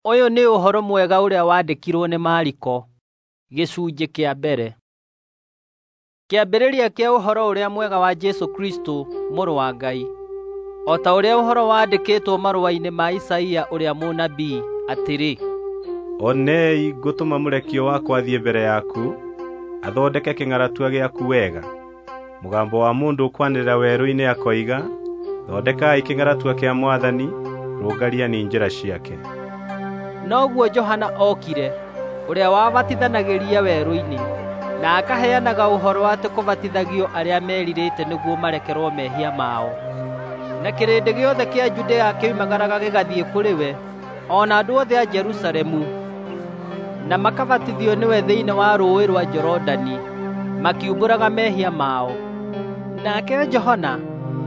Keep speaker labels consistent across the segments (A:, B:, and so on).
A: Ũyũ nĩ ũhoro mwega ũrĩa wandĩkirwo nĩ Mariko, gĩcunjĩ kĩa mbere. Kĩambĩrĩria kĩa ũhoro ũrĩa mwega wa Jesũ Kristũ, Mũrũ wa Ngai. O ta ũrĩa ũhoro wandĩkĩtwo marũa-inĩ ma Isaia ũrĩa mũnabii, atĩrĩ:
B: Onei, ngũtũma mũrekio wakwa athiĩ mbere yaku, athondeke kĩng'aratua gĩaku wega. Mũgambo wa mũndũ ũkwanĩrĩra werũ-inĩ akoiga, thondekai kĩng'aratua kĩa Mwathani, rũngariani njĩra ciake.
A: Noguo Johana okire, ũrĩa wabatithanagĩria werũ-inĩ, na akaheanaga ũhoro atĩ kũbatithagio arĩa merirĩte nĩguo marekerwo mehia mao. Na kĩrĩndĩ gĩothe kĩa Judea kĩoimagaraga gĩgathiĩ kũrĩ we, o na andũ othe a Jerusalemu, na makabatithio nĩwe thĩinĩ wa rũũĩ rwa Jorodani, makiumbũraga mehia mao. Nake Johana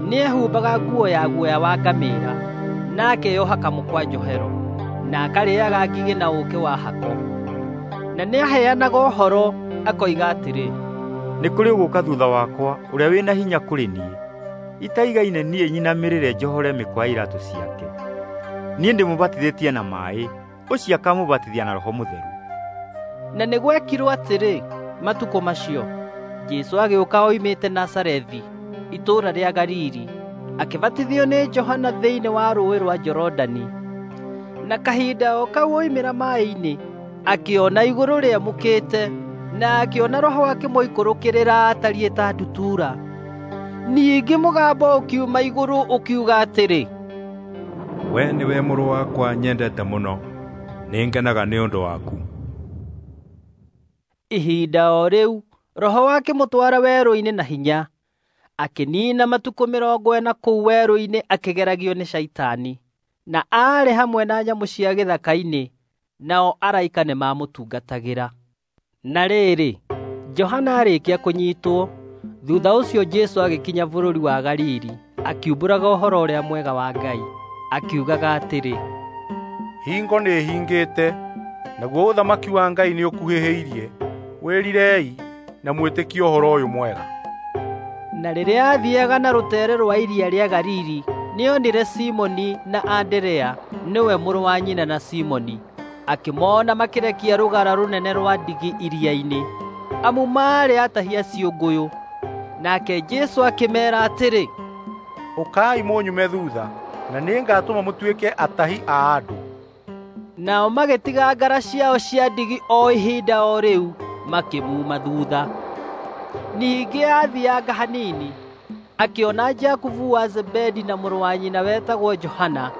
A: nĩehumbaga nguo ya guoya wa ngamĩĩra, na akeyoha kamũkwa njohero, na akarĩĩaga ngigĩ na ũũkĩ wa hako. Na nĩaheanaga ũhoro akoiga atĩrĩ,
C: Nĩ kũrĩ ũgũũka thutha wakwa ũrĩa wĩna hinya kũrĩ niĩ, itaigaine niĩ nyinamĩrĩre njohore mĩkwa ya iraatũ ciake. Niĩ ndĩmũbatithĩtie na maaĩ, ũcio akamũbatithia na Roho Mũtheru.
A: Na nĩ gwekirwo atĩrĩ, matukũ macio, Jesũ agĩũka oimĩte Nazarethi, itũũra rĩa Galili, akĩbatithio nĩ Johana thĩinĩ wa rũũĩ rwa Jorodani. Na kahinda o kau oimĩra maaĩ-inĩ, akĩona igũrũ rĩamũkĩte, na akĩona Roho akĩmũikũrũkĩrĩra atariĩ ta ndutura. Ningĩ mũgambo ũkiuma igũrũ ũkiuga atĩrĩ,
D: We nĩwe mũrũ wakwa nyendete mũno, nĩngenaga nĩ ũndũ waku.
A: Ihinda o rĩu Roho akĩmũtwara werũ-inĩ na hinya, akĩniina matukũ 40 kũu werũ-inĩ akĩgeragio nĩ Shaitani, na aarĩ hamwe na nyamũ cia gĩthaka-inĩ, nao araika nĩmamũtungatagĩra. Na rĩrĩ, Johana aarĩkia kũnyiitwo, thutha ũcio Jesũ agĩkinya bũrũri wa Galili, akiumbũraga ũhoro ũrĩa mwega wa Ngai, akiugaga atĩrĩ,
E: Hingo nĩĩhingĩte, naguo ũthamaki wa Ngai nĩũkuhĩhĩirie. Wĩrirei na mwĩtĩkie ũhoro ũyũ mwega.
A: Na rĩrĩa aathiiaga na rũteere rwa iria rĩa Galili, nĩonire Simoni na Anderea, nĩwe mũrũ wa nyina na Simoni, akĩmoona makĩrekia rũgara rũnene rwa ndigi iria-inĩ, amu maarĩ atahi a ciũngũyũ. Nake Jesũ akĩmeera atĩrĩ,
E: Ũkai mũnyume thuutha, na nĩngatũma mũtuĩke atahi a andũ.
A: Nao magĩtiga ngara ciao cia ndigi o ihinda o rĩu, makĩmuuma thuutha. Ningĩ aathianga hanini, akĩona Jakubu wa Zebedi na mũrũ wa nyina wetagwo Johana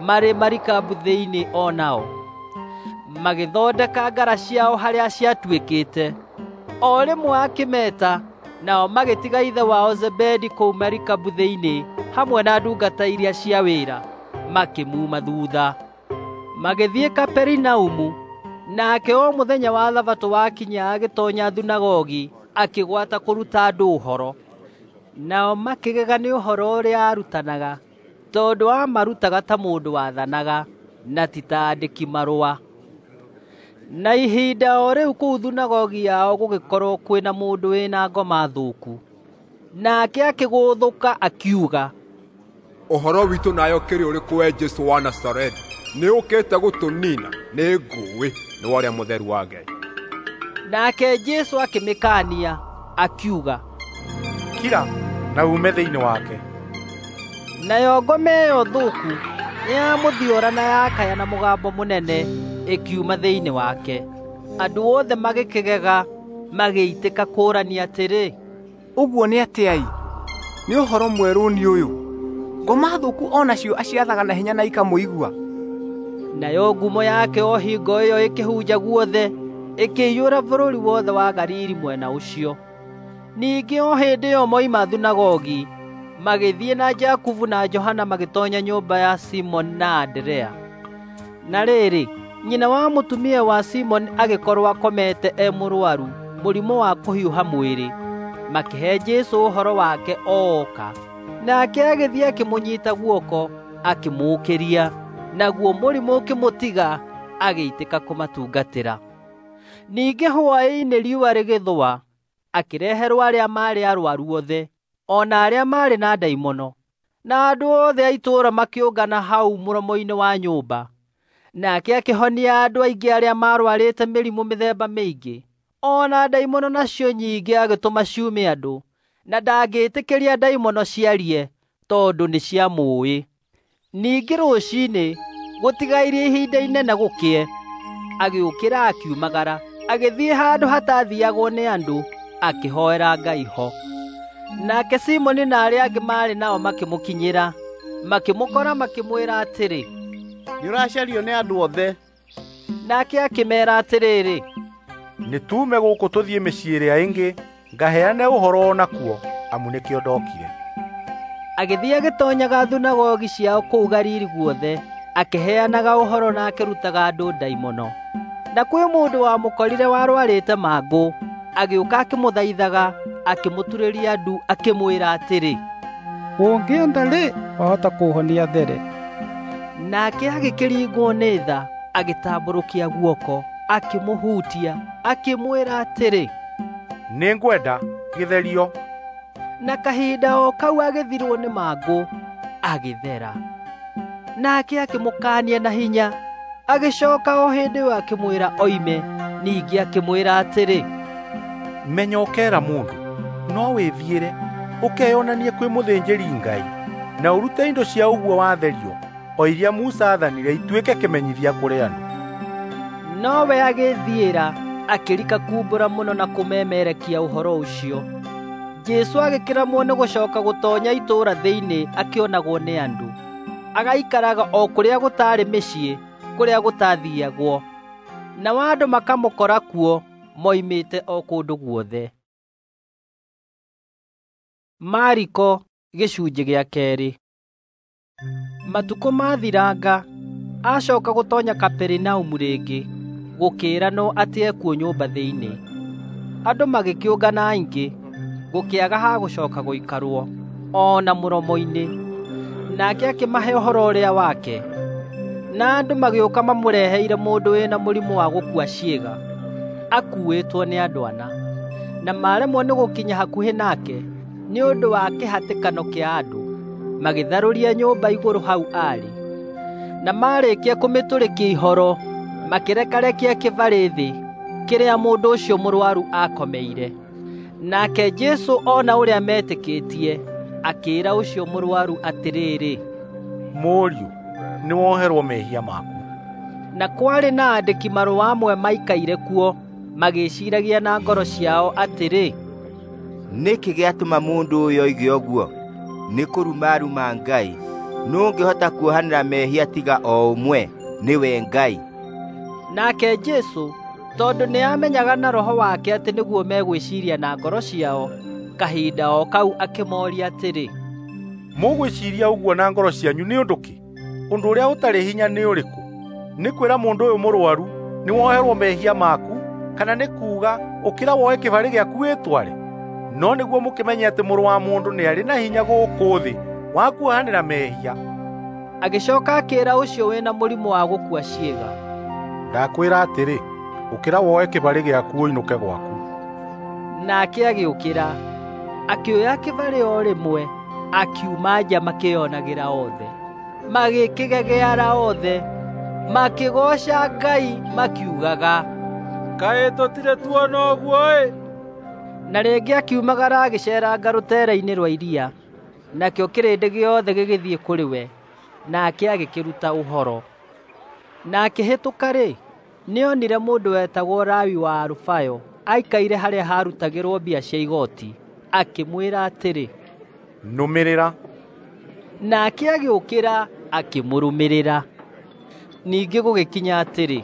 A: marĩ marikabu thĩinĩ o nao, magĩthondeka ngara ciao harĩa ciatuĩkĩte. O rĩmwe akĩmeeta, nao magĩtiga ithe wao Zebedi kũu marikabu thĩinĩ hamwe na ndungata iria cia wĩra, makĩmuuma thuutha. Magĩthiĩ Kaperinaumu, nake o mũthenya wa Thabatũ wakinya agĩtoonya thunagogi akĩgwata kũruta andũ ũhoro. Nao makĩgega nĩ ũhoro ũrĩa aarutanaga, tondũ aamarutaga ta mũndũ wathanaga, na ti ta aandĩki-marũa. Na ihinda o rĩu kũu thunagogi yao gũgĩkorwo kwĩna mũndũ wĩna ngoma thũku. Nake akĩgũthũka akiuga,
F: Ũhoro witũ nawe ũkĩrĩ ũrĩkũ we Jesũ wa Nazarethi? Nĩũũkĩte gũtũniina? Nĩngũũĩ, nĩwe ũrĩa Mũtheru wa Ngai.
A: Nake Jesũ akĩmĩkaania, akiuga,
E: Kira na uume thĩinĩ wake.
A: Nayo ngoma ĩyo thũku nĩyamũthiora na yakaya na mũgambo mũnene ĩkiuma thĩinĩ wake. Andũ othe magĩkĩgega, magĩitĩka kũũrania atĩrĩ,
G: Ũguo nĩ atĩa-ĩ? Nĩ ũhoro mwerũ nĩ ũyũ! Ngoma thũku o nacio aciathaga na hinya na ikamũigua.
A: Nayo ngumo yake o hingo ĩyo ĩkĩhunja guothe, ĩkĩiyũra bũrũri wothe wa Galili mwena ũcio. Ningĩ o hĩndĩ ĩyo moima thunagogi, magĩthiĩ na Jakubu na Johana magĩtoonya nyũmba ya Simoni na Anderea. Na rĩrĩ, nyina wa mũtumia wa Simoni agĩkorwo akomete e mũrũaru mũrimũ wa kũhiũha mwĩrĩ. Makĩhe Jesũ ũhoro wake ooka. Nake agĩthiĩ akĩmũnyiita guoko, akĩmũũkĩria, naguo mũrimũ ũkĩmũtiga, agĩitĩka kũmatungatĩra. Ningĩ hwaĩ-inĩ riũa rĩgĩthũa, akĩreherwo arĩa maarĩ arũaru othe, o na arĩa maarĩ na ndaimono. Na andũ othe a itũũra makĩũngana hau mũromo-inĩ wa nyũmba. Nake akĩhonia andũ aingĩ arĩa maarwarĩte mĩrimũ mĩthemba mĩingĩ, o na ndaimono nacio nyingĩ agĩtũma ciume andũ, na ndangĩĩtĩkĩria ndaimono ciarie tondũ nĩciamũũĩ. Ningĩ rũciinĩ, gũtigairie ihinda inene gũkĩe, agĩũkĩra akiumagara, agĩthiĩ handũ hataathiiagwo nĩ andũ, akĩhoera Ngai ho. Nake Simoni na arĩa angĩ maarĩ nao makĩmũkinyĩra, makĩmũkora makĩmwĩra atĩrĩ,
H: "Nĩũracario nĩ andũ othe."
A: Nake akĩmeera atĩrĩrĩ,
E: "Nĩtuume gũkũ tũthiĩ mĩciĩ ĩrĩa ĩngĩ, ngaheane ũhoro o nakuo, amu nĩkĩo ndokire."
A: Agĩthiĩ agĩtoonyaga thunagogi ciao kũu Galili guothe, akĩheanaga ũhoro na akĩrutaga andũ ndaimono. Na kwĩ mũndũ wamũkorire warwarĩte mangũ, agĩũka akĩmũthaithaga, akĩmũturĩria ndu akĩmwĩra atĩrĩ,
I: "Ũngĩenda-rĩ, wahota kũũhonia there."
A: Nake agĩkĩringwo nĩ tha, agĩtambũrũkia guoko, akĩmũhutia, akĩmwĩra atĩrĩ,
E: "Nĩngwenda, gĩtherio."
A: Na kahinda o kau agĩthirwo nĩ mangũ, agĩthera. Nake akĩmũkaania na hinya, agĩcooka o hĩndĩ ĩyo akĩmwĩra oime. Ningĩ akĩmwĩra atĩrĩ,
E: "Menya ũkeera mũndũ, no wĩthiĩre, ũkeyonanie kwĩ mũthĩnjĩri-Ngai, na ũrute indo cia ũguo watherio, o iria Musa aathanire ituĩke kĩmenyithia kũrĩ andũ."
A: Nowe agĩĩthiĩra, akĩrika kuumbũra mũno na kũmemerekia ũhoro ũcio. Jesũ agĩkĩramwo nĩ gũcooka gũtoonya itũũra thĩinĩ akĩonagwo nĩ andũ. Agaikaraga o kũrĩa gũtaarĩ mĩciĩ, kũrĩa gũtaathiiagwo. Nao andũ makamũkora kuo, moimĩte o kũndũ guothe. Mariko gĩcunjĩ gĩa kerĩ. Matukũ maathiranga, acooka gũtoonya Kaperinaumu rĩngĩ, gũkĩĩranwo atĩ ekuo nyũmba thĩinĩ. Andũ magĩkĩũngana aingĩ, gũkĩaga ha gũcooka gũikarwo, o na mũromo-inĩ. Nake akĩmahe ũhoro ũrĩa wake. Na andũ magĩũka mamũreheire mũndũ wĩna mũrimũ wa gũkua ciĩga, akuuĩtwo nĩ andũ ana. Na maaremwo nĩ gũkinya hakuhĩ nake nĩ ũndũ wa kĩhatĩkano kĩa andũ, magĩtharũria nyũmba igũrũ hau aarĩ. Na maarĩkia kũmĩtũrĩkia ihoro, makĩrekarekia kĩbarĩ thĩ kĩrĩa mũndũ ũcio mũrũaru aakomeire. Nake Jesũ ona ũrĩa meetĩkĩtie, akĩĩra ũcio mũrũaru atĩrĩrĩ,
E: "Mũriũ, nĩwoherwo mehia maku."
A: Na kwarĩ na aandĩki marũa amwe maikaire kuo, magĩĩciiragia na ngoro ciao atĩrĩ,
J: "Nĩkĩ gĩatũma mũndũ ũyũ oige ũguo? Nĩ kũruma aruma Ngai. Nũũ ũngĩhota kuohanĩra mehia tiga o ũmwe, nĩwe Ngai?"
A: Nake Jesũ, tondũ nĩamenyaga na roho wake atĩ nĩguo megwĩciiria na ngoro ciao, kahinda o kau akĩmooria atĩrĩ,
E: "Mũgwĩciiria ũguo na ngoro cianyu nĩ ũndũ kĩ? Ũndũ ũrĩa ũtarĩ hinya nĩ ũrĩkũ? Nĩ kwĩra mũndũ ũyũ mũrũaru, 'Nĩwoherwo mehia maku,' kana nĩ kuuga, 'Ũkĩra woe kĩbarĩ gĩaku wĩtware?' No nĩguo mũkĩmenye atĩ Mũrũ wa Mũndũ nĩarĩ na hinya gũkũ thĩ wa kuohanĩra mehia."
A: Agĩcooka akĩĩra ũcio wĩna mũrimũ wa gũkua ciĩga,
E: "Ndakwĩra atĩrĩ, ũkĩra woe kĩbarĩ gĩaku ũinũke gwaku."
A: Nake agĩũkĩra, akĩoya kĩbarĩ o rĩmwe, akiuma nja makĩĩonagĩra othe. Magĩkĩgegeara othe, makĩgooca Ngai makiugaga,
D: "Kaĩ tũtirĩ tuona ũguo-ĩ!"
A: Na rĩngĩ akiumagara agĩceeranga rũteere-inĩ rwa iria, nakĩo kĩrĩndĩ gĩothe gĩgĩthiĩ kũrĩ we, nake agĩkĩruta ũhoro. Na akĩhĩtũka-rĩ, nĩonire mũndũ wetagwo Lawi wa Alufayo aikaire harĩa haarutagĩrwo mbia cia igooti, akĩmwĩra atĩrĩ,
E: "Nũmĩrĩra."
A: Nake agĩũkĩra akĩmũrũmĩrĩra. Ningĩ gũgĩkinya atĩrĩ,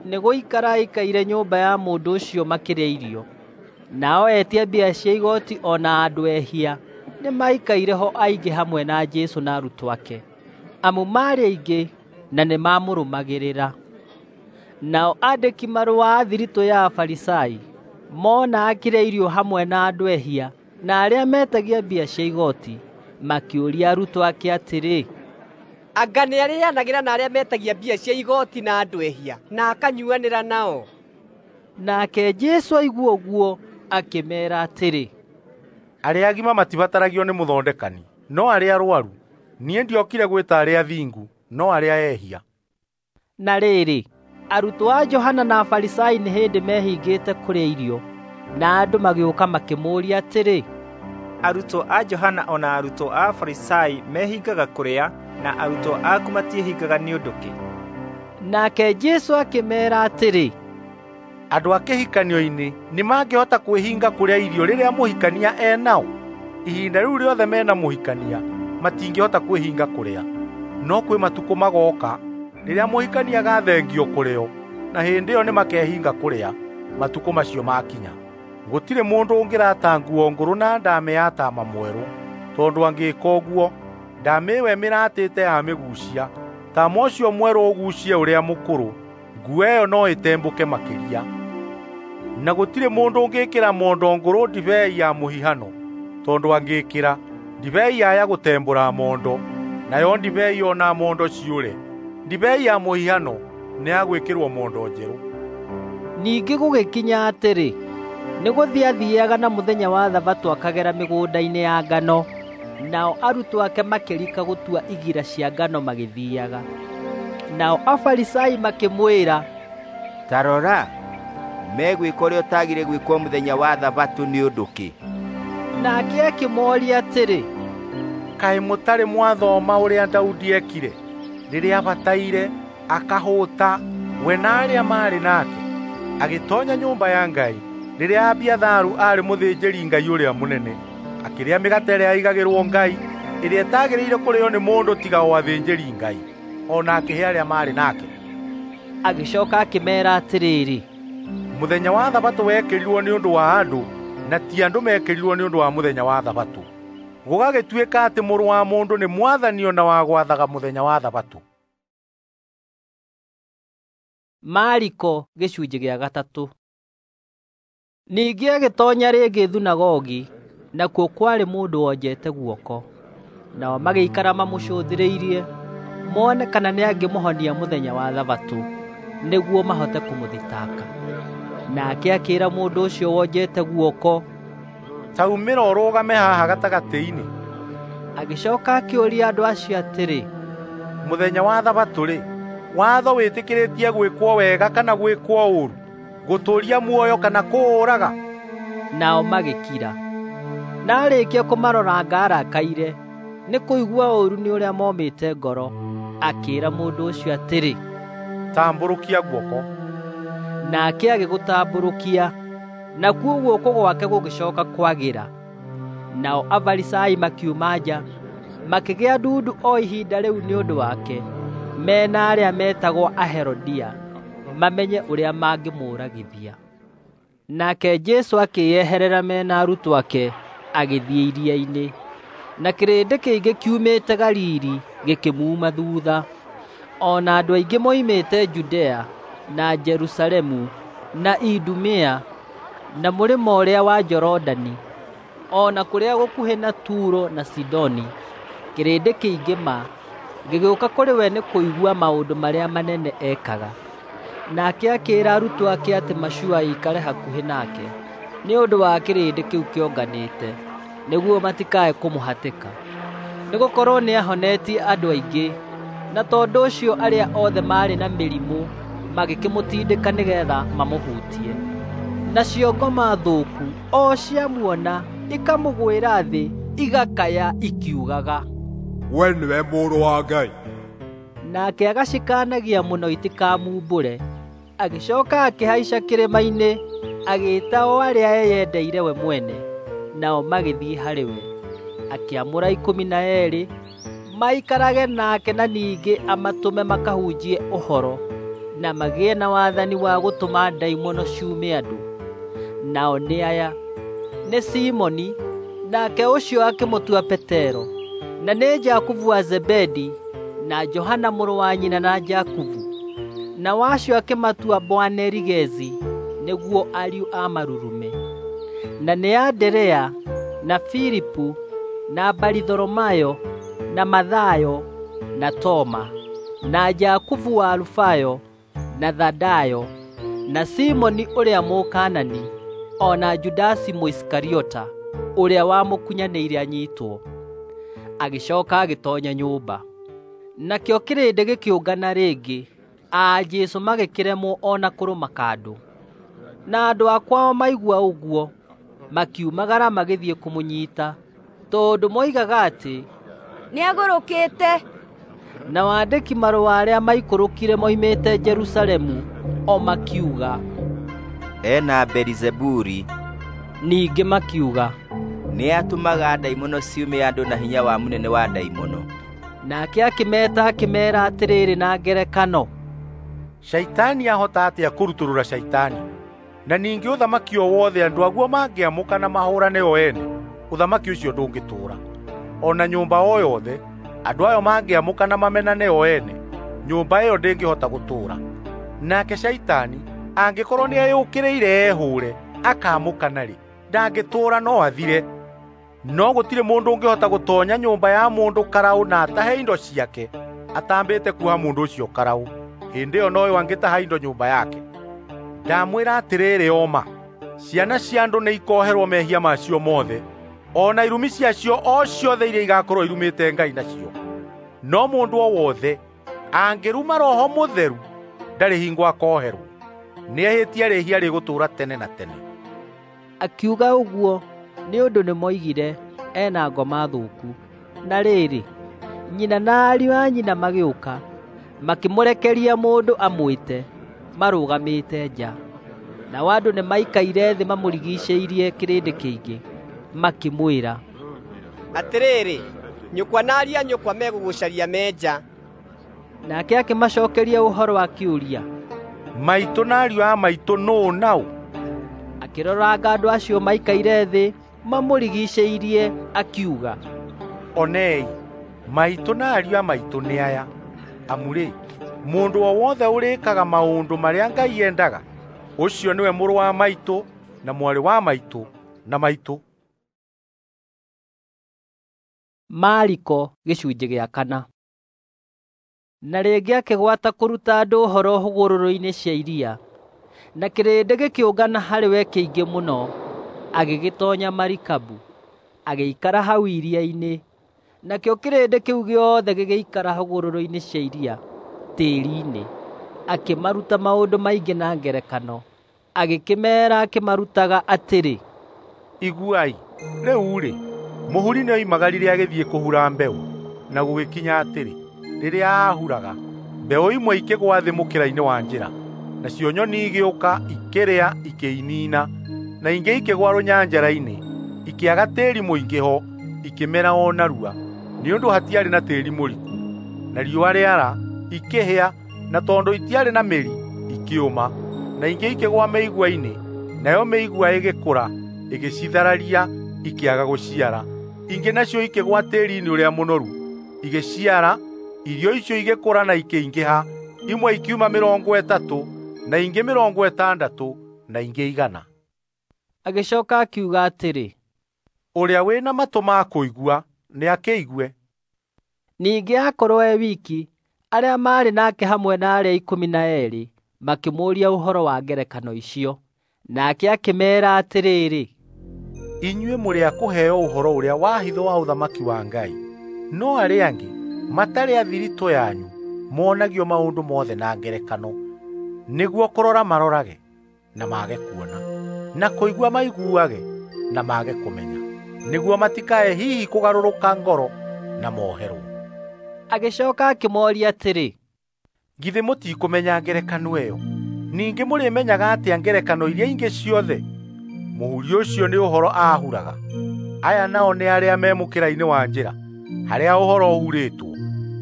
A: nĩgũikara aikaire nyũmba ya mũndũ ũcio makĩrĩa irio. Nao etia mbia cia igooti o na andũ ehia nĩmaikaire ho aingĩ hamwe na Jesũ na arutwo ake, amu maarĩ aingĩ na nĩmamũrũmagĩrĩra. Nao aandĩki marũa a thiritũ ya Afarisai mona akĩrĩa irio hamwe na andũ ehia na arĩa metagia mbia cia igooti, makĩũria arutwo ake atĩrĩ,
K: "Anga nĩarĩĩanagĩra na arĩa metagia mbia cia igooti na andũ ehia, na akanyuanĩra nao?"
A: Nake Jesũ aigua ũguo akĩmeera atĩrĩ,
E: "Arĩa agima matibataragio nĩ mũthondekani, no arĩa arũaru. Niĩ ndiokire gwĩta arĩa athingu, no arĩa ehia."
A: Na rĩrĩ, arutwo a Johana na Afarisai nĩ hĩndĩ mehingĩte kũrĩa irio, na andũ magĩũka makĩmũũria atĩrĩ,
L: Arutwo a Johana o na arutwo a Afarisai mehingaga kũrĩa, na arutwo aku matiĩhingaga nĩ ũndũ kĩ?
A: Nake Jesũ akĩmeera atĩrĩ,
E: Andũ a kĩhikanio-inĩ nĩmangĩhota kwĩhinga kũrĩa irio rĩrĩa mũhikania e nao? Ihinda rĩu rĩothe mena mũhikania matingĩhota kwĩhinga kũrĩa. No kwĩ matukũ magooka rĩrĩa mũhikania agathengio kũrĩ o, na hĩndĩ ĩyo nĩmakehinga kũrĩa matukũ macio makinya. Gũtirĩ mũndũ ũngĩrata nguo ngũrũ na ndamĩ ya taama mwerũ, tondũ angĩĩka ũguo, ndamĩ ĩyo ĩmĩratĩte yamĩguucia, taama ũcio mwerũ ũguucie ũrĩa mũkũrũ, nguo ĩyo no ĩtembũke makĩria. Na gũtirĩ mũndũ ũngĩĩkĩra mondo ngũrũ ndibei ya mũhihano, tondũ angĩĩkĩra, ndibei yaya gũtembũra mondo, nayo ndibei o na mondo ciũre. Ndibei ya mũhihano nĩ ya gwĩkĩrwo mondo njerũ.
A: Ningĩ gũgĩkinya atĩrĩ, nĩ gũthiĩ athiaga na mũthenya wa Thabatũ akagera mĩgũnda-inĩ ya ngano, nao arutwo ake makĩrika gũtua igira cia ngano magĩthiaga. Nao Afarisai makĩmwĩra,
J: Ta rora, megwĩka ũrĩa ũtagire gwĩkwo mũthenya wa Thabatũ nĩ ũndũ kĩ?
A: Nake akĩmooria atĩrĩ,
E: Kaĩ mũtarĩ mwathoma ũrĩa Daudi ekire rĩrĩa abataire akahũta, we na arĩa maarĩ nake, agĩtoonya nyũmba ya Ngai rĩrĩa Abiatharu aarĩ mũthĩnjĩri-Ngai ũrĩa mũnene, akĩrĩa mĩgate ĩrĩa yaigagĩrwo Ngai, ĩrĩa ĩtagĩrĩire kũrĩĩo nĩ mũndũ tiga o athĩnjĩri-Ngai, o na akĩhe arĩa maarĩ nake.
A: Agĩcooka akĩmeera atĩrĩrĩ,
E: Mũthenya wa Thabatũ wekĩrirwo nĩ ũndũ wa andũ, na ti andũ mekĩrirwo nĩ ũndũ wa mũthenya wa Thabatũ. Gũgagĩtuĩka atĩ Mũrũ wa Mũndũ nĩ mwathani o na wa gwathaga mũthenya wa Thabatũ.
A: Mariko gĩcunjĩ gĩa gatatũ. Ningĩ agĩtoonya rĩngĩ thunagogi, nakuo kwarĩ mũndũ wonjete guoko. Nao magĩikara mamũcũthĩrĩirie, mone kana nĩangĩmũhonia mũthenya wa Thabatũ, nĩguo mahote kũmũthitanga. Nake akĩĩra mũndũ ũcio wonjete guoko,
E: Ta umĩra ũrũgame haha gatagatĩ-inĩ.
A: Agĩcooka akĩũria andũ acio atĩrĩ,
E: Mũthenya wa Thabatũ-rĩ, watho wĩtĩkĩrĩtie gwĩkwo wega kana gwĩkwo ũũru, gũtũũria muoyo kana kũũraga?
A: Nao magĩkira. Na aarĩkia kũmaroranga arakaire, nĩ kũigua ũũru nĩ ũrĩa momĩte ngoro, akĩĩra mũndũ ũcio atĩrĩ,
E: Tambũrũkia guoko.
A: Nake agĩgũtambũrũkia, nakuo guoko gwake gũgĩcooka kwagĩra. Nao Afarisai makiuma nja, makĩgĩa ndundu o ihinda rĩu nĩ ũndũ wake, me na arĩa meetagwo Aherodia, mamenye ũrĩa mangĩmũũragithia. Nake Jesũ akĩĩyeherera me na arutwo ake, agĩthiĩ iria-inĩ. Na kĩrĩndĩ kĩingĩ kiumĩte Galili gĩkĩmuuma thuutha, o na andũ aingĩ moimĩte Judea na Jerusalemu na Idumea na mũrĩmo ũrĩa wa Jorodani, o na kũrĩa gũkuhĩ na Turo na Sidoni. Kĩrĩndĩ kĩingĩ ma gĩgĩũka kũrĩ we nĩ kũigua maũndũ marĩa manene ekaga. Nake akĩĩra arutwo ake atĩ macua ĩikare hakuhĩ nake, nĩ ũndũ wa kĩrĩndĩ kĩu kĩonganĩte, nĩguo matikae kũmũhatĩka. Nĩgũkorwo nĩahonetie andũ aingĩ, na tondũ ũcio arĩa othe maarĩ na mĩrimũ magĩkĩmũtindĩka nĩgeetha mamũhutie. Nacio ngoma thũku o ciamuona ikamũgwĩra thĩ, igakaya ikiugaga,
F: We nĩwe Mũrũ wa Ngai.
A: Nake agacikaanagia mũno itikamumbũre. Agĩcooka akĩhaica kĩrĩma-inĩ, agĩĩta o arĩa eyendeire we mwene, nao magĩthiĩ harĩ we. Akĩamũra 12 maikarage nake na ningĩ amatũme makahunjie ũhoro, na magĩe na wathani wa gũtũma ndaimono ciume andũ. Nao nĩ aya: nĩ Simoni, nake ũcio akĩmũtua Petero, na nĩ Jakubu wa Zebedi, na Johana mũrũ wa nyina na Jakubu. Nao acio akĩmatua Boanerigezi, nĩguo ariũ a marurume. Na nĩ Anderea, na Filipu, na Baritholomayo, na Mathayo, na Toma, na Jakubu wa Alufayo, na Thadayo, na Simoni ũrĩa Mũkanani, o na Judasi Mũisikariota, ũrĩa wamũkunyanĩire anyiitwo. Agĩcooka agĩtoonya nyũmba. Nakĩo kĩrĩndĩ gĩkĩũngana rĩngĩ, A Jesũ magĩkĩremwo o na kũrũma kandũ. Na andũ a kwao maigua ũguo, makiumagara magĩthiĩ kũmũnyiita, tondũ moigaga atĩ
M: nĩagũrũkĩte.
A: Nao aandĩki marũa arĩa maikũrũkire moimĩte Jerusalemu o makiuga,
J: ena Belizebuli.
A: Ningĩ makiuga,
J: nĩatũmaga ndaimono ciume andũ na hinya wa mũnene wa ndaimono.
A: Nake akĩmeeta akĩmeera atĩrĩrĩ na ngerekano,
E: Shaitani ahota atĩa kũrutũrũra Shaitani? Na ningĩ ũthamaki o wothe andũ aguo mangĩamũka na mahũrane o ene, ũthamaki ũcio ndũngĩtũũra. O na nyũmba o yothe andũ ayo mangĩamũka na mamenane o ene, nyũmba ĩyo ndĩngĩhota gũtũũra. Nake Shaitani angĩkorwo nĩeyũkĩrĩire ehũũre akaamũkana-rĩ, ndangĩtũũra no athire. No gũtirĩ mũndũ ũngĩhota gũtoonya nyũmba ya mũndũ karaũ na atahe indo ciake atambĩte kuoha mũndũ ũcio karaũ. Hĩndĩ ĩyo noyo angĩtaha indo nyũmba yake. Ndamwĩra atĩrĩrĩ o ma, ciana cia andũ nĩikoherwo mehia macio mothe, o na irumi ciacio o ciothe iria igakorwo irumĩte Ngai nacio. No mũndũ o wothe angĩruma Roho Mũtheru ndarĩ hingo akoherwo, nĩehĩtie rĩhia rĩgũtũũra tene na tene.
A: Akiuga ũguo nĩ ũndũ nĩmoigire ena ngoma thũku. Na rĩrĩ, nyina na ariũ a nyina magĩũka, makĩmũrekeria mũndũ amwĩte, marũgamĩte nja. Nao andũ nĩmaikaire thĩ mamũrigiicĩirie kĩrĩndĩ kĩingĩ, makĩmwĩra,
K: atĩrĩrĩ, nyũkwa na ariũ a nyũkwa megũgũcaria me nja.
A: Nake akĩmacookeria ũhoro akĩũria,
E: maitũ na ariũ a maitũ nũũ nao?
A: Akĩroranga andũ acio maikaire thĩ mamũrigiicĩirie akiuga,
E: onei, maitũ na ariũ a maitũ nĩ aya. Amu-rĩ, mũndũ o wothe ũrĩkaga maũndũ marĩa Ngai endaga, ũcio nĩwe mũrũ wa maitũ na mwarĩ wa maitũ na maitũ.
A: Mariko gĩcunjĩ gĩa 4. Na rĩngĩ akĩgwata kũruta andũ ũhoro hũgũrũrũ-inĩ cia iria, na kĩrĩndĩ gĩkĩũngana harĩ we kĩingĩ mũno. Agĩgĩtoonya marikabu, agĩikara hau iria-inĩ, nakĩo kĩrĩndĩ kĩu gĩothe gĩgĩikara hũgũrũrũ-inĩ cia iria tĩĩri-inĩ. Akĩmaruta maũndũ maingĩ na ngerekano, agĩkĩmeera akĩmarutaga atĩrĩ,
E: iguai, rĩu-rĩ, mũhuri nĩoimagarire agĩthiĩ kũhura mbeũ, na gũgĩkinya atĩrĩ, rĩrĩa aahuraga, mbeũ imwe ikĩgũa thĩ mũkĩra-inĩ wa njĩra, nacio nyoni igĩũka ikĩrĩa ikĩinina, na ingĩ ikĩgũa rũnyanjara-inĩ, ikĩaga tĩĩri mũingĩ ho, ikĩmera o narua, nĩ ũndũ hatiarĩ na tĩĩri mũriku. Na riũa rĩara, ikĩhĩa, na tondũ itiarĩ na mĩri, ikĩũma. Na ingĩ ikĩgũa mĩigua-inĩ, nayo mĩigua ĩgĩkũra, ĩgĩcithararia, ikĩaga gũciara. Ingĩ nacio ikĩgũa tĩĩri-inĩ ũrĩa mũnoru, igĩciara, irio icio igĩkũra na ikĩingĩha, imwe ikiuma 30, na ingĩ 60, na ingĩ 100.
A: Agĩcooka akiuga atĩrĩ,
E: ũrĩa wĩna matũ ma kũigua nĩakĩigue.
A: Ningĩ aakorwo e wiki, arĩa maarĩ nake hamwe na arĩa 12 makĩmũũria ũhoro wa ngerekano icio. Nake akĩmeera atĩrĩrĩ,
E: inyuĩ mũrĩ a kũheo ũhoro ũrĩa wa hitho wa ũthamaki wa Ngai, no arĩa angĩ matarĩ a thiritũ yanyu monagio maũndũ mothe na ngerekano, nĩguo kũrora marorage na mage kuona, na kũigua maiguage na mage kũmenya, nĩguo matikae hihi kũgarũrũka ngoro na moherwo.
A: Agĩcooka akĩmooria atĩrĩ,
E: githĩ mũtikũmenya ngerekano ĩyo? Ningĩ mũrĩmenyaga atĩa ngerekano iria ingĩ ciothe? Mũhuri ũcio nĩ ũhoro aahuraga. Aya nao nĩ arĩa me mũkĩra-inĩ wa njĩra, harĩa ũhoro ũhurĩtwo.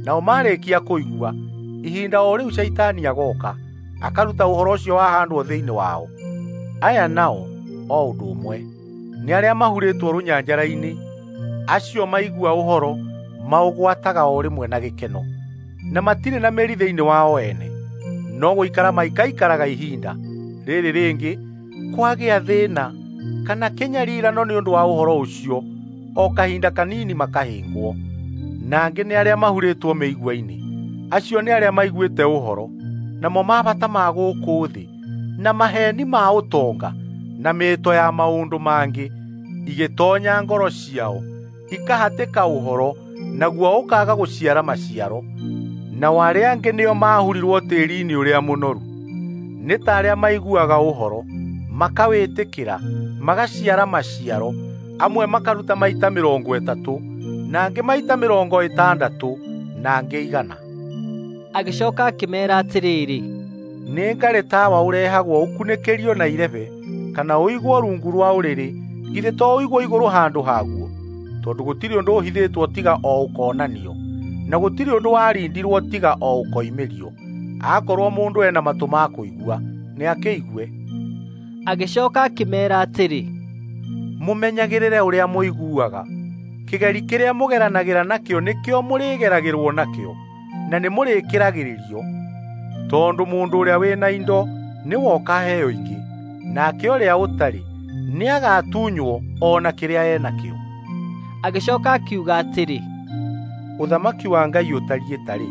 E: Nao marĩkia kũigua, ihinda o rĩu Shaitani agoka, akaruta ũhoro ũcio wahandwo thĩinĩ wao. Aya nao o ũndũ ũmwe, nĩ arĩa mahurĩtwo rũnyanjara-inĩ, acio maigua ũhoro maũgwataga o rĩmwe na gĩkeno, na matirĩ na mĩri thĩinĩ wao ene, no gũikara maikaikaraga ihinda rĩrĩ rĩngĩ kwagĩa thĩna kana kĩnyarirano nĩ ũndũ wa ũhoro ũcio, o kahinda kanini makahĩngwo. Na angĩ nĩ arĩa mahurĩtwo mĩigua-inĩ, acio nĩ arĩa maiguĩte ũhoro, namo mabata ma gũkũ thĩ, na maheeni ma ũtonga, na mĩĩto ya maũndũ mangĩ, igĩtoonya ngoro ciao, ikahatĩka ũhoro, naguo ũkaaga gũciara maciaro. Nao arĩa angĩ nĩo maahurirwo tĩĩri-inĩ ũrĩa mũnoru, nĩ ta arĩa maiguaga ũhoro, makawĩtĩkĩra, magaciara maciaro, amwe makaruta maita 30, na angĩ maita 60, na angĩ 100.
A: Agĩcoka akĩmeera atĩrĩrĩ,
E: nĩ ngarĩ tawa ũrehagwo ũkunĩkĩrio na irebe kana ũigwo rungu rwa ũrĩrĩ, githĩ to ũigwo igũrũ handũ haguo? Tondũ gũtirĩ ũndũ ũhithĩtwo tiga o ũkonanio, na gũtirĩ ũndũ warindirwo tiga o ũkoimĩrio. Akorwo mũndũ ena matũ ma kũigua, nĩakĩigue.
A: Agĩcoka akĩmeera atĩrĩ,
E: mũmenyagĩrĩre ũrĩa mũiguaga. Kĩgeri kĩrĩa mũgeranagĩra nakĩo nĩkĩo mũrĩgeragĩrwo nakĩo, na nĩmũrĩkĩragĩrĩrio. Tondũ mũndũ ũrĩa wĩna indo nĩwe ũkaheo ingĩ, nake ũrĩa ũtarĩ nĩagatunywo o na kĩrĩa enakĩo.
A: Agĩcoka akiuga atĩrĩ,
E: ũthamaki wa Ngai ũtariĩ tarĩ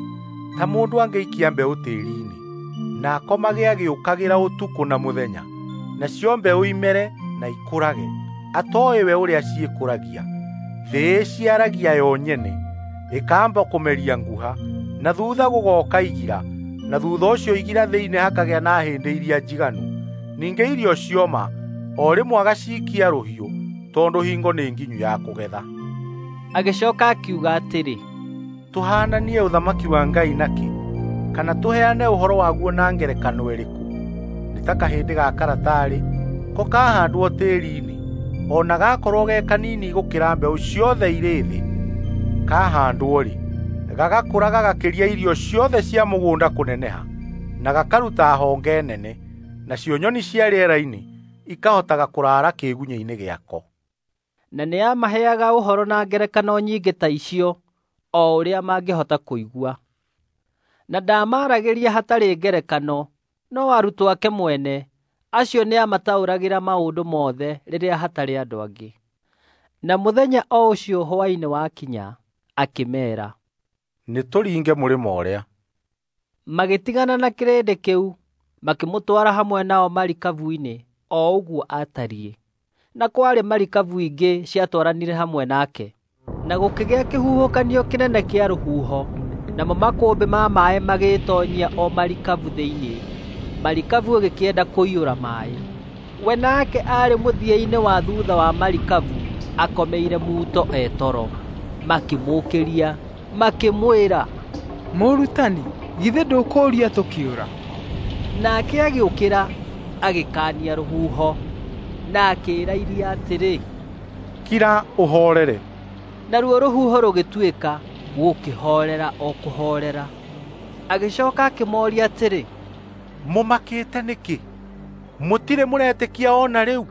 E: ta mũndũ angĩikia mbeũ tĩĩri-inĩ, na akomage agĩũkagĩra ũtukũ na mũthenya, nacio mbeũ imere na ikũrage, atooĩ we ũrĩa ciĩkũragia. Thĩ ĩciaragia yo nyene, ĩkamba kũmeria nguha, na thutha gũgoka igira, na thutha ũcio igira thĩinĩ hakagĩa na hĩndĩ iria njiganu. Ningĩ irio cioma, o rĩmwe agaciikia rũhiũ, tondũ hingo nĩ nginyu ya kũgetha.
A: Agĩcoka akiuga atĩrĩ,
E: tũhaananie ũthamaki wa Ngai nakĩ, kana tũheane ũhoro waguo na ngerekano ĩrĩkũ? Nĩ ta kahĩndĩ ga karatarĩ ko kahandwo tĩĩri-inĩ, o na gakorwo ge kanini gũkĩra mbeũ ciothe irĩ thĩ. Kahandwo-rĩ, gagakũra gagakĩria irio ciothe cia mũgũnda kũneneha, na gakaruta honge nene, nacio nyoni cia rĩera-inĩ ikahotaga kũrara kĩĩgunyĩ-inĩ gĩako.
A: Na nĩamaheaga ũhoro na ngerekano nyingĩ ta icio o ũrĩa mangĩhota kũigua. Na ndaamaragĩria hatarĩ ngerekano, no arutwo ake mwene, acio nĩamataũragĩra maũndũ mothe rĩrĩa hatarĩ andũ angĩ. Na mũthenya o ũcio hwaĩ-inĩ wakinya, akĩmeera,
E: nĩtũringe mũrĩmo ũrĩa.
A: Magĩtigana na kĩrĩndĩ kĩu, makĩmũtwara hamwe nao marikabu-inĩ o ũguo aatariĩ. Na kwarĩ marikabu ingĩ ciatwaranire hamwe nake. Na gũkĩgĩa kĩhuhũkanio kĩnene kĩa rũhuho, namo makũmbĩ ma maaĩ magĩĩtoonyia o marikabu thĩinĩ, marikabu ĩgĩkĩenda kũiyũra maaĩ. We nake aarĩ mũthia-inĩ wa thutha wa marikabu akomeire muto e toro. Makĩmũũkĩria, makĩmwĩra,
G: Mũrutani, githĩ ndũkũũria tũkĩũra?
A: Nake agĩũkĩra, agĩkaania rũhuho, na akĩĩra iria atĩrĩ,
E: kira ũhoorere.
A: Naruo rũhuho rũgĩtuĩka, gũkĩhoorera o kũhoorera. Agĩcoka akĩmooria atĩrĩ,
E: mũmakĩte nĩkĩ? Mũtirĩ mũretĩkia o na rĩu?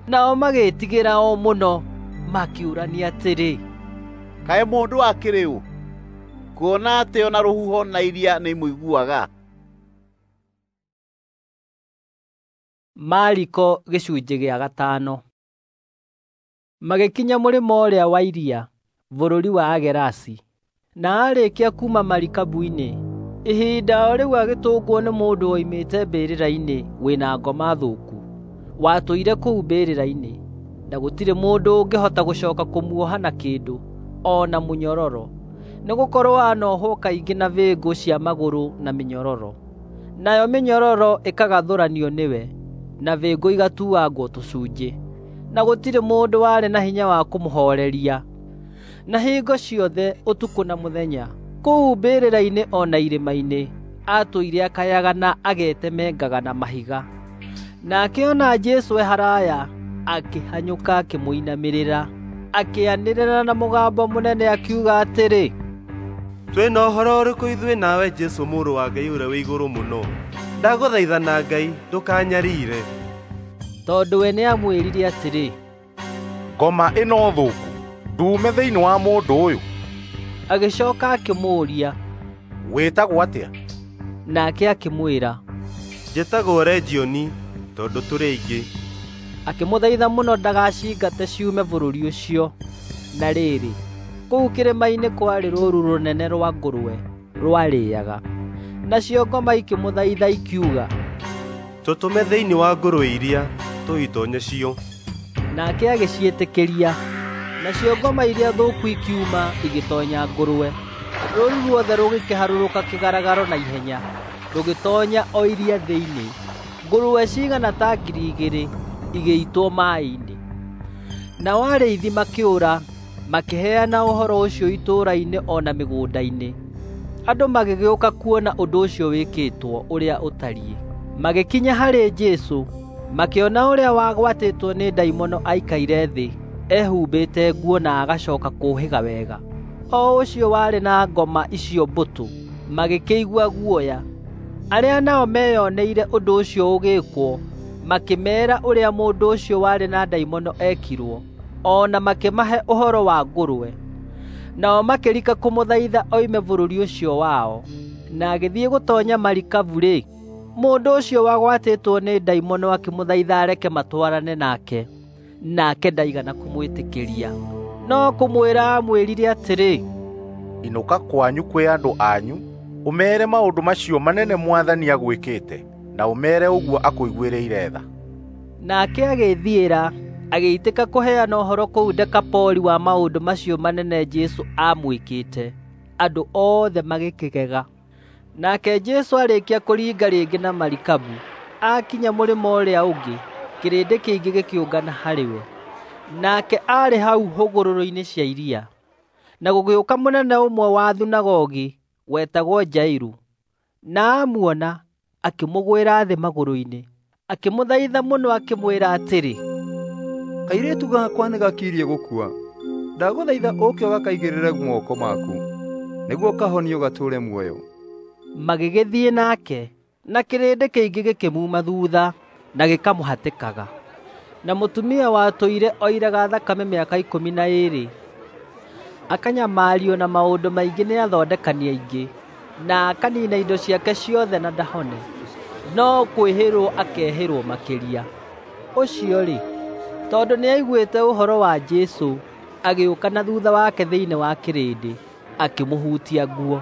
A: Nao magĩĩtigĩra o mũno, makĩũrania atĩrĩ,
H: kaĩ mũndũ akĩrĩ ũ, kuona atĩ o na rũhuho na iria nĩimũiguaga?
A: Mariko gĩcunjĩ gĩa 5. Magĩkinya mũrĩmo ũrĩa wa iria, bũrũri wa Agerasi. Na aarĩkia kuuma marikabu-inĩ, ihinda o rĩu agĩtũngwo nĩ mũndũ woimĩte mbĩrĩra-inĩ wĩna ngoma thũku, watũire kũu mbĩrĩra-inĩ, na gũtirĩ mũndũ ũngĩhota gũcoka kũmuoha na kĩndũ, o na mũnyororo, nĩgũkorwo anohwo kaingĩ na bĩngũ cia magũrũ na mĩnyororo. Nayo mĩnyororo ĩkagathũranio nĩwe, na bĩngũ igatuangwo tũcunjĩ, na gũtirĩ mũndũ warĩ na hinya wa kũmũhooreria. Na hingo ciothe ũtukũ na mũthenya, kũu mbĩrĩra-inĩ o na irĩma-inĩ, atũire akayaga na agetemengaga na mahiga. Nake ona Jesũ e haraya, akĩhanyũka akĩmũinamĩrĩra, akĩanĩrĩra na mũgambo mũnene akiuga atĩrĩ,
N: twĩna ũhoro ũrĩkũ ithuĩ nawe Jesũ mũrũ wa Ngai ũrĩa wĩ igũrũ mũno? Ndagũthaitha na Ngai ndũkanyariire.
A: Tondũ we nĩamwĩrire atĩrĩ,
E: ngoma ĩno thũku nduume thĩinĩ wa mũndũ ũyũ.
A: Agĩcoka akĩmũũria,
E: wĩtagwo atĩa?
A: Nake akĩmwĩra,
N: njĩtagwo Legioni, tondũ tũrĩ aingĩ.
A: Akĩmũthaitha mũno ndagacingate ciume bũrũri ũcio. Na rĩrĩ, kũu kĩrĩma-inĩ kwarĩ rũũru rũnene rwa ngũrwe rwarĩĩaga. Nacio ngoma ikĩmũthaitha ikiuga,
N: tũtũme thĩinĩ wa ngũrwe iria, tũitonye cio.
A: Nake agĩciĩtĩkĩria. Nacio ngoma iria thũku ikiuma igĩtonya ngũrwe. Rũũru ruothe rũgĩkĩharũrũka kĩgaragaro na ihenya, rũgĩtoonya o iria thĩinĩ. Ngũrwe cigana ta 2,000 igĩitwo maaĩ-inĩ. Nao arĩithi makĩũra, makĩheana ũhoro ũcio itũũra-inĩ o na mĩgũnda-inĩ. Andũ magĩgĩũka kuona ũndũ ũcio wĩkĩtwo ũrĩa ũtariĩ. Magĩkinya harĩ Jesũ, makĩona ũrĩa wagwatĩtwo nĩ ndaimono aikaire thĩ, ehumbĩte nguo na agacoka kũũhĩga wega, o ũcio warĩ na ngoma icio mbũtũ, magĩkĩigua guoya. Arĩa nao meyoneire ũndũ ũcio ũgĩkwo, makĩmeera ũrĩa mũndũ ũcio warĩ na ndaimono ekirwo, o na makĩmahe ũhoro wa ngũrwe. Nao makĩrika kũmũthaitha oime bũrũri ũcio wao. Na agĩthiĩ gũtoonya marikabu-rĩ, mũndũ ũcio wagwatĩtwo nĩ ndaimono akĩmũthaitha areke matwarane nake, nake ndaigana kũmwĩtĩkĩria. No kũmwĩra aamwĩrire atĩrĩ,
E: Inũka kwanyu kwĩ andũ anyu, ũmeere maũndũ macio manene Mwathani agwĩkĩte, na ũmeere ũguo akũiguĩrĩire tha.
A: Nake agĩĩthiĩra, agĩitĩka kũheana ũhoro kũu Dekapoli wa maũndũ macio manene Jesũ aamwĩkĩte. Andũ othe magĩkĩgega. Nake Jesũ arĩkia kũringa rĩngĩ na marikabu, aakinya mũrĩmo ũrĩa ũngĩ, kĩrĩndĩ kĩingĩ gĩkĩũngana harĩ we. Nake aarĩ hau hũgũrũrũ-inĩ cia iria. Na gũgĩũka mũnene ũmwe wa thunagogi wetagwo Jairu, na amuona, akĩmũgwĩra thĩ magũrũ-inĩ, akĩmũthaitha mũno akĩmwĩra atĩrĩ,
O: Kairĩtu gakwa nĩgakirie gũkua. Ndagũthaitha ũũke ũgakaigĩrĩre moko maku, nĩguo kahonio gatũũre muoyo.
A: Magĩgĩthiĩ nake, na kĩrĩndĩ kĩingĩ gĩkĩmuuma thuutha na gĩkamũhatĩkaga. Na mũtumia watũire oiraga thakame mĩaka 12, akanyamario na maũndũ maingĩ nĩ athondekani aingĩ, na akaniina indo ciake ciothe na ndahone, no kwĩhĩrwo akehĩrwo makĩria. Ũcio-rĩ, tondũ nĩaiguĩte ũhoro wa Jesũ, agĩũka na thuutha wake thĩinĩ wa kĩrĩndĩ, akĩmũhutia nguo.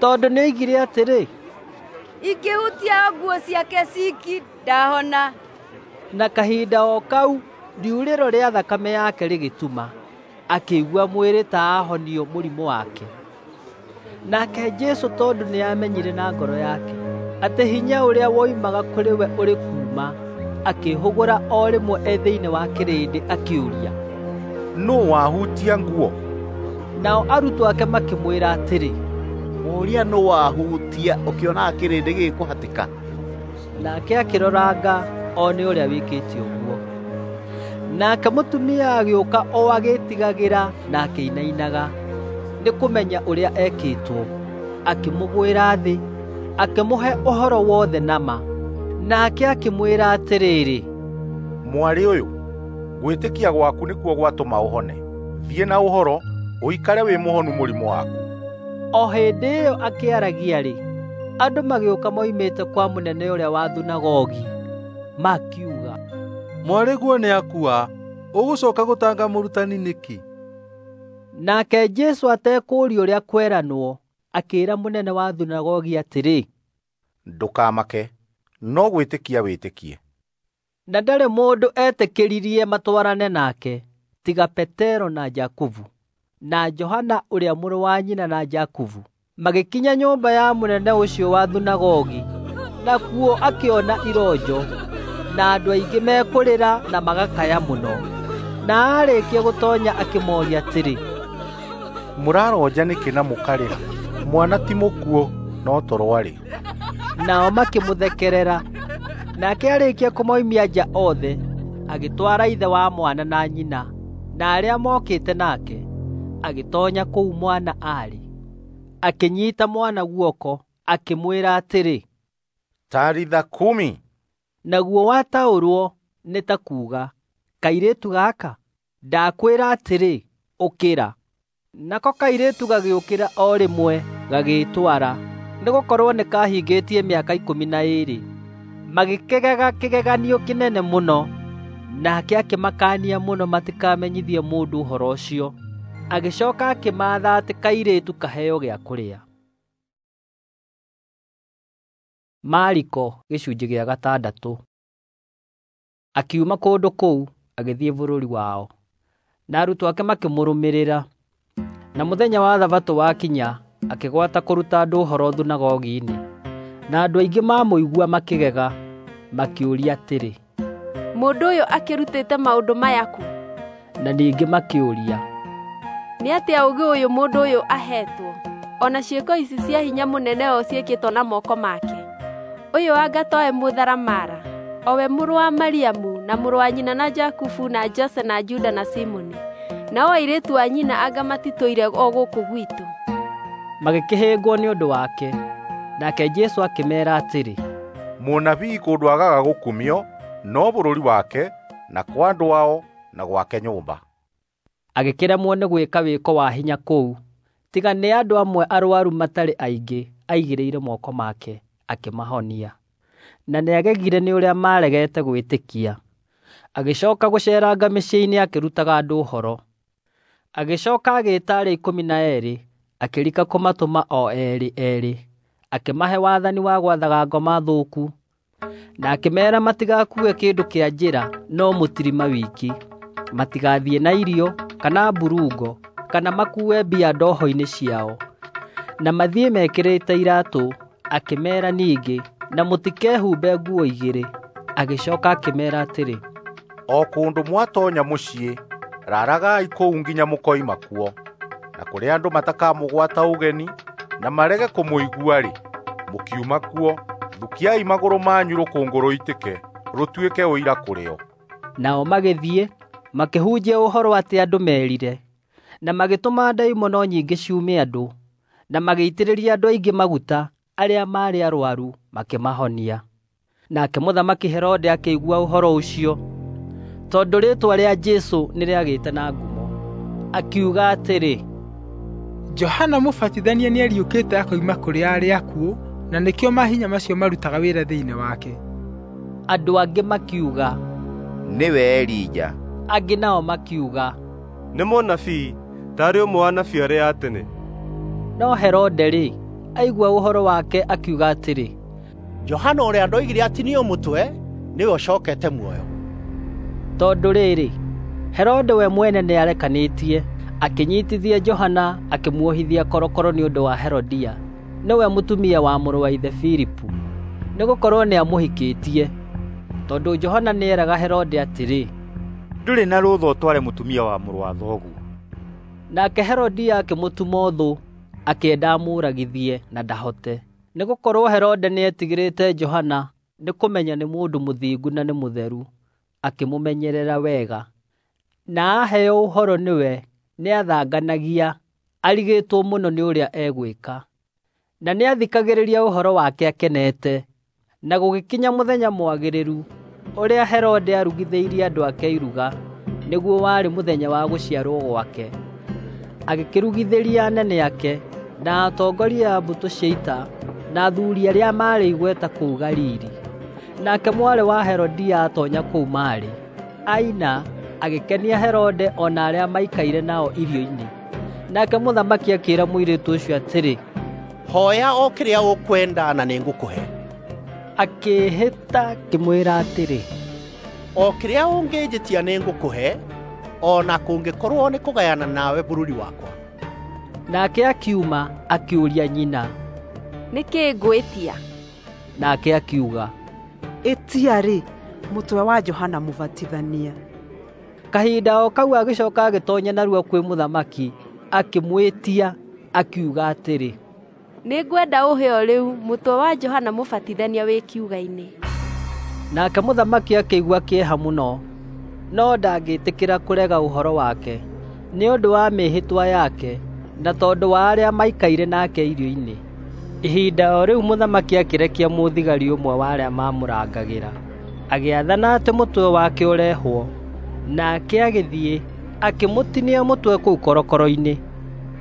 A: Tondũ nĩoigire atĩrĩ,
M: Ingĩhutia o nguo ciake ciki, ndahona.
A: Na kahinda o kau riurĩro rĩa thakame yake rĩgĩtuma, akĩigua mwĩrĩ ta ahonio mũrimũ wake. Nake Jesũ tondũ nĩamenyire na ngoro yake atĩ hinya ũrĩa woimaga kũrĩ we ũrĩ kuuma, akĩĩhũgũra o rĩmwe e thĩinĩ wa kĩrĩndĩ akĩũria,
E: Nũũ wahutia nguo?
A: Nao arutwo ake makĩmwĩra atĩrĩ,
H: Ũria nũũ wahutia ũkĩonaga kĩrĩndĩ gĩgĩkũhatĩka?
A: Nake akĩroranga one ũrĩa wĩkĩte ũguo. Nake mũtumia agĩũka o agĩĩtigagĩra na akĩinainaga nĩ kũmenya ũrĩa ekĩtwo, akĩmũgwĩra thĩ, akĩmũhe ũhoro wothe na ma. Nake akĩmwĩra atĩrĩrĩ,
E: Mwarĩ ũyũ, gwĩtĩkia gwaku nĩkuo gwatũma ũhone. Thiĩ na ũhoro, ũikare wĩ mũhonu mũrimũ waku.
A: O hĩndĩ ĩyo akĩaragia-rĩ, andũ magĩũka moimĩte kwa mũnene ũrĩa wa thunagogi, makiuga,
P: Mwarĩguo nĩakua, ũgũcooka gũtanga mũrutani nĩkĩ?
A: Nake Jesũ atekũũria ũrĩa kweranwo, akĩĩra mũnene wa thunagogi atĩrĩ,
E: Ndũkamake, no gwĩtĩkia wĩtĩkie.
A: Na ndarĩ mũndũ etĩkĩririe matwarane nake, tiga Petero na Jakubu, na Johana ũrĩa mũrũ wa nyina na Jakubu. Magĩkinya nyũmba ya mũnene ũcio wa thunagogi, nakuo akĩona ironjo, na andũ aingĩ mekũrĩra na magakaya mũno. Na aarĩkia gũtoonya akĩmooria atĩrĩ,
E: Mũraronja nĩkĩ na mũkarĩra? Mwana ti mũkuũ, no toro arĩ.
A: Nao makĩmũthekerera. Nake arĩkia kũmoimia nja othe, agĩtwara ithe wa mwana na nyina, na arĩa mookĩte nake, agĩtoonya kũu mwana aarĩ. Akĩnyiita mwana guoko, akĩmwĩra atĩrĩ,
E: Talitha kumi.
A: Naguo wataũrwo nĩ ta kuuga, Kairĩtu gaka, ndakwĩra atĩrĩ, ũkĩra. Nako kairĩtu gagĩũkĩra o rĩmwe, gagĩĩtwara, nĩgũkorwo nĩkahingĩtie mĩaka 12. Magĩkĩgega kĩgeganio kĩnene mũno. Nake akĩmakaania mũno matikamenyithie mũndũ ũhoro ũcio. Agĩcooka akĩmaatha atĩ kairĩtu kaheo gĩa kũrĩa. Mariko gĩcunjĩ gĩa 6. Akiuma kũndũ kũu agĩthiĩ bũrũri wao, na arutwo ake makĩmũrũmĩrĩra. Na mũthenya wa Thabatũ wakinya, akĩgwata kũruta andũ ũhoro thunagogi-inĩ. Na andũ aingĩ maamũigua makĩgega, makĩũria atĩrĩ,
Q: Mũndũ ũyũ akĩrutĩte maũndũ maya kũ?
A: Na ningĩ makĩũria,
Q: Nĩ atĩa ũũgĩ ũyũ mũndũ ũyũ aheetwo? O na ciĩko ici cia hinya mũnene o ciĩkĩtwo na moko make? Ũyũ anga towe mũtharamara, o we mũrũ wa Mariamu na mũrũ wa nyina na Jakubu na Jose na Juda na Simoni? Nao airĩtu a nyina anga matitũire o gũkũ gwitũ?
A: Magĩkĩhĩngwo nĩ ũndũ wake. Nake Jesũ akĩmeera atĩrĩ,
E: Mũnabii kũndũ agaga gũkumio no bũrũri wake na kwa andũ ao na gwake nyũmba.
A: Agĩkĩremwo nĩ gwĩka wĩko wa hinya kũu, tiga nĩ andũ amwe arũaru matarĩ aingĩ aigĩrĩire moko make, akĩmahonia. Na nĩagegire nĩ ũrĩa maaregete gwĩtĩkia. Agĩcooka gũceeranga mĩciĩ-inĩ akĩrutaga andũ ũhoro. Agĩcooka agĩĩta arĩa 12, akĩrika kũmatũma o eerĩ eerĩ, akĩmahe wathani wa gwathaga ngoma thũku, na akĩmeera matigakuue kĩndũ kĩa njĩra no mũtirima wiki, matigathiĩ na irio kana mburungo kana makuue mbia ndoho-inĩ ciao, na mathiĩ mekĩrĩte iraatũ. Akĩmeera ningĩ, na mũtikehumbe nguo igĩrĩ. Agĩcooka akĩmeera atĩrĩ,
E: O kũndũ mwatoonya mũciĩ, raragai kũu nginya mũkoima kuo. Na kũrĩa andũ matakamũgwata ũgeni na marege kũmũigua-rĩ, mũkiuma kuo, thukiai magũrũ manyu rũkũngũ rũitĩke, rũtuĩke ũira kũrĩ o.
A: Nao magĩthiĩ, makĩhunjia ũhoro atĩ andũ merire, na magĩtũma ndaimono nyingĩ ciume andũ, na magĩitĩrĩria andũ aingĩ maguta arĩa maarĩ arũaru makĩmahonia. Nake mũthamaki Herode akĩigua ũhoro ũcio, tondũ rĩĩtwa rĩa Jesũ nĩrĩagĩte na ngumo. Akiuga atĩrĩ,
G: Johana Mũbatithania nĩariũkĩte akoima kũrĩ arĩa akuũ, na nĩkĩo mahinya macio marutaga wĩra thĩinĩ wake.
A: Andũ angĩ makiuga,
J: Nĩwe Elija.
A: Angĩ nao makiuga,
N: Nĩ mũnabii, taarĩ ũmwe wa anabii arĩa a tene.
A: No Herode-rĩ, aigua ũhoro wake akiuga atĩrĩ,
R: Johana ũrĩa ndoigire atinio mũtwe nĩwe ũcokete muoyo.
A: Tondũ rĩrĩ, Herode we mwene nĩarekanĩtie, akĩnyiitithia Johana akĩmuohithia korokoro nĩ ũndũ wa Herodia, nĩwe mũtumia wa mũrũ wa ithe Filipu, nĩgũkorwo nĩamũhikĩtie. Tondũ Johana nĩeraga Herode atĩrĩ,
C: Ndũrĩ na rũtha ũtware mũtumia wa mũrũ wa thoguo.
A: Nake Herodia akĩmũtuma ũthũ, akĩenda amũũragithie na ndahote, nĩgũkorwo Herode nĩetigĩrĩte Johana nĩ kũmenya nĩ mũndũ mũthingu na nĩ mũtheru, akĩmũmenyerera wega. Na aheo ũhoro nĩwe nĩathanganagia, arigĩtwo mũno nĩ ũrĩa egwĩka. Na nĩathikagĩrĩria ũhoro wake akenete. Na gũgĩkinya mũthenya mwagĩrĩru, ũrĩa Herode aarugithĩirie andũ ake iruga, nĩguo warĩ mũthenya wa gũciarwo gwake. Agĩkĩrugithĩria anene ake, na atongoria a mbũtũ cia ita, na athuuri arĩa maarĩ igweta kũu Galili. Nake mwarĩ wa Herodia aatoonya kũu maarĩ, aina, agĩkenia Herode o na arĩa maikaire nao irio-inĩ. Nake mũthamaki akĩĩra mũirĩtu ũcio atĩrĩ,
R: Hooya o kĩrĩa ũkwenda na nĩngũkũhe.
A: Akĩĩhĩta akĩmwĩra atĩrĩ,
R: O kĩrĩa ũngĩnjĩtia nĩngũkũhe, o na kũngĩkorwo nĩ kũgayana nawe bũrũri wakwa.
A: Nake akiuma akĩũria nyina,
Q: Nĩ kĩĩ ngwĩtia?
A: Nake akiuga,
S: Ĩtia-rĩ, mũtwe wa Johana Mũbatithania.
A: Kahinda o kau agĩcooka agĩtoonya narua kwĩ mũthamaki, akĩmwĩtia, akiuga atĩrĩ,
Q: Nĩngwenda ũhe o rĩu mũtwe wa Johana Mũbatithania wĩ kiuga-inĩ.
A: Nake mũthamaki akĩigua kĩeha mũno, no ndangĩtĩkĩra kũrega ũhoro wake, nĩ ũndũ wa mĩĩhĩtwa yake, na tondũ wa arĩa maikaire nake irio-inĩ. Ihinda o rĩu mũthamaki akĩrekia mũthigari ũmwe wa arĩa maamũrangagĩra, agĩathana atĩ mũtwe wake ũrehwo. Nake agĩthiĩ, akĩmũtinia mũtwe kũu korokoro-inĩ,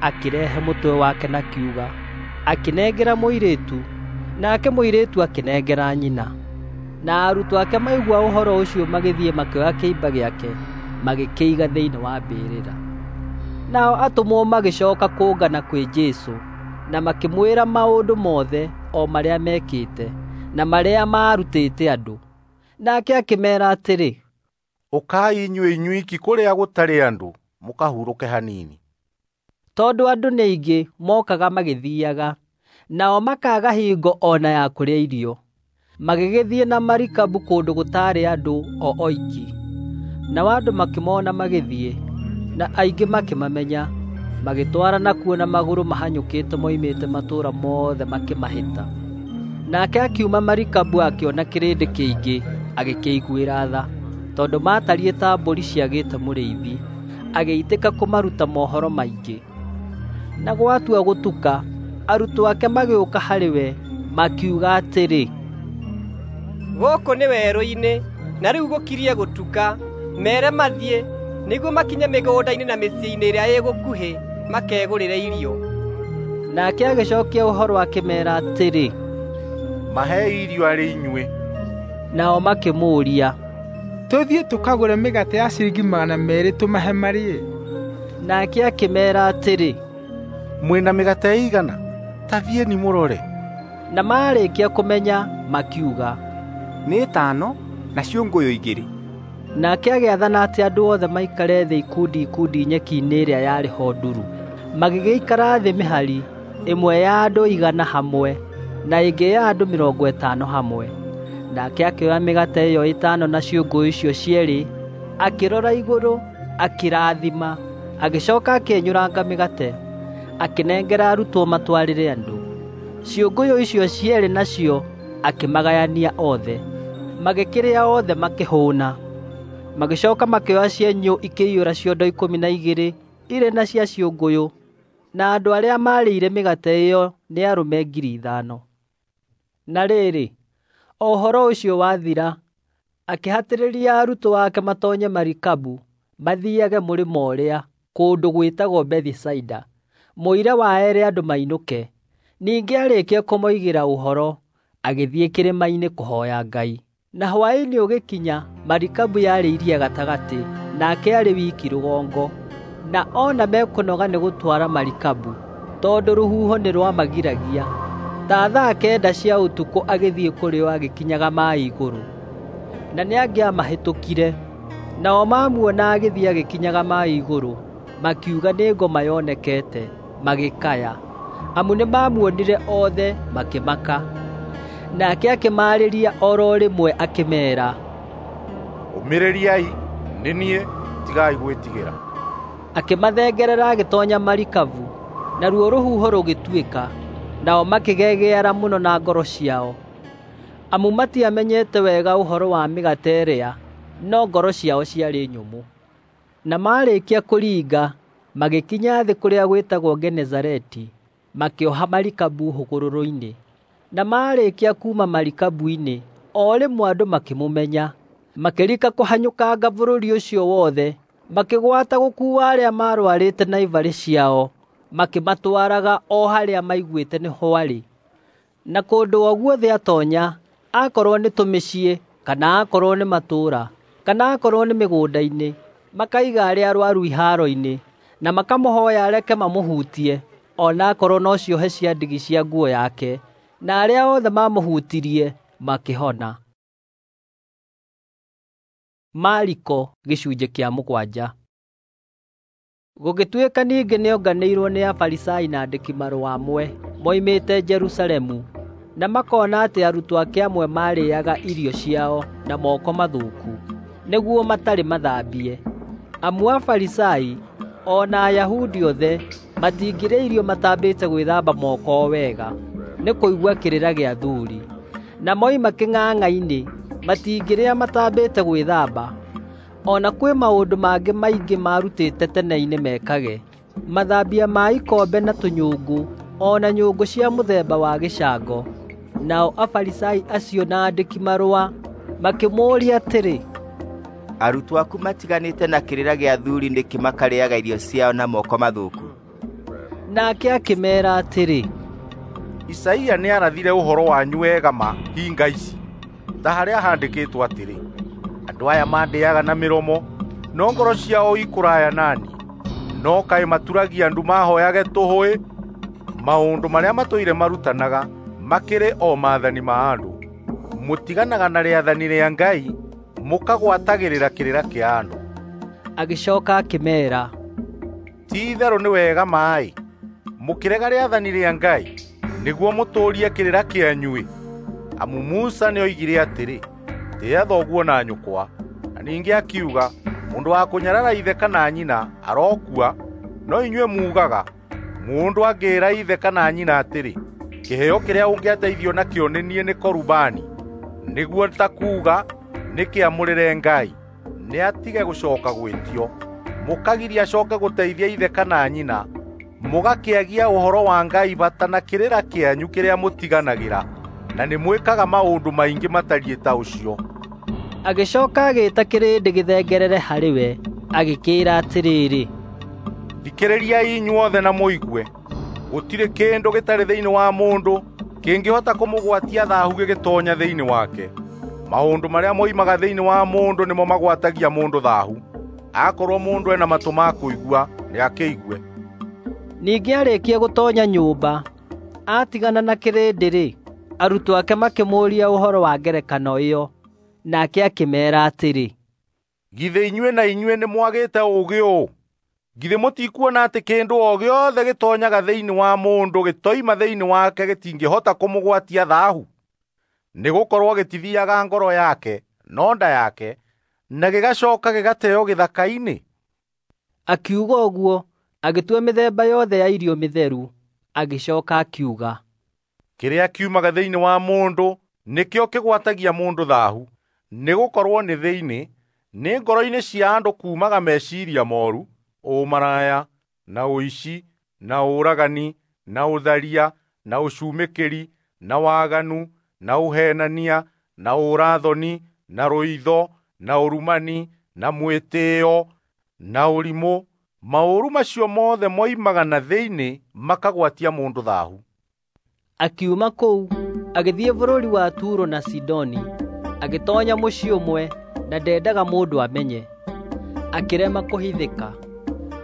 A: akĩrehe mũtwe wake na kiuga, akĩnengera mũirĩtu, nake mũirĩtu akĩnengera nyina. Na arutwo ake maigua ũhoro ũcio magĩthiĩ makĩoya kĩimba gĩake, magĩkĩiga thĩinĩ wa mbĩrĩra. Nao atũmwo magĩcooka kũngana kwĩ Jesũ, na makĩmwĩra maũndũ mothe o marĩa mekĩte, na marĩa maarutĩte andũ. Nake akĩmeera atĩrĩ,
E: Ũkai inyuĩ inyuiki kũrĩa gũtarĩ andũ, mũkahurũke hanini.
A: Tondũ andũ nĩ aingĩ mookaga magĩthiiaga, nao makaaga hingo o na ya kũrĩa irio. Magĩgĩthiĩ na marikabu kũndũ gũtaarĩ andũ o oiki. Nao andũ makĩmona magĩthiĩ, na aingĩ makĩmamenya, magĩtwarana kuo na magũrũ mahanyũkĩte moimĩte matũũra mothe makĩmahĩta. Nake akiuma marikabu akĩona kĩrĩndĩ kĩingĩ, agĩkĩiguĩra tha, tondũ maatariĩ ta mbũri ciagĩte mũrĩithi, agĩitĩka kũmaruta mohoro maingĩ. Na gwatua gũtuka, arutwo ake magĩũka harĩ we, makiuga atĩrĩ,
K: Gũkũ nĩ werũ-inĩ, na rĩu gũkirie gũtuka. Meere mathiĩ, nĩguo makinye mĩgũnda-inĩ na mĩciĩ-inĩ ĩrĩa ĩ gũkuhĩ, makegũrĩre irio.
A: Nake agĩcookia ũhoro akĩmeera atĩrĩ,
E: Mahei irio arĩ inyuĩ.
A: Nao makĩmũũria,
G: Tũthiĩ tũkagũre mĩgate ya ciringi 200 tũmahe marĩe?
A: Nake akĩmeera atĩrĩ,
E: Mwĩ na mĩgate ĩigana? Ta thiĩni mũrore.
A: Na maarĩkia kũmenya, makiuga,
C: Nĩ ĩtano na ciũngũyũ 2.
A: Nake agĩathana atĩ andũ othe maikare thĩ ikundi ikundi nyeki-inĩ ĩrĩa yarĩ ho nduru. Magĩgĩikara thĩ mĩhari, ĩmwe ya andũ 100 hamwe, na ĩngĩ ya andũ 50 hamwe. Nake akĩoya mĩgate ĩyo ĩtano na ciũngũyũ icio cierĩ, akĩrora igũrũ, akĩrathima, agĩcooka akĩenyũranga mĩgate, akĩnengera arutwo matwarĩre andũ. Ciũngũyũ icio cierĩ nacio akĩmagayania othe. Magĩkĩrĩa othe makĩhũũna. Magĩcooka makĩoya cienyũ ikĩiyũra ciondo 12 irĩ na cia ciũngũyũ, na andũ arĩa maarĩire mĩgate ĩyo nĩ arũme 5,000. Na rĩrĩ, o ũhoro ũcio wathira, akĩhatĩrĩria arutwo ake matoonye marikabu mathiiage mũrĩmo ũrĩa, kũndũ gwĩtagwo Bethisaida, mũira wa ere andũ mainũke. Ningĩ aarĩkia kũmoigĩra ũhoro, agĩthiĩ kĩrĩma-inĩ kũhooya Ngai. Na hwaĩ-inĩ ũgĩkinya, marikabu yarĩ iria gatagatĩ, nake aarĩ wiki rũgongo. Na ona mekũnoga nĩ gũtwara marikabu, tondũ rũhuho nĩ rwamagiragia. Ta thaa 9 cia ũtukũ agĩthiĩ kũrĩ o agĩkinyaga maaĩ igũrũ. Na nĩangĩamahĩtũkire. Nao mamuona agĩthiĩ agĩkinyaga maaĩ igũrũ, makiuga nĩ ngoma yonekete, magĩkaya. Amu nĩmamuonire othe, makĩmaka. Nake akĩmaarĩria o ro rĩmwe akĩmeera,
E: Ũmĩrĩriai, nĩ niĩ, tigai gwĩtigĩra.
A: Akĩmathengerera agĩtoonya marikabu, naruo rũhuho rũgĩtuĩka. Nao makĩgegeara mũno na ngoro ciao, amu matiamenyete wega ũhoro wa mĩgate ĩrĩa, no ngoro ciao ciarĩ nyũmũ. Na maarĩkia kũringa, magĩkinya thĩ kũrĩa gwĩtagwo Genesareti, makĩoha marikabu hũgũrũrũ-inĩ. Na maarĩkia kuuma marikabu-inĩ, o rĩmwe andũ makĩmũmenya, makĩrika kũhanyũkanga bũrũri ũcio wothe, makĩgwata gũkuua arĩa maarũarĩte na ibarĩ ciao, makĩmatwaraga o harĩa maiguĩte nĩho arĩ. Na kũndũ o guothe aatoonya, akorwo nĩ tũmĩciĩ, kana akorwo nĩ matũũra, kana akorwo nĩ mĩgũnda-inĩ, makaiga arĩa arũaru ihaaro-inĩ, na makamũhooya areke mamũhutie, o na akorwo no ciohe cia ndigi cia nguo yake, na arĩa othe maamũhutirie makĩhona. Mariko gĩcunjĩ kĩa 7. Gũgĩtuĩka ningĩ nĩonganĩirwo nĩ Afarisai na andĩki-marũa amwe moimĩte Jerusalemu, na makona atĩ arutwo ake amwe maarĩĩaga irio ciao na moko mathũku, nĩguo matarĩ mathambie. Amu Afarisai, o na Ayahudi othe, matingĩrĩa irio matambĩte gwĩthamba moko wega, nĩ kũigua kĩrĩra gĩa athuuri. Na moima kĩng'ang'a-inĩ, matingĩrĩa matambĩte gwĩthamba. O na kwĩ maũndũ mangĩ maingĩ maarutĩte tene-inĩ mekage, mathambia ma ikombe na tũnyũngũ, o na nyũngũ cia mũthemba wa gĩcango. Nao Afarisai acio na andĩki-marũa makĩmũũria atĩrĩ,
J: Arutwo aku matiganĩte na kĩrĩra gĩa athuuri nĩkĩ makarĩĩaga irio ciao na moko mathũku?
A: Nake akĩmeera atĩrĩ,
E: Isaia nĩarathire ũhoro wanyu wega ma hinga ici, ta harĩa handĩkĩtwo atĩrĩ, andũ aya mandĩaga na mĩromo, no ngoro ciao ikũraya na niĩ. No kaĩ maturagia ndu mahooyage tũhũ-ĩ! Maũndũ marĩa matũire marutanaga makĩrĩ o maathani ma andũ. Mũtiganaga na rĩathani rĩa Ngai, mũkagwatagĩrĩra kĩrĩra kĩa andũ.
A: Agĩcooka akĩmeera,
E: Ti itherũ nĩ wega maaĩ. Mũkĩrega rĩathani rĩa Ngai nĩguo mũtũũrie kĩrĩra kĩanyu-ĩ. Amu Musa nĩoigire atĩrĩ, ‘Tĩĩa thoguo na nyũkwa,’ na ningĩ akiuga, ‘Mũndũ wa kũnyarara ithe kana nyina arokua.’ No inyuĩ muugaga, mũndũ angĩĩra ithe kana nyina atĩrĩ, ‘Kĩheo kĩrĩa ũngĩateithio nakĩo nĩ niĩ nĩ Korubani,’ nĩguo ta kuuga nĩ kĩamũrĩre Ngai, nĩatige gũcooka gwĩtio. Mũkagiria acooke gũteithia ithe kana nyina, mũgakĩagia ũhoro wa Ngai bata na kĩrĩra kĩanyu kĩrĩa mũtiganagĩra, na nĩmwĩkaga maũndũ maingĩ matariĩ ta ũcio.
A: Agĩcooka agĩĩta kĩrĩndĩ gĩthengerere harĩ we, agĩkĩĩra atĩrĩrĩ,
E: Thikĩrĩriai inyuothe na mũigue. Gũtirĩ kĩndũ gĩtarĩ thĩinĩ wa mũndũ kĩngĩhota kũmũgwatia thaahu gĩgĩtoonya thĩinĩ wake. Maũndũ marĩa moimaga thĩinĩ wa mũndũ nĩmo magwatagia mũndũ thaahu. Akorwo mũndũ ena matũ ma kũigua, nĩakĩigue.
A: Ningĩ arĩkia gũtoonya nyũmba, aatigana na kĩrĩndĩ-rĩ, arutwo ake makĩmũũria ũhoro wa ngerekano ĩyo. Nake akĩmeera atĩrĩ,
E: Githĩ inyuĩ na inyuĩ nĩmwagĩte ũũgĩ ũũ? Githĩ mũtikuona atĩ kĩndũ o gĩothe gĩtoonyaga thĩinĩ wa mũndũ gĩtoima thĩinĩ wake gĩtingĩhota kũmũgwatia thaahu? Nĩgũkorwo gĩtithiiaga ngoro yake, no nda yake, na gĩgacooka gĩgateo gĩthaka-inĩ.
A: Akiuga ũguo, agĩtua mĩthemba yothe ya irio mĩtheru. Agĩcooka akiuga,
E: Kĩrĩa kiumaga thĩinĩ wa mũndũ nĩkĩo kĩgwatagia mũndũ thaahu. Nĩgũkorwo nĩ thĩinĩ, nĩ ngoro-inĩ cia andũ kuumaga meciiria mooru, ũmaraya, na ũici, na ũragani, na ũtharia, na ũcumĩkĩri, na waganu, na ũheenania, na ũũra-thoni, na rũitho, na ũrumani, na mwĩtĩĩo, na ũrimũ. Maũru macio mothe moimaga na thĩinĩ makagwatia mũndũ thaahu.
A: Akiuma kũu, agĩthiĩ bũrũri wa Turo na Sidoni. Agĩtoonya mũciĩ ũmwe, na ndendaga mũndũ amenye. Akĩrema kũhithĩka.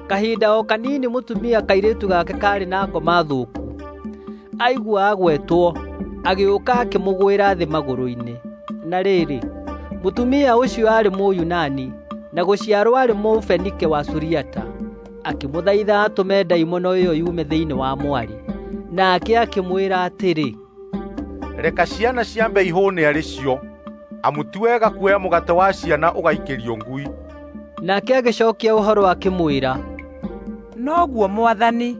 A: Kahinda o kanini mũtumia kairĩtu gake kaarĩ na ngoma thũku. Aigua agwetwo, agĩũka akĩmũgwĩra thĩ magũrũ-inĩ. Na rĩrĩ, mũtumia ũcio aarĩ Mũyunani, na gũciarwo aarĩ Mũfenike wa Suriata. Akĩmũthaitha atũme ndaimono ĩyo yume thĩinĩ wa mwarĩ. Nake akĩmwĩra atĩrĩ,
E: Reka ciana ciambe ihũũne arĩ cio, amu ti wega kuoya mũgate wa ciana ũgaikĩrio ngui.
A: Nake agĩcookia ũhoro akĩmwĩra,
T: Noguo Mwathani,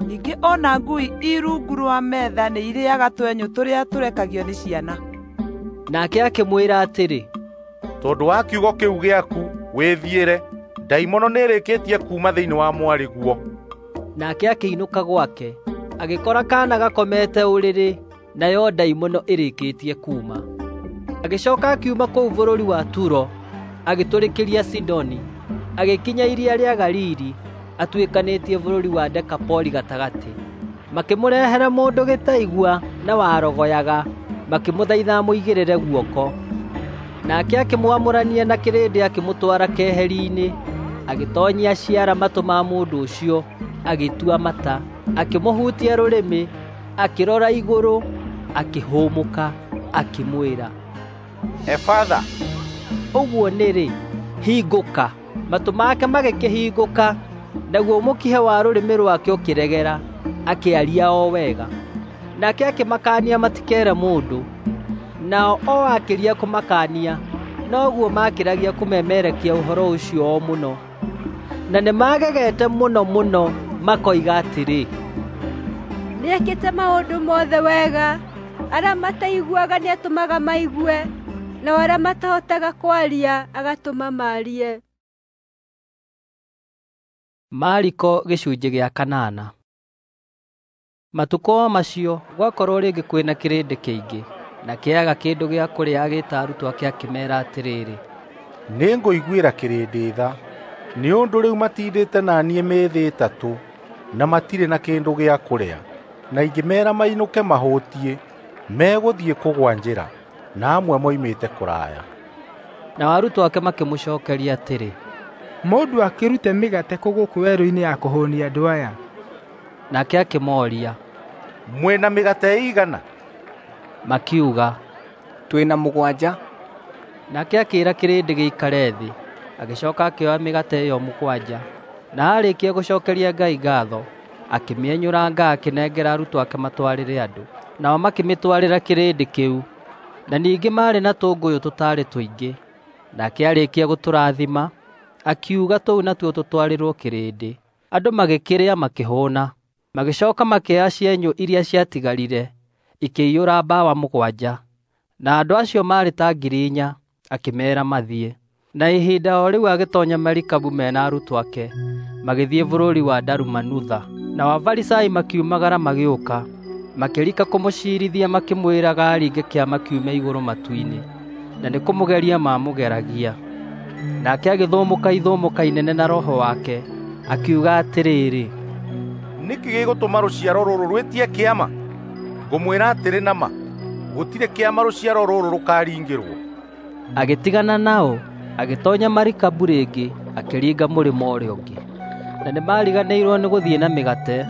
T: ningĩ o na ngui i rungu rwa metha nĩirĩaga twenyũ tũrĩa tũrekagio nĩ ciana.
A: Nake akĩmwĩra atĩrĩ,
E: Tondũ wa kiugo kĩu gĩaku, wĩthiĩre, ndaimono nĩĩrĩkĩtie kuuma thĩinĩ wa mwarĩguo.
A: Nake akĩinũka gwake, agĩkora kaana gakomete ũrĩrĩ, nayo ndaimono ĩrĩkĩtie kuuma. Agĩcooka akiuma kũu bũrũri wa Turo, agĩtũrĩkĩria Sidoni, agĩkinya iria rĩa Galili, atuĩkanĩtie bũrũri wa Dekapoli gatagatĩ. Makĩmũrehere mũndũ gĩtaigua na warogoyaga, makĩmũthaitha amũigĩrĩre guoko. Nake akĩmwamũrania na kĩrĩndĩ akĩmũtwara keheri-inĩ, agĩtoonyia ciara matũ ma mũndũ ũcio, agĩtua mata, akĩmũhutia rũrĩmĩ, akĩrora igũrũ, akĩhũmũka, akĩmwĩra,
E: Efatha,
A: ũguo nĩ-rĩ, hingũka. Matũ make magĩkĩhingũka, naguo mũkiha wa rũrĩmĩ rwake ũkĩregera, akĩaria o wega. Nake akĩmakaania matikeere mũndũ. Nao o akĩria kũmakaania, noguo maakĩragia kũmemerekia ũhoro ũcio o mũno. Na nĩmagegete mũno mũno makoiga atĩrĩ,
M: Nĩekĩte maũndũ mothe wega. Arĩa mataiguaga nĩatũmaga maigue, nao arĩa matahotaga kwaria agatũma maarie.
A: Mariko gĩcunjĩ gĩa kanana. Matukũ o macio gwakorwo rĩngĩ kwĩna kĩrĩndĩ kĩingĩ, na kĩaga kĩndũ gĩa kũrĩa, agĩĩta arutwo ake akĩmeera atĩrĩrĩ,
E: Nĩngũiguĩra kĩrĩndĩ tha, nĩ ũndũ rĩu matindĩte na niĩ mĩthĩ ĩtatũ, na matirĩ na kĩndũ gĩa kũrĩa. Na ingĩmeera mainũke mahũtiĩ, megũthiĩ kũgũa njĩra, na amwe moimĩte kũraya.
A: Nao arutwo ake makĩmũcookeria atĩrĩ,
G: Mũndũ akĩrute mĩgate kũ gũkũ werũ-inĩ ya kũhũũnia andũ aya?
A: Nake akĩmooria,
E: Mwĩ na mĩgate ĩigana?
A: Makiuga,
U: Twĩ na mũgwanja.
A: Nake akĩĩra kĩrĩndĩ gĩikare thĩ. Agĩcooka akĩoya mĩgate ĩyo mũgwanja, Na aarĩkia gũcookeria Ngai ngaatho, akĩmĩenyũranga akĩnengera arutwo ake matwarĩre andũ, nao makĩmĩtwarĩra kĩrĩndĩ kĩu. Na ningĩ maarĩ na tũngũyũ tũtaarĩ tũingĩ. Nake aarĩkia gũtũrathima, akiuga tũu natuo tũtwarĩrwo kĩrĩndĩ. Andũ magĩkĩrĩa makĩhũũna. Magĩcooka makĩoya cienyũ iria ciatigarire, ikĩiyũra mbawa 7. Na andũ acio maarĩ ta 4,000, akĩmeera mathiĩ. Na ihinda o rĩu agĩtoonya marikabu me na arutwo ake, magĩthiĩ bũrũri wa Dalumanutha. Nao Afarisai makiumagara magĩũka, makĩrika kũmũciirithia makĩmwĩraga aringe kĩama kiume igũrũ matu-inĩ, na nĩkũmũgeria maamũgeragia. Nake agĩthũmũka ithũmũka inene na roho wake, akiuga atĩrĩrĩ,
E: Nĩkĩ gĩgũtũma rũciaro rũrũ rwĩtie kĩama? Ngũmwĩra atĩrĩ na ma, gũtirĩ kĩama rũciaro rũrũ rũkaringĩrwo.
A: Agĩtigana nao, agĩtoonya marikabu rĩngĩ, akĩringa mũrĩmo ũrĩa ũngĩ. Na nĩmariganĩirwo nĩ gũthiĩ na mĩgate,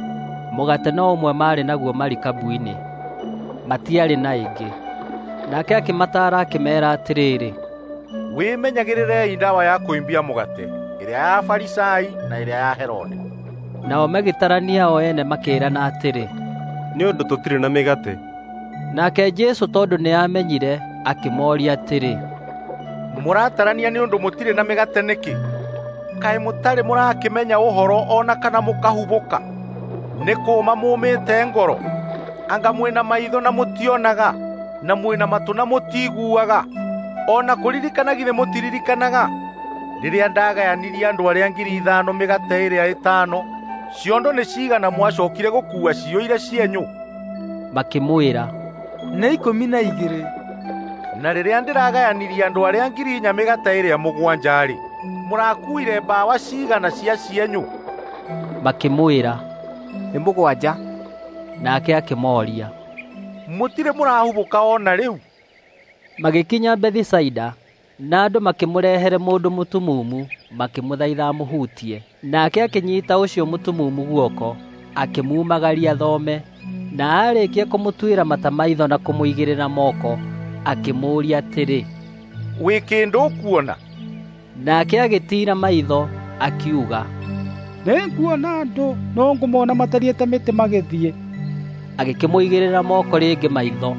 A: mũgate no ũmwe maarĩ naguo marikabu-inĩ, matiarĩ na ĩngĩ. Nake akĩmataara akĩmeera atĩrĩrĩ,
E: Wĩmenyagĩrĩrei ndawa ya kũimbia mũgate, ĩrĩa ya Afarisai na ĩrĩa ya Herode.
A: Nao magĩtarania o ene makĩĩrana atĩrĩ,
N: Nĩ ũndũ tũtirĩ na mĩgate.
A: Nake Jesũ tondũ nĩamenyire, akĩmooria atĩrĩ,
E: Mũratarania nĩ ũndũ mũtirĩ na mĩgate nĩkĩ? Kaĩ mũtarĩ mũrakĩmenya ũhoro o na kana mũkahubũka? Nĩ kũũma mũũmĩte ngoro? Anga mwĩ na maitho na mũtionaga, na mwĩ na matũ na mũtiiguaga? O na kũririkana githĩ mũtiririkanaga? Rĩrĩa ndagayanirie andũ arĩa 5,000 mĩgate ĩrĩa ĩtano, ciondo nĩ cigana mwacookire gũkuua ciyũire cienyũ?
A: Makĩmwĩra,
G: Nĩ 12.
E: Na rĩrĩa ndĩragayanirie andũ arĩa 4,000 mĩgate ĩrĩa 7-rĩ, mũrakuuire mbawa cigana cia cienyũ?
A: Makĩmwĩra,
U: Nĩ 7.
A: Nake akĩmooria,
E: Mũtirĩ mũrahubũka o na rĩu?
A: Magĩkinya Bethisaida, na andũ makĩmũrehere mũndũ mũtumumu, makĩmũthaitha amũhutie. Nake akĩnyiita ũcio mũtumumu guoko, akĩmumagaria thome, na aarĩkia kũmũtuĩra mata maitho na kũmũigĩrĩra moko, akĩmũũria atĩrĩ,
E: Wĩ kĩndũ ũkuona?
A: Nake agĩtiira maitho, akiuga,
I: Nĩnguona andũ, no ngũmona matariĩ ta mĩtĩ magĩthiĩ.
A: Agĩkĩmũigĩrĩra moko rĩngĩ maitho,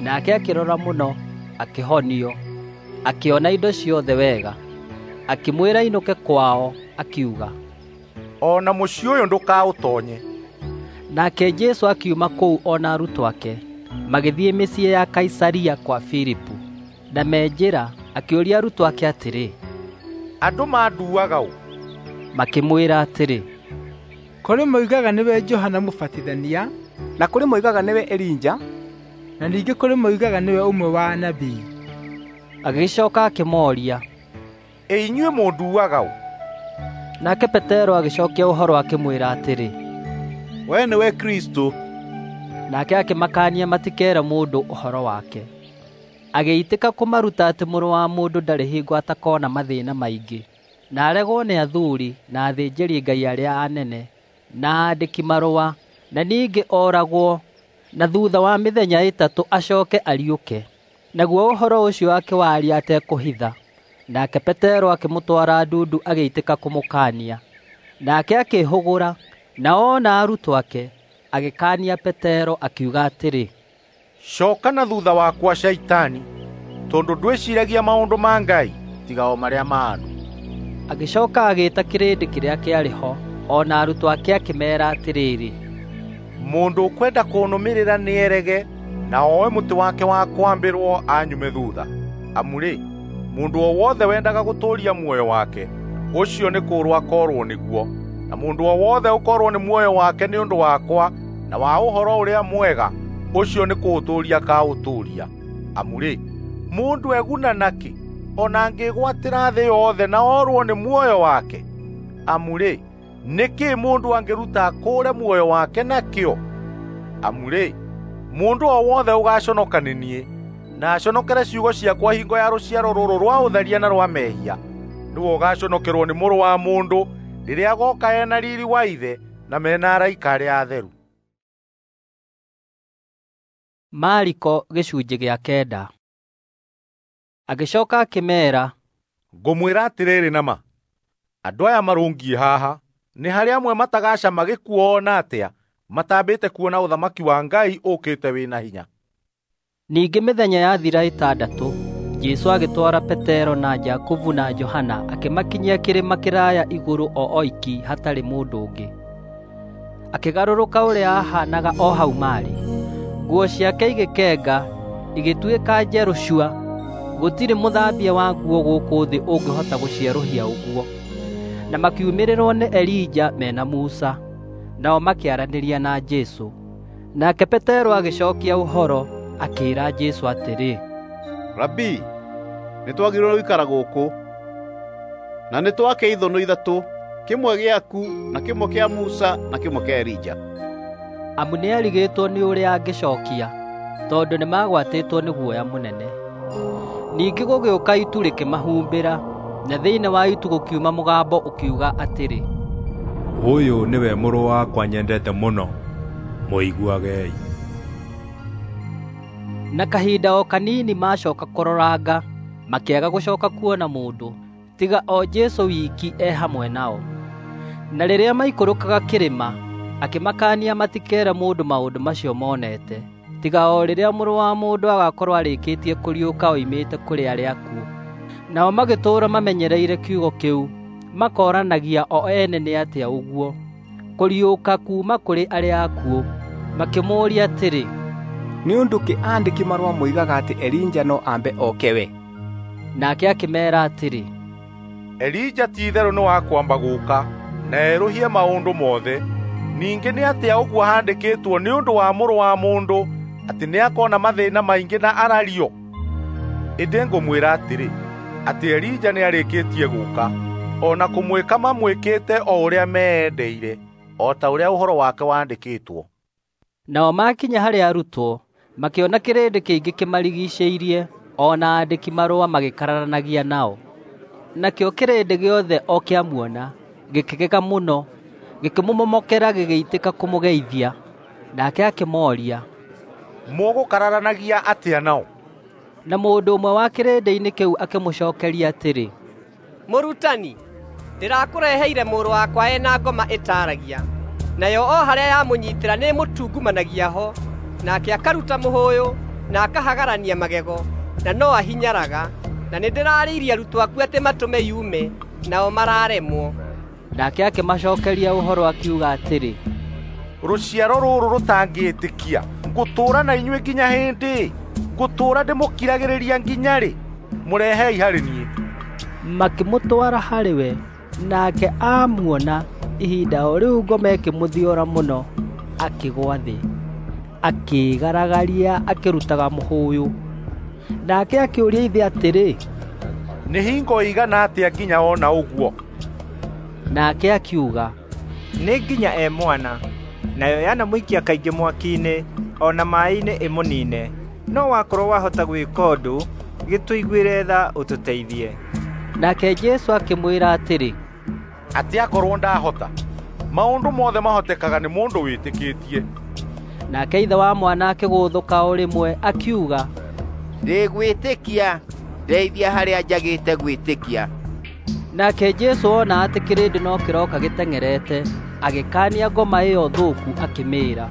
A: nake akĩrora mũno, akĩhonio, akĩona indo ciothe wega. Akĩmwĩra ainũke kwao, akiuga,
E: O na mũciĩ ũyũ ndũkaũtoonye.
A: Nake Jesũ akiuma kũu o na arutwo ake, magĩthiĩ mĩciĩ ya Kaisaria kwa Filipu. Na me njĩra akĩũria arutwo ake atĩrĩ,
E: Andũ manduaga ũ?
A: Makĩmwĩra atĩrĩ,
G: Kũrĩ moigaga nĩwe Johana Mũbatithania,
U: na kũrĩ moigaga nĩwe Elija,
G: na ningĩ kũrĩ moigaga nĩwe ũmwe wa anabii.
A: Agĩcooka akĩmooria,
E: Ĩ inyuĩ mũnduaga ũ?
A: Nake Petero agĩcookia ũhoro akĩmwĩra atĩrĩ,
H: Wee nĩwe Kristũ.
A: Nake akĩmakaania matikeere mũndũ ũhoro wake. Agĩitĩka kũmaruta atĩ Mũrũ wa Mũndũ ndarĩ hingo atakoona mathĩĩna maingĩ, na aregwo nĩ athuuri na athĩnjĩri-Ngai arĩa anene na aandĩki-marũa, na ningĩ ooragwo, na thuutha wa mĩthenya 3 acooke ariũke. Naguo ũhoro ũcio akĩwaria atekũhitha. Nake Petero akĩmũtwara ndundu agĩitĩka kũmũkaania. Nake akĩĩhũgũra, na oona arutwo ake, agĩkaania Petero akiuga atĩrĩ,
E: Coka na thutha wakwa Shaitani, tondũ ndwĩciiragia maũndũ ma Ngai tiga o marĩa ma andũ.
A: Agĩcooka agĩĩta kĩrĩndĩ kĩrĩa kĩarĩ ho, o na arutwo ake akĩmeera atĩrĩrĩ,
E: Mũndũ ũkwenda kũnũmĩrĩra nĩerege na oe mũtĩ wake wa kwambĩrwo anyume thuutha. Amu-rĩ, mũndũ o wothe wendaga gũtũũria muoyo wake, ũcio nĩ kũũrwo akoorwo nĩguo, na mũndũ o wothe ũkoorwo nĩ muoyo wake nĩ ũndũ wakwa na wa Ũhoro-ũrĩa-Mwega, ũcio nĩ kũũtũũria akaũtũũria. Amu-rĩ, mũndũ eguna nakĩ o na angĩĩgwatĩra thĩ yothe na orwo nĩ muoyo wake? Amu-rĩ, nĩ kĩĩ mũndũ angĩruta akũũre muoyo wake nakĩo? Amu-rĩ, mũndũ o wothe ũgaaconoka nĩ niĩ, na aconokere ciugo ciakwa hingo ya rũciaro rũrũ rwa ũtharia na rwa mehia, nĩwe ũgaaconokerwo nĩ Mũrũ wa Mũndũ rĩrĩa agooka e na riiri wa Ithe na me na araika arĩa atheru.
A: Mariko gĩcunjĩ gĩa 9. Agĩcooka akĩmeera,
E: Ngũmwĩra atĩrĩrĩ na ma, andũ aya marũngiĩ haha Nĩ harĩ amwe matagacama gĩkuũ o na atĩa matambĩte kuona ũthamaki wa Ngai ũkĩte wĩ na hinya.
A: Ningĩ mĩthenya yathira 6, Jesũ agĩtwara Petero na Jakubu na Johana akĩmakinyia kĩrĩma kĩraya igũrũ o oiki hatarĩ mũndũ ũngĩ. Akĩgarũrũka ũrĩa aahaanaga o hau maarĩ. Nguo ciake igĩkenga, igĩtuĩka njerũ cua. Gũtirĩ mũthambia wa nguo gũkũ thĩ ũngĩhota gũcierũhia ũguo. Na makiumĩrĩrwo nĩ Elija mena Musa, nao makĩaranĩria na Jesũ. Nake Petero agĩcookia ũhoro, akĩĩra Jesũ atĩrĩ,
H: Rabii, nĩtwagĩrĩirwo gũikara gũkũ, na nĩtwake ithũnũ 3, kĩmwe gĩaku na kĩmwe kĩa Musa na kĩmwe kĩa Elija.
A: Amu nĩarigĩtwo nĩ ũrĩa angĩcookia, tondũ nĩmagwatĩtwo nĩ guoya mũnene. Ningĩ gũgĩũka itu rĩkĩmahumbĩra, na thĩinĩ wa itu gũkiuma mũgambo ũkiuga atĩrĩ,
D: Ũyũ nĩwe mũrũ wakwa nyendete mũno, mũiguagei.
A: Na kahinda o kanini maacoka kũroranga, makĩaga gũcoka kuona mũndũ, tiga o Jesũ wiki e hamwe nao. Na rĩrĩa maikũrũkaga kĩrĩma, akĩmakaania matikeere mũndũ maũndũ macio monete, tiga o rĩrĩa Mũrũ wa Mũndũ agaakorwo arĩkĩtie kũriũka oimĩte kũrĩ arĩa akuũ. Nao magĩtũũra mamenyereire kiugo kĩu, makooranagia o ene nĩ atĩa ũguo, kũriũka kuuma kũrĩ arĩa akuũ. Makĩmũũria atĩrĩ,
U: Nĩ ũndũ kĩ aandĩki marũa moigaga atĩ Elija no ambe oke we?
A: Nake akĩmeera atĩrĩ,
E: Elija ti-itherũ nĩ wa kwamba gũũka na erũhie maũndũ mothe. Ningĩ nĩ atĩa ũguo haandĩkĩtwo nĩ ũndũ wa Mũrũ wa Mũndũ atĩ nĩakona mathĩĩna maingĩ na arario? Ĩndĩ ngũmwĩra atĩrĩ, atĩ Elija nĩarĩkĩtie gũũka, o na kũmwĩka mamwĩkĩte o ũrĩa meendeire, o ta ũrĩa ũhoro wake wandĩkĩtwo.
A: Nao maakinya harĩ arutwo, makĩona kĩrĩndĩ kĩingĩ kĩmarigiicĩirie, o na aandĩki marũa magĩkararanagia nao. Nakĩo kĩrĩndĩ gĩothe o kĩamuona, gĩkĩgega mũno, gĩkĩmũmomokera gĩgĩitĩka kũmũgeithia. Nake akĩmooria,
E: Mũgũkararanagia atĩa nao?
A: Na mũndũ ũmwe wa kĩrĩndĩ-inĩ kĩu akĩmũcookeria atĩrĩ,
K: Mũrutani, ndĩrakũreheire mũrũ wakwa e na ngoma ĩtaaragia. Nayo o harĩa yamũnyiitĩra nĩĩmũtungumanagia ho, nake akaruta mũhũyũ na akahagarania magego, na no ahinyaraga. Na nĩndĩrarĩirie arutwo aku atĩ matũme yume, nao mararemwo.
A: Nake akĩmacookeria ũhoro akiuga atĩrĩ,
E: Rũciaro rũrũ rũtangĩĩtĩkia, ngũtũũra na inyuĩ nginya hĩndĩ? Ngũtũũra ndĩmũkiragĩrĩria nginya rĩ? Mũrehei harĩ niĩ.
A: Makĩmũtwara harĩ we, nake aamuona, ihinda o rĩu ngoma ĩkĩmũthiora mũno, akĩgũa thĩ, akĩĩgaragaria akĩrutaga mũhũyũ. Nake akĩũria ithe atĩrĩ,
E: Nĩ hingo ĩigana atĩa nginya ona ũguo?
A: Nake akiuga,
L: Nĩ nginya e mwana, nayo yanamũikia kaingĩ mwaki-inĩ o na maaĩ-inĩ ĩmũniine. No wakorwo wahota gwĩka ũndũ, gĩtũiguĩre tha ũtũteithie.
A: Nake Jesũ akĩmwĩra atĩrĩ,
E: Atĩ akorwo ndahota, maũndũ mothe mahotekaga nĩ mũndũ wĩtĩkĩtie.
A: Nake ithe wa mwana akĩgũthũka o rĩmwe akiuga,
J: Ndĩgwĩtĩkia, ndeithia harĩa njagĩte gwĩtĩkia.
A: Nake Jesũ ona atĩ kĩrĩndĩ no kĩroka gĩteng'erete, agĩkaania ngoma ĩyo thũku akĩmĩĩra,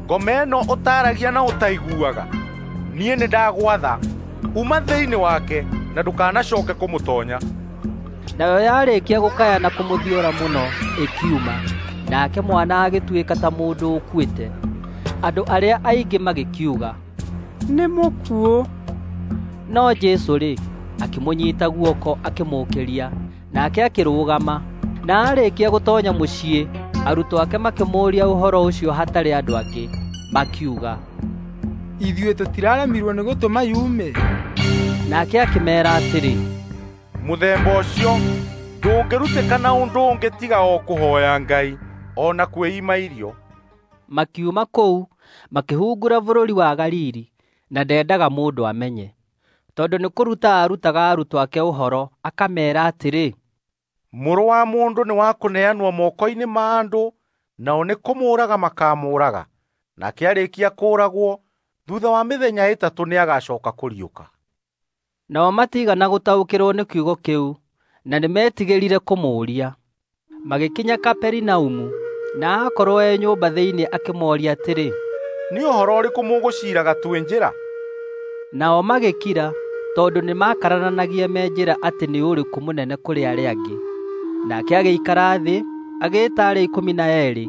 E: Ngoma ĩno ũtaaragia na ũtaiguaga, niĩ nĩndagwatha, uma thĩinĩ wake na ndũkanacooke kũmũtoonya.
A: Nayo yarĩkia gũkaya na kũmũthiora mũno, ĩkiuma. Nake mwana agĩtuĩka ta mũndũ ũkuĩte. Andũ arĩa aingĩ magĩkiuga,
G: Nĩ mũkuũ.
A: No Jesũ-rĩ, akĩmũnyiita guoko akĩmũũkĩria, nake akĩrũgama. Na aarĩkia gũtoonya mũciĩ, arutwo ake makĩmũũria ũhoro ũcio hatarĩ andũ angĩ, makiuga,
G: Ithuĩ tũtiraremirwo nĩ gũtũma yume.
A: Nake akĩmeera atĩrĩ,
E: Mũthemba ũcio ndũngĩrutĩka na ũndũ ũngĩ tiga o kũhooya Ngai, o na kwĩima irio.
A: Makiuma kũu, makĩhungura bũrũri wa Galili, na ndendaga mũndũ amenye. Tondũ nĩ kũruta aarutaga arutwo ake ũhoro, akameera atĩrĩ,
E: Mũrũ wa Mũndũ nĩ wa kũneanwo moko-inĩ ma andũ, nao nĩ kũmũũraga makaamũũraga. Nake arĩkia kũũragwo, thuutha wa mĩthenya 3 nĩagacooka kũriũka.
A: Nao matiigana gũtaũkĩrwo nĩ kiugo kĩu, na nĩmetigĩrire kũmũũria. Magĩkinya Kaperinaumu, na aakorwo e nyũmba thĩinĩ akĩmooria atĩrĩ,
E: Nĩ ũhoro ũrĩkũ mũgũciiraga twĩ njĩra?
A: Nao magĩkira tondũ nĩmakararanagia me njĩra atĩ nĩ ũrĩkũ mũnene kũrĩ arĩa angĩ. Nake agĩikara thĩ, agĩĩta arĩa 12,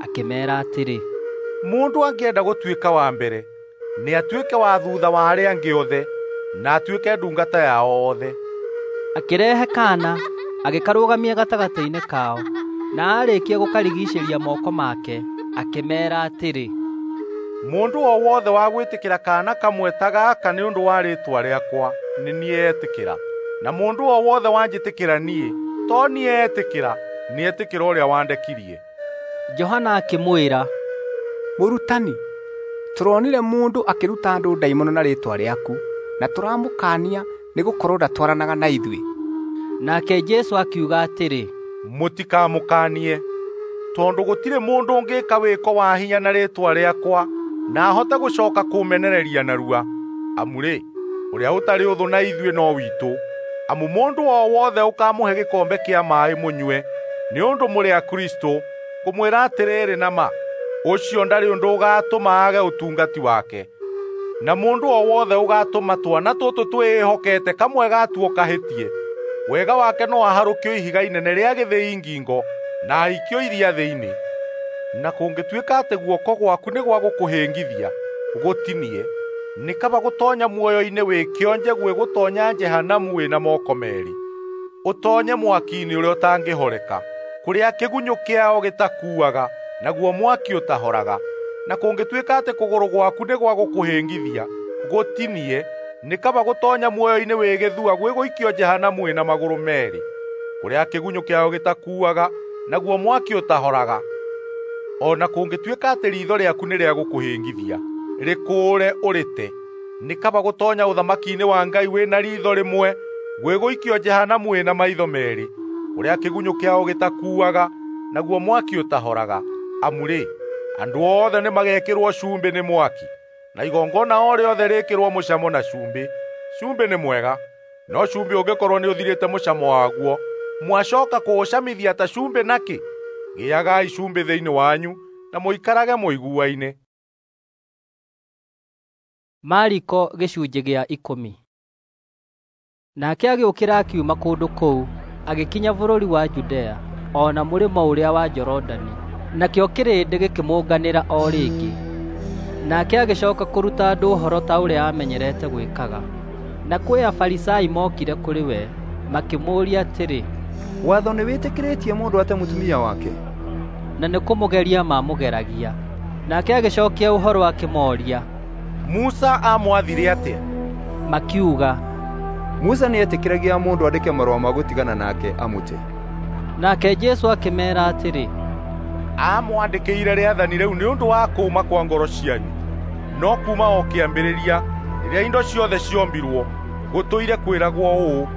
A: akĩmeera atĩrĩ,
E: Mũndũ angĩenda gũtuĩka wa mbere, nĩ atuĩke wa thuutha wa arĩa angĩ othe, na atuĩke ndungata yao othe.
A: Akĩrehe kaana, agĩkarũgamia gatagatĩ-inĩ kao, na aarĩkia gũkarigiicĩria moko make, akĩmeera atĩrĩ,
E: Mũndũ o wothe wa gwĩtĩkĩra kaana kamwe ta gaka nĩ ũndũ wa rĩĩtwa rĩakwa, nĩ niĩ etĩkĩra. Na mũndũ o wothe wanjĩtĩkĩra niĩ, to niĩ etĩkĩra, nĩ etĩkĩra ũrĩa wandekirie.
A: Johana akĩmwĩra,
U: Mũrutani, tũronire mũndũ akĩruta andũ ndaimono na rĩĩtwa rĩaku, na tũramũkaania nĩgũkorwo ndatwaranaga na ithuĩ.
A: Nake Jesũ akiuga atĩrĩ,
E: Mũtikamũkaanie, tondũ gũtirĩ mũndũ ũngĩka wĩko wa hinya na rĩĩtwa rĩakwa na ahote gũcoka kũmenereria narua. Amu-rĩ, ũrĩa ũtarĩ ũthũ na ithuĩ no witũ. Amu mũndũ o wothe ũkaamũhe gĩkombe kĩa maaĩ mũnyue nĩ ũndũ mũrĩ a Kristũ, ngũmwĩra atĩrĩrĩ na ma, ũcio ndarĩ ũndũ ũgaatũma aage ũtungati wake. Na mũndũ o wothe ũgaatũma twana tũtũ twĩĩhokete kamwe gatuo kahĩtie, wega wake no aharũkio ihiga inene rĩa gĩthĩi ngingo na aikio iria thĩinĩ. Na kũngĩtuĩka atĩ guoko gwaku nĩ gwa gũkũhĩngithia, gũtinie. Nĩ kaba gũtoonya muoyo-inĩ wĩ kĩonje gwĩ gũtoonya Jehanamu wĩ na moko meerĩ, ũtoonye mwaki-inĩ ũrĩa ũtangĩhoreka, kũrĩa kĩgunyũ kĩao gĩtakuaga, naguo mwaki ũtahoraga. Na kũngĩtuĩka atĩ kũgũrũ gwaku nĩ gwa gũkũhĩngithia, gũtinie. Nĩ kaba gũtoonya muoyo-inĩ wĩ gĩthua gwĩ gũikio Jehanamu wĩ na magũrũ meerĩ, kũrĩa kĩgunyũ kĩao gĩtakuaga, naguo mwaki ũtahoraga. O na kũngĩtuĩka atĩ riitho rĩaku nĩ rĩa gũkũhĩngithia, rĩkũũre ũrĩte. Nĩ kaba gũtoonya ũthamaki-inĩ wa Ngai wĩ na riitho rĩmwe gwĩ gũikio Jehanamu wĩ na maitho meerĩ, kũrĩa kĩgunyũ kĩao gĩtakuaga, naguo mwaki ũtahoraga. Amu-rĩ, andũ othe nĩmagekĩrwo cumbĩ nĩ mwaki, na igongona o rĩothe rĩĩkĩrwo mũcamo na cumbĩ. Cumbĩ nĩ mwega, no cumbĩ ũngĩkorwo nĩũthirĩte mũcamo waguo, mwacoka kũũcamithia ta cumbĩ nakĩ? Gĩagai cumbĩ thĩinĩ wanyu na mũikarage mũiguaine.
A: Mariko gĩcunjĩ gĩa 10. Nake agĩũkĩra akiuma kũndũ kũu, agĩkinya bũrũri wa Judea, o na mũrĩmo ũrĩa wa Jorodani. Nakĩo kĩrĩndĩ gĩkĩmũnganĩra o rĩngĩ. Nake agĩcoka kũruta andũ ũhoro ta ũrĩa aamenyerete gwĩkaga. Na kwĩ Afarisai mokire kũrĩ we, makĩmũũria atĩrĩ,
O: Watho nĩwĩtĩkĩrĩtie mũndũ ate mũtumia wake?
A: Na nĩ kũmũgeria maamũgeragia. Nake agĩcokia ũhoro akĩmooria,
E: Musa aamwathire atĩa?
A: Makiuga,
O: Musa nĩetĩkĩragia mũndũ andĩke marũa ma gũtigana nake amũte.
A: Nake Jesũ akĩmeera atĩrĩ,
E: Aamwandĩkĩire rĩathani rĩu nĩ ũndũ wa kũũma kwa ngoro cianyu. No kuuma o kĩambĩrĩria, rĩrĩa indo ciothe ciombirwo, gũtũire kwĩragwo ũũ,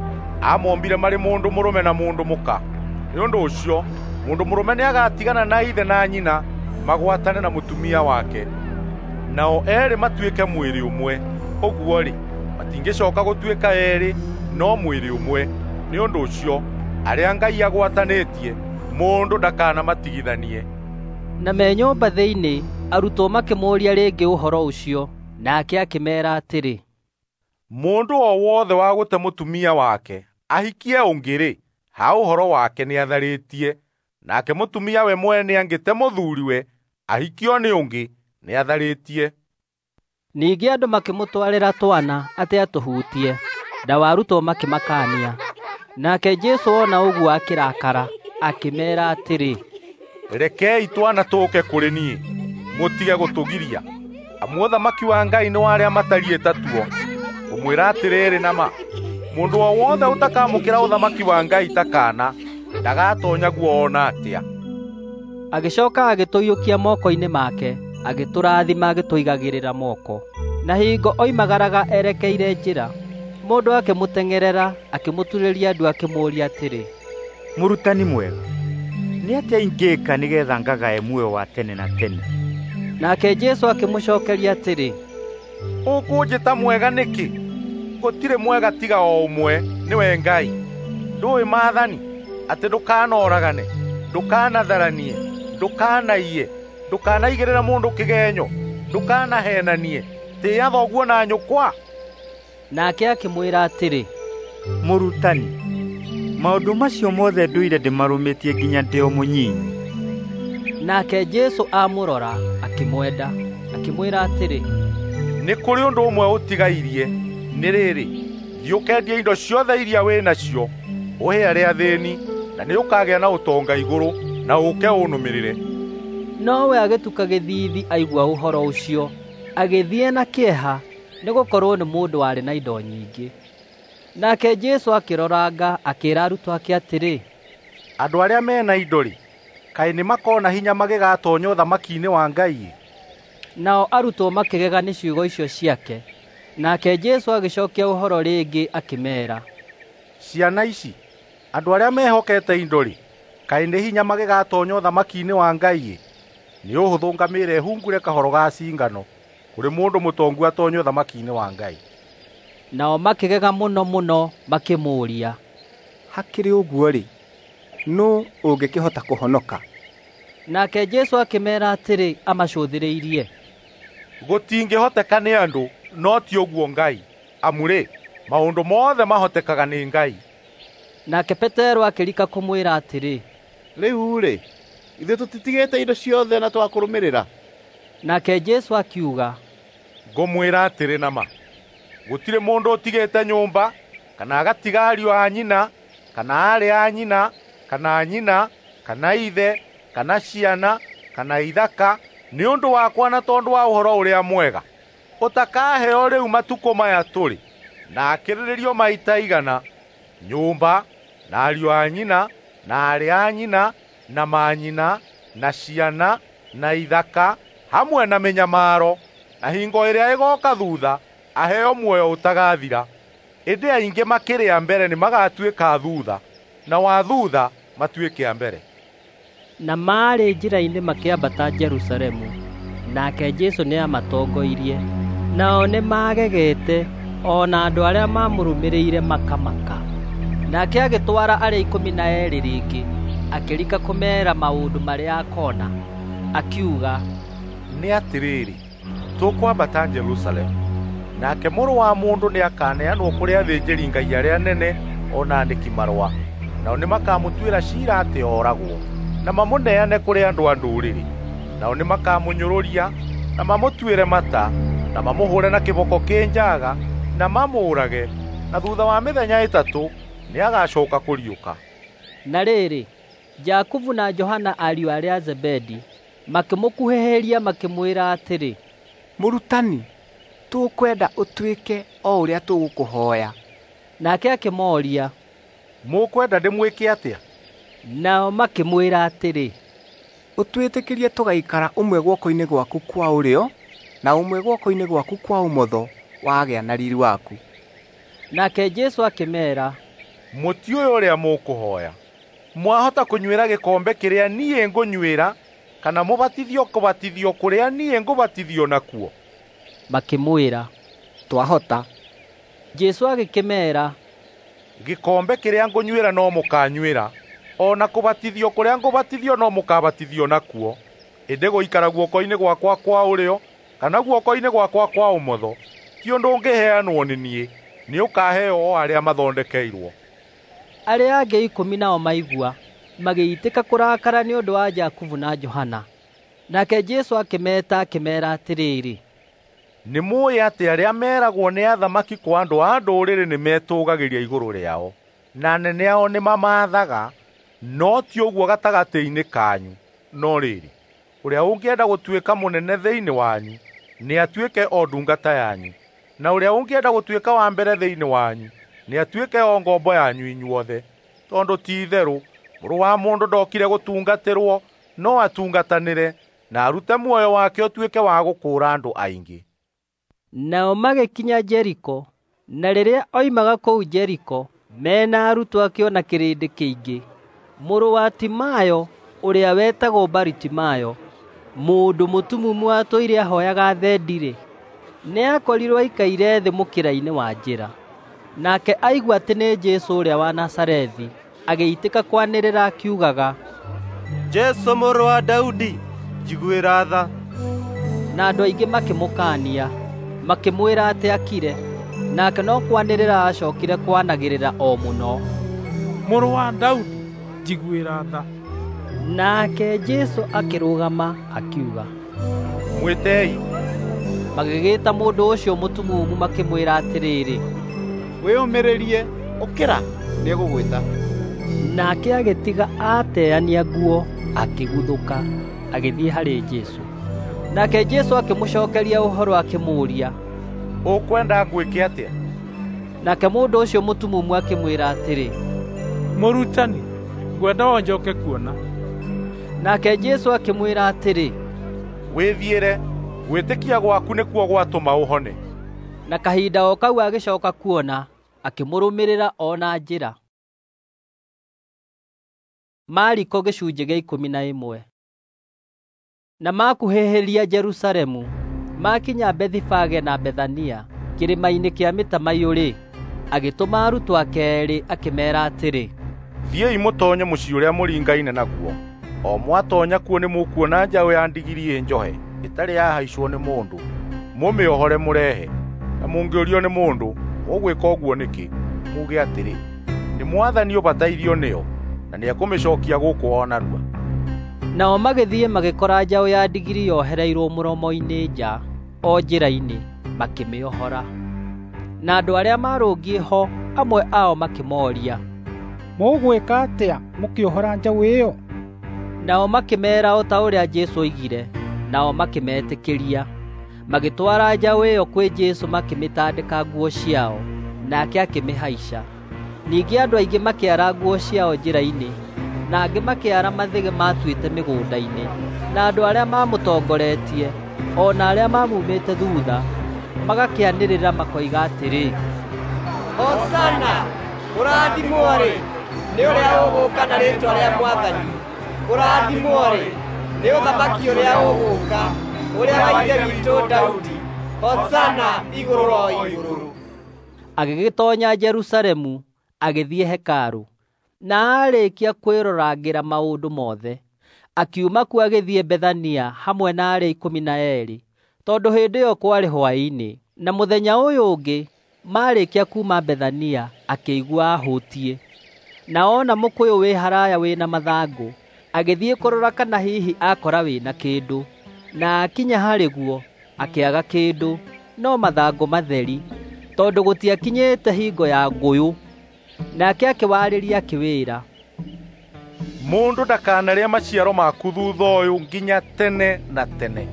E: aamombire marĩ mũndũ mũrũme na mũndũ mũka. Nĩ ũndũ ũcio, mũndũ mũrũme nĩagatigana na ithe na nyina magwatane na mũtumia wake, nao eerĩ matuĩke mwĩrĩ ũmwe. Ũguo-rĩ, matingĩcooka gũtuĩka eerĩ, no mwĩrĩ ũmwe. Nĩ ũndũ ũcio, arĩa Ngai agwatanĩtie, mũndũ ndakanamatigithanie.
A: Na me nyũmba thĩinĩ, arutwo makĩmũũria rĩngĩ ũhoro ũcio, nake akĩmeera atĩrĩ,
E: Mũndũ o wothe wa gũte mũtumia wake ahikie ũngĩ-rĩ, ha ũhoro wake nĩatharĩtie, nake mũtumia we mwene angĩte mũthuuriwe ahikio nĩ ũngĩ, nĩatharĩtie.
A: Ningĩ andũ makĩmũtwarĩra twana atĩ atũhutie, nao arutwo makĩmakaania. Nake Jesũ ona ũguo akĩrakara, akĩmeera atĩrĩ,
E: Rekei twana tũũke kũrĩ niĩ, mũtige gũtũgiria, amu ũthamaki wa Ngai nĩ wa arĩa matariĩ ta tuo. Ngũmwĩra atĩrĩrĩ na ma, mũndũ o wothe ũtakamũkĩra ũthamaki wa Ngai ta kaana, ndagatoonya guo o na atĩa.
A: Agĩcoka agĩtũiyũkia moko-inĩ make, agĩtũrathima agĩtũigagĩrĩra moko. Na hingo oimagaraga erekeire njĩra, mũndũ akĩmũteng'erera, akĩmũturĩria ndu akĩmũũria atĩrĩ,
C: Mũrutani mwega, nĩ atĩa ingĩĩka nĩgeetha ngagae muoyo wa tene na tene?
A: Nake Jesũ akĩmũcookeria atĩrĩ,
E: Ũkũnjĩta mwega nĩkĩ? Gũtirĩ mwega tiga o ũmwe, nĩwe Ngai. Ndũũĩ maathani, atĩ ndũkanoragane, Ndũkanatharanie, ndũkanaiye, ndũkanaigĩrĩre mũndũ kĩgenyo, ndũkanahenanie, tĩĩa thoguo na nyũkwa.
A: Nake akĩmwĩra atĩrĩ,
C: Mũrutani, maũndũ macio mothe ndũire ndĩmarũmĩtie nginya ndĩ o mũnyinyi.
A: Nake Jesũ amũrora, akĩmwenda, akĩmwĩra atĩrĩ,
E: Nĩ kũrĩ ũndũ ũmwe ũtigairie, nĩ rĩrĩ, thiĩ ũkendie indo ciothe iria wĩ nacio, ũhe arĩa athĩni, na nĩũkagĩa na ũtonga igũrũ, na ũũke ũnũmĩrĩre.
A: Nowe agĩtuka gĩthiithi aigua ũhoro ũcio, agĩthiĩ na kĩeha, nĩgũkorwo nĩ mũndũ warĩ na indo nyingĩ. Nake Jesũ akĩroranga, akĩĩra arutwo ake atĩrĩ,
E: Andũ arĩa me na indo-rĩ, kaĩ nĩmakona hinya magĩgatoonya ũthamaki-inĩ wa Ngai-ĩ!
A: Nao arutwo makĩgega nĩ ciugo icio ciake. Nake Jesũ agĩcookia ũhoro rĩngĩ akĩmeera,
E: Ciana ici, andũ arĩa mehokete indo-rĩ, kaĩ nĩ hinya magĩgatoonya ũthamaki-inĩ wa Ngai-ĩ! Nĩ ũhũthũ ngamĩĩra ĩhungure kahoro ga cingano kũrĩ mũndũ mũtongu atoonye ũthamaki-inĩ wa Ngai.
A: Nao makĩgega mũno mũno makĩmũũria,
U: Hakĩrĩ ũguo-rĩ, nũũ ũngĩkĩhota kũhonoka?
A: Nake Jesũ akĩmeera atĩrĩ amacũthĩrĩirie,
E: Gũtingĩhoteka nĩ andũ, no ti ũguo Ngai, amu-rĩ, maũndũ mothe mahotekaga nĩ Ngai.
A: Nake Petero akĩrika kũmwĩra atĩrĩ,
H: Rĩu-rĩ, ithuĩ tũtitigĩte indo ciothe na twakũrũmĩrĩra.
A: Nake Jesũ akiuga,
E: Ngũmwĩra atĩrĩ na ma, gũtirĩ mũndũ ũtigĩte nyũmba, kana agatiga ariũ a nyina, kana aarĩ a nyina, kana nyina, kana ithe, kana ciana, kana ithaka, nĩ ũndũ wakwa na tondũ wa ũhoro ũrĩa mwega, ũtakaheo rĩu matukũ maya tũrĩ, na akĩrĩrĩrio maita igana, nyũmba, na ariũ a nyina, na aarĩ a nyina, na manyina, na ciana, na ithaka, hamwe na mĩnyamaro, na hingo ĩrĩa ĩgooka thutha aheo muoyo ũtagathira. Ĩndĩ aingĩ makĩrĩ a mbere nĩmagatuĩka a thutha, na wa thutha matuĩke a mbere.
A: Na maarĩ njĩra-inĩ makĩambata Jerusalemu, nake Jesũ nĩamatongoirie. Nao nĩmagegete, o na andũ arĩa maamũrũmĩrĩire makamaka. Nake agĩtwara arĩa 12 rĩngĩ, akĩrika kũmeera maũndũ marĩa akoona. Akiuga,
E: Nĩ atĩrĩrĩ, tũkwambata Jerusalemu, nake Mũrũ wa Mũndũ nĩakaneanwo kũrĩ athĩnjĩri-Ngai arĩa anene o na aandĩki-marũa, nao nĩmakamũtuĩra ciira atĩ ooragwo, na mamũneane kũrĩ andũ a ndũrĩrĩ. Nao nĩmakamũnyũrũria, na mamũtuĩre mata, na mamũhũre na kĩboko kĩ njaaga, na mamũũrage, na thuutha wa mĩthenya 3 nĩagacooka kũriũka.
A: Na rĩrĩ, Jakubu na Johana ariũ arĩa a Zebedi makĩmũkuhĩhĩria makĩmwĩra atĩrĩ,
U: Mũrutani, tũkwenda ũtwĩke o ũrĩa tũgũkũhooya.
A: Nake akĩmooria,
E: Mũkwenda ndĩmwĩke atĩa?
A: Nao makĩmwĩra atĩrĩ,
U: Ũtwĩtĩkĩrie tũgaikara ũmwe guoko-inĩ gwaku kwa ũrĩo na ũmwe guoko-inĩ gwaku kwa ũmotho wagĩa na riiri waku.
A: Nake Jesũ akĩmeera,
E: Mũtiũĩ ũrĩa mũkũhooya. Mwahota kũnyuĩra gĩkombe kĩrĩa niĩ ngũnyuĩra, kana mũbatithio kũbatithio kũrĩa niĩ ngũbatithio nakuo?
A: Makĩmwĩra,
U: Twahota.
A: Jesũ agĩkĩmeera,
E: Gĩkombe kĩrĩa ngũnyuĩra no mũkaanyuĩra, o na kũbatithio kũrĩa ngũbatithio no mũkaabatithio nakuo. Ĩndĩ gũikara guoko-inĩ gwakwa kwa ũrĩo kana guoko-inĩ gwakwa kwa ũmotho ti ũndũ ũngĩheanwo nĩ niĩ, nĩũkaheo o arĩa mathondekeirwo.
A: Arĩa angĩ 10 nao maigua, magĩitĩka kũrakara nĩ ũndũ wa Jakubu na Johana. Nake Jesũ akĩmeeta akĩmeera atĩrĩrĩ,
E: Nĩmũũĩ atĩ arĩa meeragwo nĩ athamaki kwa andũ a ndũrĩrĩ nĩmetũũgagĩria igũrũ rĩao, na anene ao nĩmamaathaga, no ti ũguo gatagatĩ-inĩ kanyu. No rĩrĩ, ũrĩa ũngĩenda gũtuĩka mũnene thĩinĩ wanyu, nĩatuĩke o ndungata yanyu, na ũrĩa ũngĩenda gũtuĩka wa mbere thĩinĩ wanyu, nĩatuĩke o ngombo yanyu inyuothe. Tondũ ti-itherũ Mũrũ wa Mũndũ ndokire gũtungatĩrwo, no atungatanĩre, na arute muoyo wake ũtuĩke wa gũkũũra andũ aingĩ.
A: Nao magĩkinya Jeriko, na rĩrĩa oimaga kũu Jeriko, me na arutwo ake o na kĩrĩndĩ kĩingĩ, mũrũ wa Timayo, ũrĩa wetagwo Baritimayo, mũndũ mũtumumu watũire ahooyaga thendi-rĩ, nĩakorirwo aikaire thĩ mũkĩra-inĩ wa njĩra. Nake aigua atĩ nĩ Jesũ ũrĩa wa Nazarethi, agĩitĩka kwanĩrĩra akiugaga,
N: Jesũ mũrũ wa Daudi, njiguĩra tha.
A: Na andũ aingĩ makĩmũkaania, makĩmwĩra atĩ akire, nake no kwanĩrĩra aacokire kwanagĩrĩra o mũno,
B: Mũrũ wa Daudi, njiguĩra tha.
A: Nake Jesũ akĩrũgama akiuga,
E: Mwĩtei.
A: Magĩgĩĩta mũndũ ũcio mũtumumu makĩmwĩra atĩrĩrĩ,
H: Wĩyũmĩrĩrie, ũkĩra, nĩegũgwĩta.
A: Nake agĩtiga aateania nguo, akĩguthũka, agĩthiĩ harĩ Jesũ. Nake Jesũ akĩmũcookeria ũhoro akĩmũũria,
E: Ũkwenda ngwĩke atĩa?
A: Nake mũndũ ũcio mũtumumu akĩmwĩra atĩrĩ,
B: Mũrutani, ngwenda o njoke kuona.
A: Nake Jesũ akĩmwĩra atĩrĩ,
E: Wĩthiĩre, gwĩtĩkia gwaku nĩkuo gwatũma ũhone.
A: Na kahinda o kau agĩcooka kuona, akĩmũrũmĩrĩra o na njĩra. Mariko gĩcunjĩ gĩa 11. Na makuhĩhĩria Jerusalemu, makinya Bethifage na Bethania, kĩrĩma-inĩ kĩa mĩtamaiyũ-rĩ, agĩtũma arutwo ake eerĩ akĩmeera atĩrĩ,
E: Thiĩi mũtoonye mũciĩ ũrĩa mũringaine naguo. O mwatoonya kuo nĩmũkuona njaũ ya ndigiri ĩ njohe ĩtarĩ yahaicwo nĩ mũndũ. Mũmĩohore mũrehe. Na mũngĩũrio nĩ mũndũ, mũgwĩka ũguo nĩkĩ? Muuge atĩrĩ, ‘Nĩ Mwathani ũbatairio nĩyo, na nĩekũmĩcookia gũkũ o narua.’
A: Nao magĩthiĩ magĩkora njaũ ya ndigiri yohereirwo mũromo-inĩ nja o njĩra-inĩ, makĩmĩohora. Na andũ arĩa maarũngiĩ ho amwe ao makĩmooria,
I: Mũgwĩka atĩa mũkĩohora njaũ ĩyo?
A: Nao makĩmeera o ta ũrĩa Jesũ oigire, nao makĩmetĩkĩria. Magĩtwara njaũ ĩyo kwĩ Jesũ makĩmĩtandĩka nguo ciao, nake akĩmĩhaica. Ningĩ andũ aingĩ makĩara nguo ciao njĩra-inĩ, na angĩ makĩara mathĩgĩ maatuĩte mĩgũnda-inĩ. Na andũ arĩa maamũtongoretie, o na arĩa maamumĩte thuutha, magakĩanĩrĩra makoiga atĩrĩ,
K: Hosana! Kũrathimwo-rĩ, nĩ ũrĩa ũgũũka na rĩĩtwa rĩa Mwathani! Kũrathimwo-rĩ, nĩ ũthamaki ũrĩa ũgũũka, ũrĩa wa ithe witũ Daudi! Hosana igũrũ o igũrũ!
A: Agĩgĩtoonya Jerusalemu, agĩthiĩ hekarũ, na aarĩkia kwĩrorangĩra maũndũ mothe, akiuma kuo agĩthiĩ Bethania hamwe na arĩa 12, tondũ hĩndĩ ĩyo kwarĩ hwaĩ-inĩ. Na mũthenya ũyũ ũngĩ, maarĩkia kuuma Bethania, akĩigua ahũtiĩ. Na ona mũkũyũ wĩ haraya wĩ na mathangũ, agĩthiĩ kũrora kana hihi akora wĩ na kĩndũ. Na akinya harĩ guo, akĩaga kĩndũ, no mathangũ matheri, tondũ gũtiakinyĩte hingo ya ngũyũ. Nake akĩwarĩria akĩwĩra,
E: Mũndũ ndakanarĩe maciaro maku thuutha ũyũ nginya tene na tene.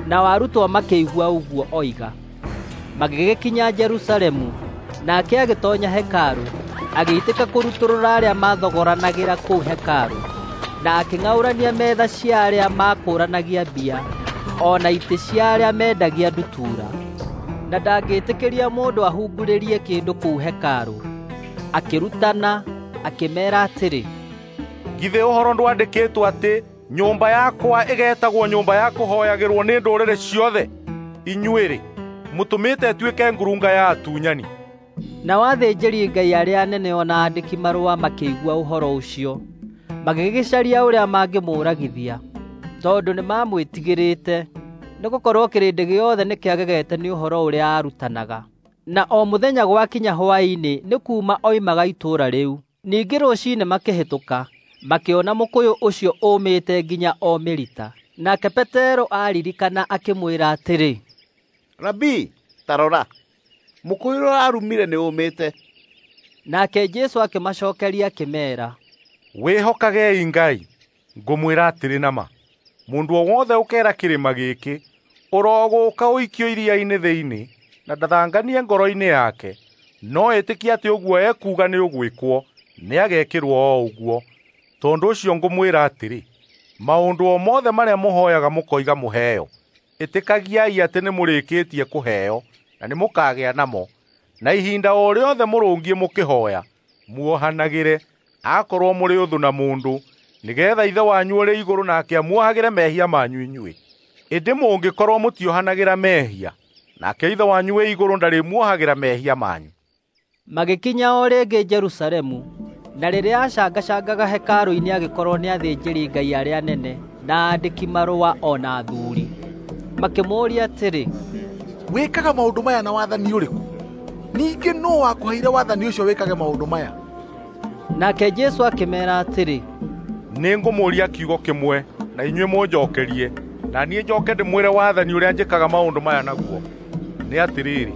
A: Nao arutwo makĩigua ũguo oiga. Magĩgĩkinya Jerusalemu, nake agĩtoonya hekarũ, agĩitĩka kũrutũrũra arĩa maathogoranagĩra kũu hekarũ, na akĩng'aũrania metha cia arĩa maakũũranagia mbia, o na itĩ cia arĩa meendagia ndutura. Na ndangĩĩtĩkĩria mũndũ ahungurĩrie kĩndũ kũu hekarũ. Akĩrutana, akĩmeera atĩrĩ,
E: Githĩ ũhoro ndwandĩkĩtwo atĩ nyũmba yakwa ĩgeetagwo nyũmba ya kũhooyagĩrwo nĩ ndũrĩrĩ ciothe? Inyuĩ-rĩ, mũtũmĩte ĩtuĩke ngurunga ya atunyani.
A: Nao athĩnjĩri-Ngai arĩa anene o na aandĩki-marũa makĩigua ũhoro ũcio, magĩgĩcaria ũrĩa mangĩmũũragithia, tondũ nĩmamwĩtigĩrĩte, nĩgũkorwo kĩrĩndĩ gĩothe nĩkĩagegete nĩ ũhoro ũrĩa aarutanaga. Na o mũthenya gwakinya hwaĩ-inĩ nĩ kuuma oimaga itũũra rĩu. Ningĩ rũciinĩ makĩhĩtũka, makĩona mũkũyũ ũcio ũũmĩte nginya o mĩrita. Nake Petero aaririkana akĩmwĩra atĩrĩ,
H: Rabii, ta rora, mũkũyũ ũrĩa ũrarumire nĩũũmĩte.
A: Nake Jesũ akĩmacookeria akĩmeera,
E: Wĩhokagei Ngai. Ngũmwĩra atĩrĩ na ma, mũndũ o wothe ũkeera kĩrĩma gĩkĩ, ‘Ũrogũũka ũikio iria-inĩ thĩinĩ,’ na ndathanganie ngoro-inĩ yake, no etĩkie atĩ ũguo ekuuga nĩũgwĩkwo, nĩagekĩrwo o ũguo. Tondũ ũcio ngũmwĩra atĩrĩ, maũndũ o mothe marĩa mũhooyaga mũkoiga mũheo, ĩtĩkagiai atĩ nĩmũrĩkĩtie kũheo, na nĩmũkagĩa namo. Na ihinda o rĩothe mũrũngiĩ mũkĩhooya, muohanagĩre, akorwo mũrĩ ũthũ na mũndũ, nĩgeetha Ithe wanyu ũrĩ igũrũ nake amuohagĩre mehia manyu inyuĩ. Ĩndĩ mũngĩkorwo mũtiohanagĩra mehia, nake Ithe wanyu wĩ igũrũ ndarĩmuohagĩra mehia manyu.
A: Magĩkinya o rĩngĩ Jerusalemu, Na rĩrĩa aacangacangaga hekarũ-inĩ agĩkorwo nĩ athĩnjĩri-Ngai arĩa anene na aandĩki-marũa o na athuuri. Makĩmũũria atĩrĩ,
F: "Wĩkaga maũndũ maya na wathani ũrĩkũ? Ningĩ nũũ wakũheire wathani ũcio wĩkage maũndũ maya?"
A: Nake Jesũ akĩmeera atĩrĩ,
E: "Nĩngũmũũria kiugo kĩmwe na inyuĩ mũnjookerie, na niĩ njoke ndĩmwĩre wathani ũrĩa njĩkaga maũndũ maya naguo. Nĩ atĩrĩrĩ,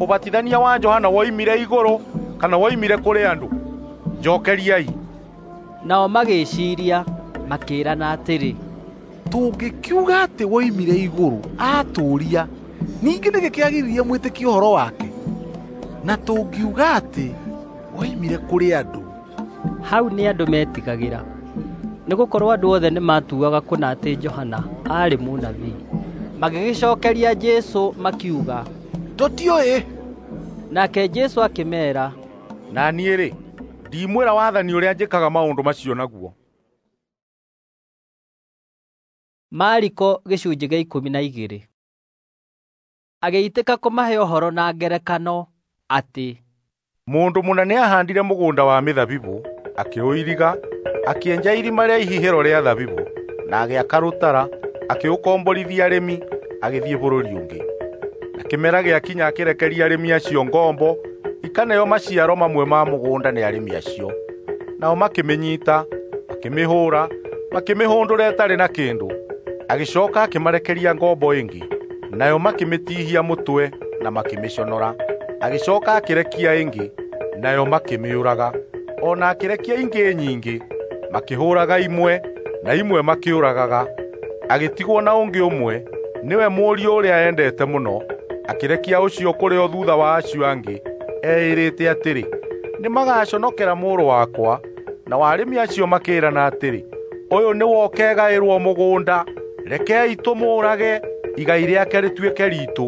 E: ũbatithania wa Johana woimire igũrũ kana woimire kũrĩ andũ? Njookeriai."
A: Nao magĩĩciiria, makĩĩrana atĩrĩ,
F: "Tũngĩkiuga atĩ woimire igũrũ, atũũria, ningĩ nĩkĩ kĩagiririe mwĩtĩkie ũhoro wake? Na tũngiuga atĩ woimire kũrĩ andũ..."
A: Hau nĩ andũ meetigagĩra, nĩgũkorwo andũ othe nĩmatuaga kũna atĩ Johana aarĩ mũnabii. Magĩgĩcookeria Jesũ makiuga,
F: "Tũtiũĩ."
A: Nake Jesũ akĩmeera,
E: "Na niĩ-rĩ, ndimwĩra wathani ũrĩa njĩkaga maũndũ macio naguo."
A: Mariko gĩcunjĩ gĩa 12. Agĩitĩka kũmahe ũhoro na ngerekano atĩ
E: mũndũ mũna nĩahaandire mũgũnda wa mĩthabibũ, akĩũiriga, akĩenja irima rĩa ihihĩro rĩa thabibũ, na agĩaka rũtara, akĩũkomborithia arĩmi, agĩthiĩ bũrũri ũngĩ. Na kĩmera gĩakinya akĩrekeria arĩmi acio ngombo ikaneo maciaro mamwe ma mũgũnda nĩ arĩmi acio. Nao makĩmĩnyiita, makĩmĩhũũra, makĩmĩhũndũra ĩtarĩ na kĩndũ. Agĩcooka akĩmarekeria ngombo ĩngĩ, nayo makĩmĩtiihia mũtwe na makĩmĩconora. Agĩcooka akĩrekia ĩngĩ, nayo makĩmĩũraga. O na akĩrekia ingĩ nyingĩ, makĩhũũraga imwe na imwe makĩũragaga. Agĩtigwo na ũngĩ ũmwe, nĩwe mũriũ ũrĩa eendete mũno. Akĩrekia ũcio kũrĩ o thuutha wa acio angĩ, eĩrĩte atĩrĩ, "Nĩmagaconokera mũrũ wakwa." Nao arĩmi acio makĩĩrana atĩrĩ, "Ũyũ nĩwe ũkegaĩrwo mũgũnda, rekei tũmũũrage, igai rĩake rĩtuĩke riitũ."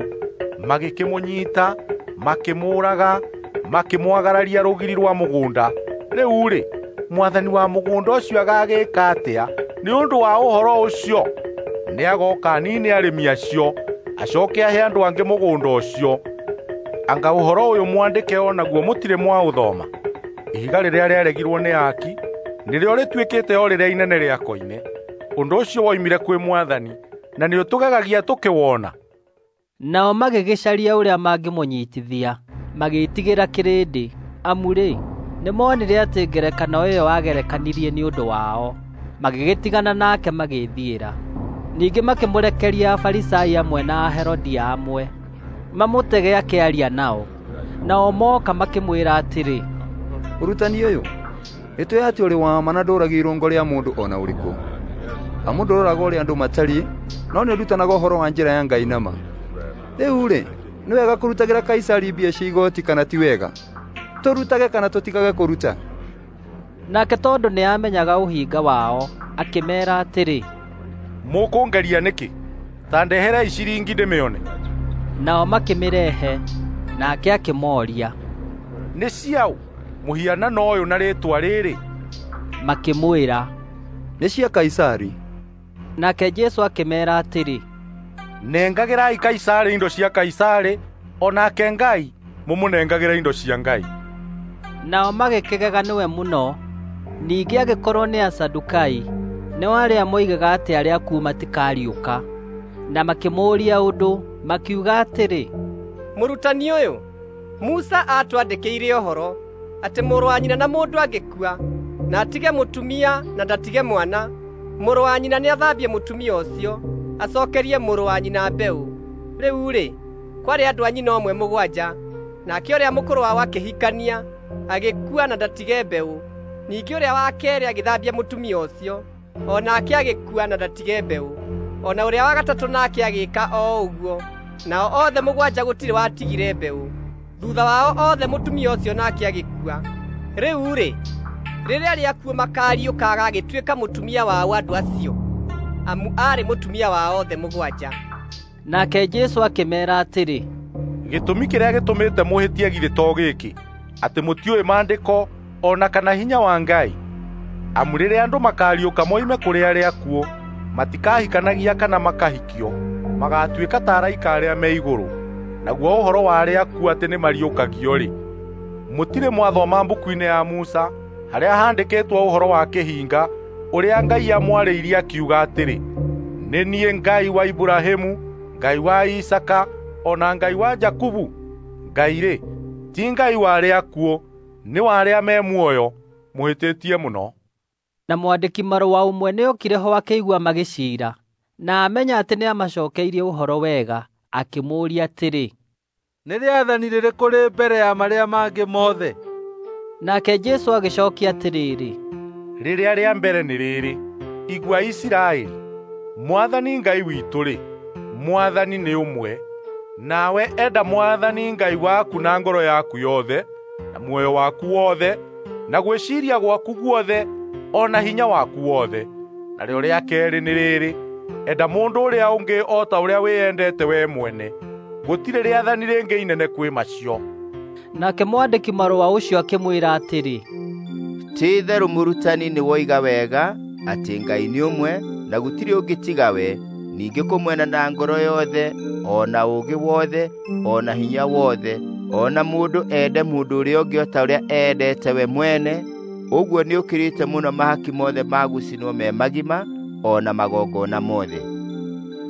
E: Magĩkĩmũnyiita, makĩmũũraga, makĩmwagararia rũgiri rwa mũgũnda. Rĩu-rĩ, mwathani wa mũgũnda ũcio agagĩĩka atĩa nĩ ũndũ wa ũhoro ũcio? Nĩagooka aniine arĩmi acio, acooke ahe andũ angĩ mũgũnda ũcio. Anga ũhoro ũyũ mwandĩke o naguo mũtirĩ mwaũthoma? Ihiga rĩrĩa rĩaregirwo nĩ aaki nĩrĩo rĩtuĩkĩte o rĩrĩa inene rĩa koine. Ũndũ ũcio woimire kwĩ Mwathani, na nĩũtũgegagia tũkĩwona.
A: Nao magĩgĩcaria ũrĩa mangĩmũnyiitithia, magĩĩtigĩra kĩrĩndĩ, amu-rĩ, nĩmoonire atĩ ngerekano ĩyo aagerekanirie nĩ ũndũ wao. Magĩgĩtigana nake magĩĩthiĩra. Ningĩ makĩmũrekeria Afarisai amwe na Aherodia amwe, mamũtege akĩaria nao. Nao mooka makĩmwĩra atĩrĩ,
O: "Ũrutani ũyũ, nĩtũũĩ atĩ ũrĩ wa ma na ndũũragia irũngo rĩa mũndũ o na ũrĩkũ. Amu ndũroraga ũrĩa andũ matariĩ, no nĩũrutanaga ũhoro wa njĩra ya Ngai na ma. Rĩu-rĩ, nĩ wega kũrutagĩra Kaisari mbia cia igooti kana ti wega? Tũrutage kana tũtigage kũruta?"
A: Nake tondũ nĩamenyaga ũhinga wao, akĩmeera atĩrĩ,
E: "Mũkũngeria nĩkĩ? Ta ndeherei ciringi ndĩmĩone."
A: Nao makĩmĩrehe, nake akĩmooria,
E: "Nĩ ciaũ mũhianano ũyũ na rĩĩtwa rĩrĩ?"
A: Makĩmwĩra,
O: "Nĩ cia Kaisari."
A: Nake Jesũ akĩmeera atĩrĩ,
E: "Nengagĩrai Kaisari indo cia Kaisari, o nake Ngai mũmũnengagĩre indo cia Ngai."
A: Nao magĩkĩgega nĩwe mũno. Ningĩ agĩkorwo nĩ Asadukai, nĩo arĩa moigaga atĩ arĩa akuũ matikariũka, na makĩmũũria ũndũ, makiuga atĩrĩ,
K: "Mũrutani ũyũ, Musa aatwandĩkĩire ũhoro atĩ mũrũ wa nyina na mũndũ angĩkua na atige mũtumia na ndatige mwana, mũrũ wa nyina nĩathambie mũtumia ũcio, acookerie mũrũ wa nyina mbeũ. Rĩu-rĩ, kwarĩ andũ a nyina ũmwe 7, nake ũrĩa mũkũrũ wao akĩhikania, agĩkua na ndatige mbeũ. Ningĩ ũrĩa wa keerĩ agĩthambia mũtumia ũcio, o nake agĩkua na ndatige mbeũ. O na ũrĩa wa gatatũ nake agĩĩka o ũguo. Nao othe 7 gũtirĩ watigire mbeũ. Thuutha wao othe mũtumia ũcio nake agĩkua. Rĩu-rĩ, rĩrĩa arĩa akuũ makaariũka agagĩtuĩka mũtumia wa andũ acio, amu aarĩ mũtumia wa othe 7.
A: Nake Jesũ akĩmeera atĩrĩ,
E: "Gĩtũmi kĩrĩa gĩtũmĩte mũhĩtie githĩ to gĩkĩ, atĩ mũtiũĩ Maandĩko o na kana hinya wa Ngai? Amu rĩrĩa andũ makaariũka moime kũrĩ arĩa akuũ, matikahikanagia kana makahikio, magaatuĩka ta araika arĩa me igũrũ. Naguo ũhoro wa arĩa akuũ atĩ nĩmariũkagio-rĩ, mũtirĩ mwathoma mbuku-inĩ ya Musa, Harĩa handĩkĩtwo ũhoro wa kĩhinga ũrĩa Ngai amwarĩirie akiuga atĩrĩ, 'Nĩ niĩ Ngai wa Iburahĩmu, Ngai wa Isaaka, o na Ngai wa Jakubu.' Ngai-rĩ, ti Ngai wa arĩa akuũ, nĩ wa arĩa me muoyo. Mũhĩtĩtie mũno."
A: Na mwandĩki marũa ũmwe nĩokire ho akĩigua magĩciira, na amenya atĩ nĩamacookeirie ũhoro wega, akĩmũũria atĩrĩ,
P: Nĩ rĩathani rĩrĩkũ rĩ mbere ya marĩa mangĩ mothe?
A: Nake Jesũ agĩcookia atĩrĩrĩ,
E: Rĩrĩa rĩa mbere nĩ rĩrĩ, Igua Isiraeli, Mwathani Ngai witũ-rĩ, Mwathani nĩ ũmwe. Nawe enda Mwathani Ngai waku na ngoro yaku yothe, na muoyo waku wothe, na gwĩciiria gwaku guothe, o na hinya waku wothe. Narĩo rĩa keerĩ nĩ rĩrĩ, enda mũndũ ũrĩa ũngĩ o ta ũrĩa wĩyendete wee mwene. Gũtirĩ rĩathani rĩngĩ inene kwĩ macio.
A: Nake mwandĩki marũa ũcio akĩmwĩra atĩrĩ,
J: Ti-itherũ mũrutani nĩwoiga wega atĩ Ngai nĩ ũmwe na gũtirĩ ũngĩ tiga we, ningĩ kũmwenda na ngoro yothe, o na ũũgĩ wothe, o na hinya wothe, o na mũndũ ende mũndũ ũrĩa ũngĩ o ta ũrĩa eendete we mwene, ũguo nĩũkĩrĩte mũno mahaki mothe ma gũcinwo me magima, o na magongona mothe.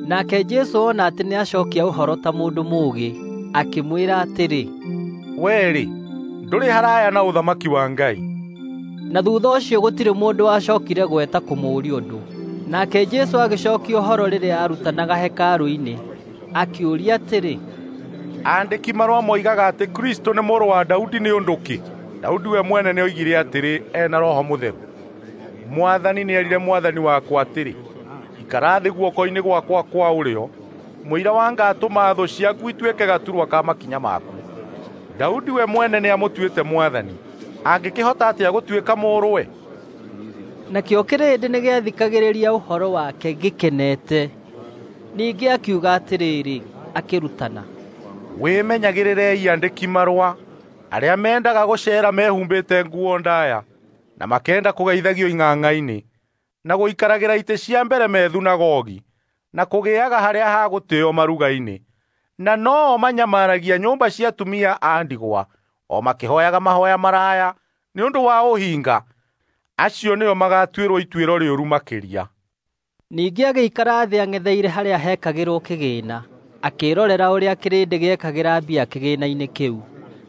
A: Nake Jesũ ona atĩ nĩacookia ũhoro ta mũndũ mũũgĩ, akĩmwĩra atĩrĩ,
E: Wee-rĩ, ndũrĩ haraya na ũthamaki wa Ngai.
A: Na thuutha ũcio gũtirĩ mũndũ wacookire gweta kũmũũria ũndũ. Nake Jesũ agĩcookia ũhoro rĩrĩa aarutanaga hekarũ-inĩ, akĩũria atĩrĩ,
E: Aandĩki marũa moigaga atĩ Kristũ nĩ mũrũ wa Daudi nĩ ũndũ kĩ? Daudi we mwene nĩoigire atĩrĩ e na Roho Mũtheru, ‘Mwathani nĩerire Mwathani wakwa atĩrĩ, ikara thĩ guoko-inĩ gwakwa kwa ũrĩo, mũira wa ngaatũma thũ ciaku ituĩke gaturwa ka makinya maku.’ Daudi we mwene nĩamũtuĩte Mwathani, angĩkĩhota atĩa gũtuĩka mũrũwe?"
A: Nakĩo kĩrĩndĩ nĩgĩathikagĩrĩria ũhoro wake gĩkenete. Ningĩ akiuga atĩrĩrĩ, akĩrutana,
E: Wĩmenyagĩrĩrei andĩki marũa arĩa mendaga gũceera mehumbĩte nguo ndaaya, na makenda kũgeithagio ing'ang'a-inĩ, na gũikaragĩra itĩ cia mbere me thunagogi, na kũgĩaga harĩa ha gũtĩĩo maruga-inĩ, na no-o manyamaragia nyũmba cia atumia a ndigwa, o makĩhooyaga mahooya maraya nĩ ũndũ wa ũhinga. Acio nĩo magaatuĩrwo ituĩro rĩũru makĩria.
A: Ningĩ agĩikara thĩ ang'etheire harĩa heekagĩrwo kĩgĩĩna, akĩĩrorera ũrĩa kĩrĩndĩ gĩekagĩra mbia kĩgĩĩna-inĩ kĩu.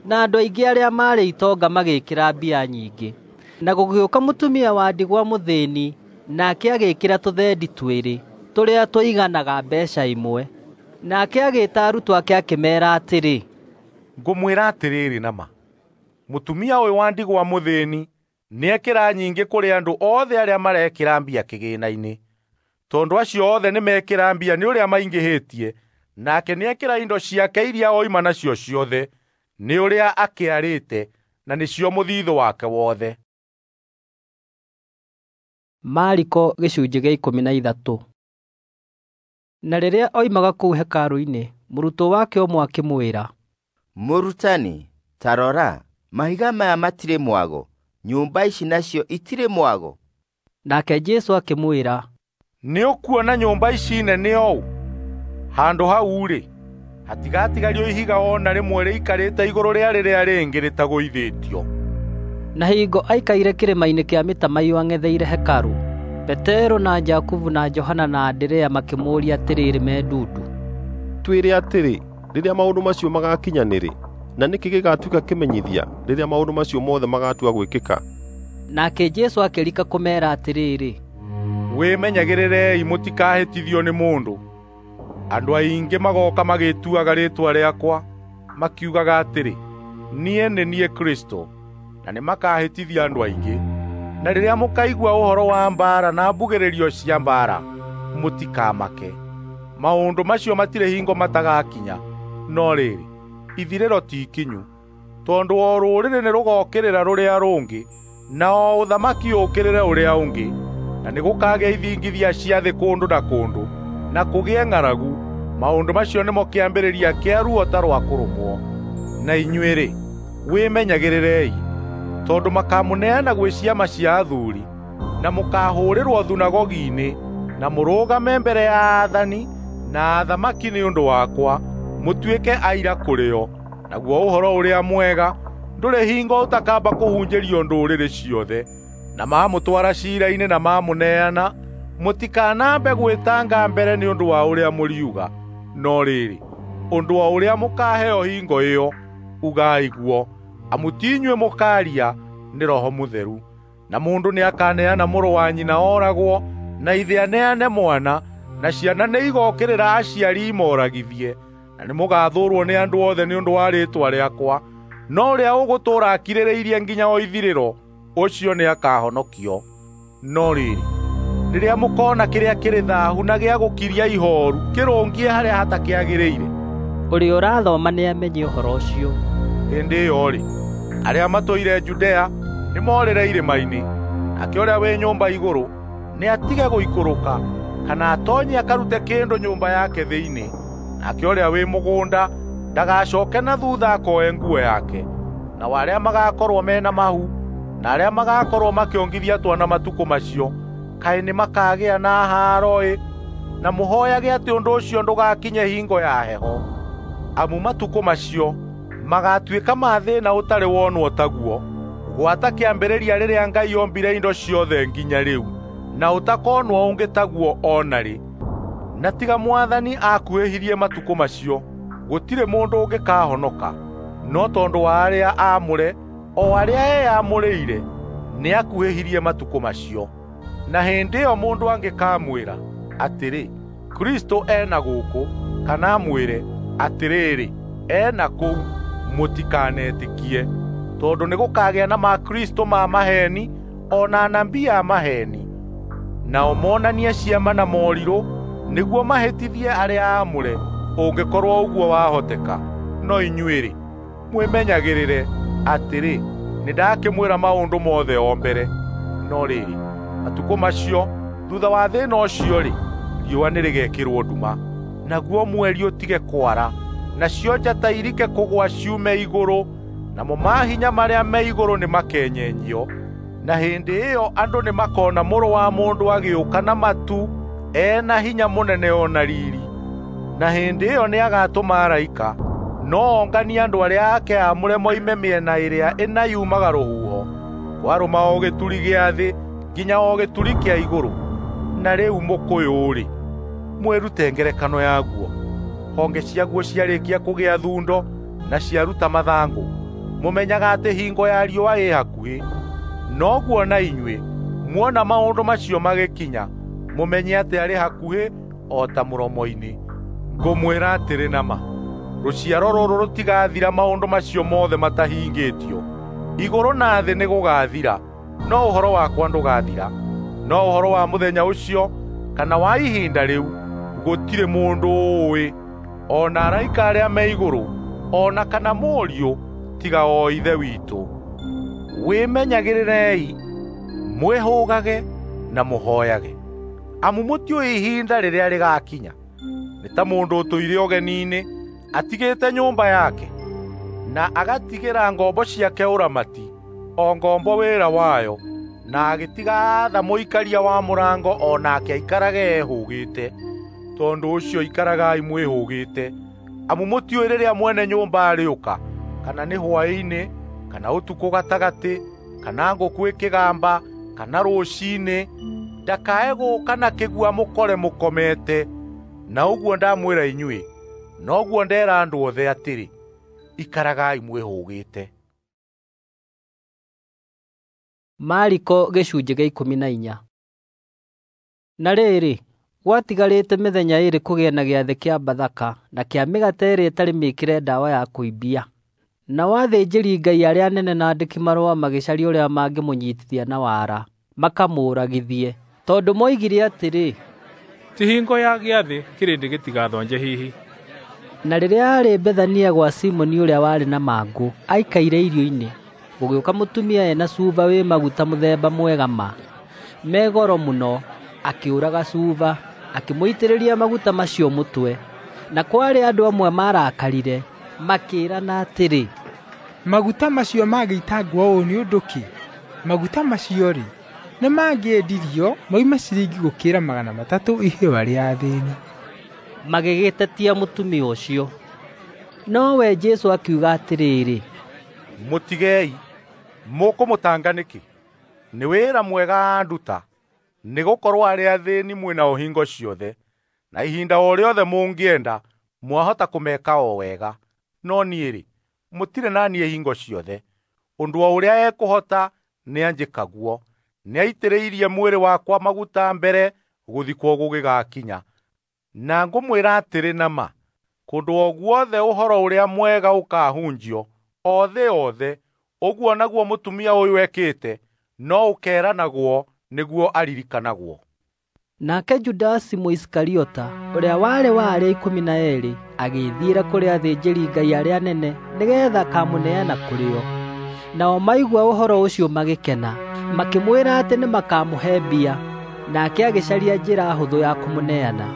A: Na andũ aingĩ arĩa maarĩ itonga magĩĩkĩra mbia nyingĩ. Na gũgĩũka mũtumia wa ndigwa mũthĩĩni, nake agĩĩkĩra tũthendi twĩrĩ, tũrĩa tũiganaga mbeeca ĩmwe. Nake agĩĩta arutwo ake akĩmeera atĩrĩ,
E: Ngũmwĩra atĩrĩrĩ na ma, mũtumia ũyũ wa ndigwa mũthĩĩni nĩekĩra nyingĩ kũrĩ andũ othe arĩa marekĩra mbia kĩgĩĩna-inĩ, tondũ acio othe nĩmekĩra mbia nĩ ũrĩa maingĩhĩtie, nake nĩekĩra indo ciake iria oima nacio ciothe, nĩ ũrĩa akĩarĩte, na nĩcio mũthithũ wake wothe.
A: Mariko gĩcunjĩ gĩa 13. Na rĩrĩa oimaga kũu hekarũ-inĩ, mũrutwo wake ũmwe akĩmwĩra,
J: Mũrutani, ta rora, mahiga maya matirĩ mwago, nyũmba ici nacio itirĩ mwago.
A: Nake Jesũ akĩmwĩra,
E: Nĩũkuona nyũmba ici nene ũũ? Handũ hau-rĩ, hatigatigario ihiga o na rĩmwe rĩikarĩte igũrũ rĩa rĩrĩa rĩngĩ rĩtagũithĩtio.
A: Na hingo aikaire kĩrĩma-inĩ kĩa mĩtamaiyũ ang'etheire hekarũ, Petero na Jakubu na Johana na Anderea makĩmũũria atĩrĩrĩ me ndundu,
V: Twĩre atĩrĩ, rĩrĩa maũndũ macio magaakinya nĩ rĩ, na nĩkĩ gĩgaatuĩka kĩmenyithia rĩrĩa maũndũ macio mothe magatua gwĩkĩka?
A: Nake Jesũ akĩrika kũmeera atĩrĩrĩ,
E: Wĩmenyagĩrĩrei mũtikahĩtithio nĩ mũndũ. Andũ aingĩ magooka magĩĩtuaga rĩĩtwa rĩakwa, makiugaga atĩrĩ, 'Niĩ nĩ niĩ Kristũ,' na nĩmakahĩtithia andũ aingĩ. Na rĩrĩa mũkaigua ũhoro wa mbaara na mbugĩrĩrio cia mbaara, mũtikamake. Maũndũ macio matirĩ hingo matagakinya, no rĩrĩ, ithirĩro ti ikinyu. Tondũ o rũrĩrĩ nĩrũgookĩrĩra rũrĩa rũngĩ, na o ũthamaki ũũkĩrĩre ũrĩa ũngĩ, na nĩgũkagĩa ithingithia cia thĩ kũndũ na kũndũ, na kũgĩe ng'aragu. Maũndũ macio nĩmo kĩambĩrĩria kĩa ruo ta rwa kũrũmwo. Na inyuĩ-rĩ, wĩmenyagĩrĩrei, tondũ makaamũneana gwĩ ciama cia athuuri, na mũkaahũũrĩrwo thunagogi-inĩ, na mũrũgame mbere ya aathani na athamaki nĩ ũndũ wakwa, mũtuĩke aira kũrĩ o. Naguo ũhoro ũrĩa mwega Ndũrĩ hingo ũtakamba kũhunjĩrio ndũrĩrĩ ciothe. Na maamũtwara ciira-inĩ na maamũneana, mũtikanambe gwĩtanga mbere nĩ ũndũ wa ũrĩa mũriuga. No rĩrĩ, ũndũ o ũrĩa mũkaaheo hingo ĩyo, ugai guo, amu ti inyuĩ mũkaaria, nĩ Roho Mũtheru. Na mũndũ nĩakaneana mũrũ wa nyina ooragwo, na ithe aneane mwana, na ciana nĩigokĩrĩra aciari imoragithie. Na nĩmũgathũũrwo nĩ andũ othe nĩ ũndũ wa rĩĩtwa rĩakwa, no ũrĩa ũgũtũũra akirĩrĩirie nginya o ithirĩro, ũcio nĩakahonokio. No rĩrĩ, rĩrĩa mũkoona kĩrĩa kĩrĩ thaahu na gĩa gũkiria ihooru kĩrũngiĩ harĩa hatakĩagĩrĩire,
A: ũrĩa ũrathoma nĩamenye ũhoro ũcio.
E: Hĩndĩ ĩyo-rĩ, arĩa matũire Judea nĩmorĩre irĩma-inĩ, nake ũrĩa wĩ nyũmba igũrũ nĩatige gũikũrũka, kana atoonye akarute kĩndũ nyũmba yake thĩinĩ. Nake ũrĩa wĩ mũgũnda ndagacooke na thuutha akoe nguo yake. Nao arĩa magaakorwo me na mahu, na arĩa magaakorwo makĩongithia twana matukũ macio, kaĩ nĩmakagĩa na haaro-ĩ! Na mũhooyage atĩ ũndũ ũcio ndũgakinye hingo ya heho. Amu matukũ macio magaatuĩka ma thĩĩna ũtarĩ wonwo taguo, gwata kĩambĩrĩria rĩrĩa Ngai ombire indo ciothe nginya rĩu, na ũtakonwo ũngĩ taguo o na rĩ. Na tiga Mwathani akuhĩhirie matukũ macio, gũtirĩ mũndũ ũngĩkahonoka. No tondũ wa arĩa aamũre, o arĩa eyamũrĩire, nĩakuhĩhirie matukũ macio. Na hĩndĩ ĩyo mũndũ angĩkamwĩra atĩrĩ, Kristũ e na gũkũ, kana amwĩre atĩrĩrĩ, e na kũu, mũtikanetĩkie. Tondũ nĩgũkagĩa na makristũ ma maheeni o na anabii a maheeni, nao monanie ciama na morirũ nĩguo mahĩtithie arĩa aamũre, ũngĩkorwo ũguo wahoteka. No inyuĩ-rĩ, mwĩmenyagĩrĩre atĩrĩ, nĩndakĩmwĩra maũndũ mothe o mbere. No rĩrĩ, matukũ macio, thuutha wa thĩĩna ũcio-rĩ, riũa nĩrĩgekĩrwo nduma, naguo mweri ũtige kwara, nacio njata irike kũgũa ciume igũrũ, namo mahinya marĩa me igũrũ nĩmakenyenyio. Na hĩndĩ ĩyo andũ nĩmakona Mũrũ wa Mũndũ agĩũka na matu e na hinya mũnene o na riiri. Na hĩndĩ ĩyo nĩagatũma araika, no onganie andũ arĩa ake aamũre moime mĩena ĩrĩa ĩna yumaga rũhuho, kwarũma o gĩturi gĩa thĩ nginya o gĩturi kĩa igũrũ. Na rĩu mũkũyũ-rĩ, mwĩrute ngerekano yaguo. Honge ciaguo ciarĩkia kũgĩa thundo na ciaruta mathangũ, mũmenyaga atĩ hingo ya riũa ĩ hakuhĩ. Noguo na inyuĩ muona maũndũ macio magĩkinya, mũmenye atĩ arĩ hakuhĩ o ta mũromo-inĩ. Ngũmwĩra atĩrĩ na ma, rũciaro rũrũ rũtigathira maũndũ macio mothe matahingĩtio. Igũrũ na thĩ nĩgũgathira, no ũhoro wakwa ndũgathira. No ũhoro wa mũthenya ũcio kana wa ihinda rĩu, gũtirĩ mũndũ ũũĩ, o na araika arĩa me igũrũ, o na kana Mũriũ, tiga o Ithe witũ. Wĩmenyagĩrĩrei, mwĩhũgage na mũhooyage, amu mũtiũĩ ihinda rĩrĩa rĩgaakinya. Nĩ ta mũndũ ũtũire ũgeni-inĩ, atigĩte nyũmba yake, na agatigĩra ngombo ciake ũramati, o ngombo wĩra wayo, na agĩtiga aatha mũikaria wa mũrango o nake aikarage ehũũgĩte. Tondũ ũcio ikaragai mwĩhũgĩte, amu mũtiũĩ rĩrĩa mwene nyũmba arĩũka, kana nĩ hwaĩ-inĩ, kana ũtukũ gatagatĩ, kana ngũkũ ĩkĩgamba, kana rũciinĩ, ndakae gũũka na kĩgua mũkore mũkomete. Na ũguo ndamwĩra inyuĩ, noguo ndera andũ othe atĩrĩ, ikaragai mwĩhũgĩte.
A: Mariko gĩcunjĩ gĩa 14. Na rĩrĩ, gwatigarĩte mĩthenya ĩĩrĩ kũgĩe na gĩathĩ kĩa Bathaka na kĩa mĩgate ĩrĩa ĩtarĩ mĩĩkĩre ndawa ya kũimbia. Nao athĩnjĩri-Ngai arĩa anene na andĩki-marũa magĩcaria ũrĩa mangĩmũnyiitithia na wara, makamũũragithie, tondũ moigire atĩrĩ,
B: Ti hingo ya gĩathĩ kĩrĩndĩ gĩtigathonje hihi.
A: Na rĩrĩa aarĩ Bethania gwa Simoni ũrĩa warĩ na mangũ, aikaire irio-inĩ, gũgĩũka mũtumia ena cuba wĩ maguta mũthemba mwega ma, me goro mũno, akĩũraga cuba, akĩmũitĩrĩria maguta macio mũtwe. Na kwarĩ andũ amwe maarakarire, makĩĩrana atĩrĩ,
G: Maguta macio mangĩitangwo ũũ nĩ ũndũ kĩ? Maguta macio-rĩ, nĩmangĩendirio moime ciringi gũkĩra 300 iheo arĩa athĩĩni.
A: Magĩgĩtetia mũtumia ũcio. Nowe Jesũ akiuga atĩrĩrĩ,
E: Mũtigei, mũkũmũtanga nĩkĩ? Nĩ wĩra mwega anduta, nĩgũkorwo arĩa athĩĩni mwĩ nao hingo ciothe, na ihinda o rĩothe mũngĩenda mwahota kũmeka o wega, no niĩ-rĩ, mũtirĩ na niĩ hingo ciothe. Ũndũ o ũrĩa ekũhota nĩanjĩka guo. Nĩaitĩrĩirie mwĩrĩ wakwa maguta mbere gũthikwo gũgĩgakinya. Na ngũmwĩra atĩrĩ na ma, kũndũ o guothe ũhoro ũrĩa mwega ũkaahunjio, o thĩ yothe, ũguo naguo mũtumia ũyũ ekĩte no ũkeeranagwo nĩguo aririkanagwo.
A: Nake Judasi Mũisikariota, ũrĩa warĩ wa arĩa 12, agĩĩthiĩra kũrĩ athĩnjĩri-Ngai arĩa anene nĩgeetha akamũneana kũrĩ o. Nao maigua ũhoro ũcio magĩkena, makĩmwĩra atĩ nĩmakamũhe mbia. Nake agĩcaria njĩra hũthũ ya kũmũneana.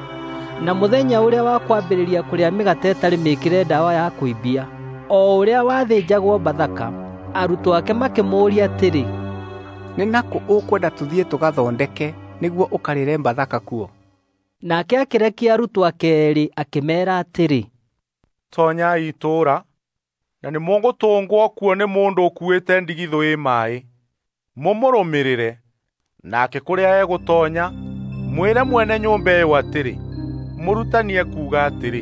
A: Na mũthenya ũrĩa wa kwambĩrĩria kũrĩa mĩgate ĩtarĩ mĩĩkĩre ndawa ya kũimbia, o ũrĩa wathĩnjagwo Bathaka, arutwo ake makĩmũũria atĩrĩ,
U: Nĩ nakũ ũkwenda tũthiĩ tũgathondeke nĩguo ũkarĩre Bathaka kuo?
A: Nake akĩrekia arutwo ake eerĩ akĩmeera atĩrĩ,
E: Toonyai itũũra, na nĩmũgũtũngwo kuo nĩ mũndũ ũkuuĩte ndigithũ ĩ maaĩ. Mũmũrũmĩrĩre, nake kũrĩa egũtoonya, mwĩre mwene nyũmba ĩyo atĩrĩ, ‘Mũrutani ekuuga atĩrĩ,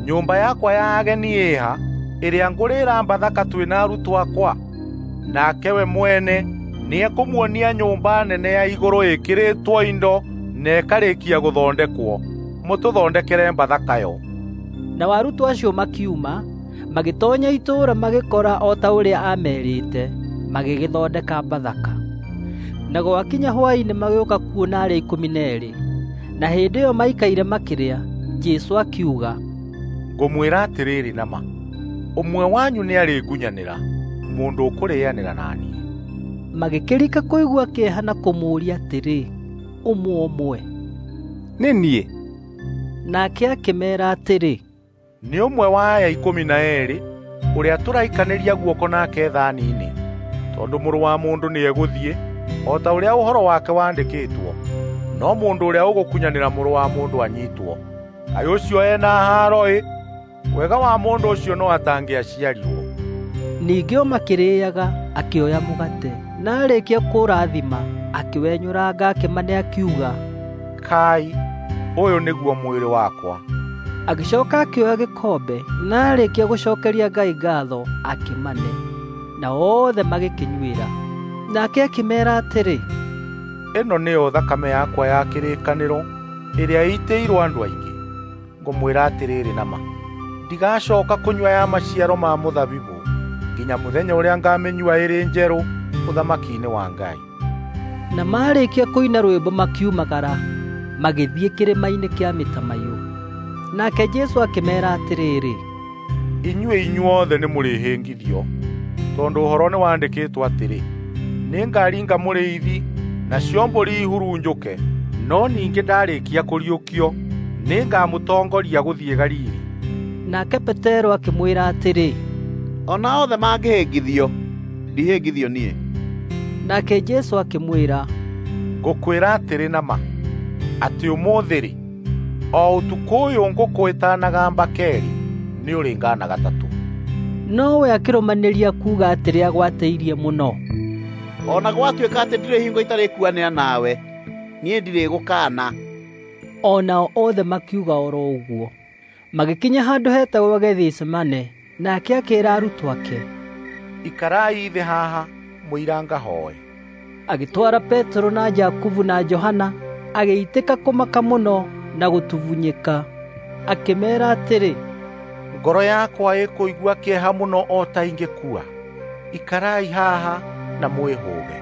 E: nyũmba yakwa ya ageni ĩĩha ĩrĩa ngũrĩĩra Bathaka twĩ na arutwo akwa?’ Nake we mwene nĩekũmuonia nyũmba nene ya igũrũ ĩkĩrĩtwo indo na ĩkarĩkia gũthondekwo. Mũtũthondekere Bathaka yo.
A: Nao arutwo acio makiuma, magĩtoonya itũũra magĩkora o ta ũrĩa aamerĩte, magĩgĩthondeka Bathaka. Na gwakinya hwaĩ-inĩ magĩũka kuona arĩa 12. Na hĩndĩ ĩyo maikaire makĩrĩa, Jesũ akiuga,
E: Ngũmwĩra atĩrĩrĩ na ma, ũmwe wanyu nĩarĩngunyanĩra, mũndũ ũkũrĩanĩra na niĩ.
A: Magĩkĩrika kũigua kĩeha na kũmũũria atĩrĩ, ũmwe ũmwe,
U: Nĩ niĩ?
A: Nake akĩmeera atĩrĩ,
E: Nĩ ũmwe wa aya 12, ũrĩa tũraikanĩria guoko nake thaani-inĩ. Tondũ Mũrũ wa Mũndũ nĩegũthiĩ, o ta ũrĩa ũhoro wake wandĩkĩtwo, no mũndũ ũrĩa ũgũkunyanĩra Mũrũ wa Mũndũ anyiitwo, kaĩ ũcio e na haaro-ĩ! Wega wa mũndũ ũcio no atangĩaciarirwo.
A: Ningĩ o makĩrĩĩaga, akĩoya mũgate, na aarĩkia kũũrathima, akĩwenyũranga akĩmane akiuga,
E: Kai, ũyũ nĩguo mwĩrĩ wakwa.
A: Agĩcooka akĩoya gĩkombe, na aarĩkia gũcookeria Ngai ngaatho, akĩmane, na othe magĩkĩnyuĩra. Nake akĩmeera atĩrĩ,
E: Ĩno nĩyo thakame yakwa ya kĩrĩkanĩro ĩrĩa ĩitĩirwo andũ aingĩ. Ngũmwĩra atĩrĩrĩ na ma, ndigacooka kũnyua ya maciaro ma mũthabibũ nginya mũthenya ũrĩa ngamĩnyua ĩrĩ njerũ ũthamaki-inĩ wa Ngai.
A: Na maarĩkia kũina rwĩmbo makiumagara, magĩthiĩ kĩrĩma-inĩ kĩa mĩtamaiyũ. Nake Jesũ akĩmeera atĩrĩrĩ,
E: Inyuĩ inyuothe nĩmũrĩhĩngithio, tondũ ũhoro nĩwandĩkĩtwo atĩrĩ, ‘Nĩngaringa mũrĩithi, nacio mbũri ihurunjũke.’ No ningĩ ndaarĩkia kũriũkio, nĩngamũtongoria gũthiĩ Galili.
A: Nake Petero akĩmwĩra atĩrĩ,
H: O na othe mangĩhĩngithio, ndihĩngithio niĩ.
A: Nake Jesũ akĩmwĩra,
E: Ngũkwĩra atĩrĩ na ma, atĩ ũmũthĩ-rĩ, o ũtukũ ũyũ ngũkũ ĩtanagamba keerĩ, nĩũrĩngaana gatatũ.
A: Nowe akĩrũmanĩria kuuga atĩrĩ agwatĩirie mũno,
H: O na gwatuĩka atĩ ndirĩ hingo itarĩkuanĩra nawe, niĩ ndirĩgũkaana.
A: O nao othe makiuga oro ũguo. Magĩkinya handũ hetagwo Gethisemane, nake akĩĩra arutwo ake,
E: Ikarai thĩ haha mũira ngahooe.
A: Agĩtwara Petero na Jakubu na Johana, agĩitĩka kũmaka mũno na gũtubunyĩka. Akĩmeera atĩrĩ,
E: Ngoro yakwa ĩkũigua kĩeha mũno o ta ingĩkua. Ikarai haha na mwĩhũge.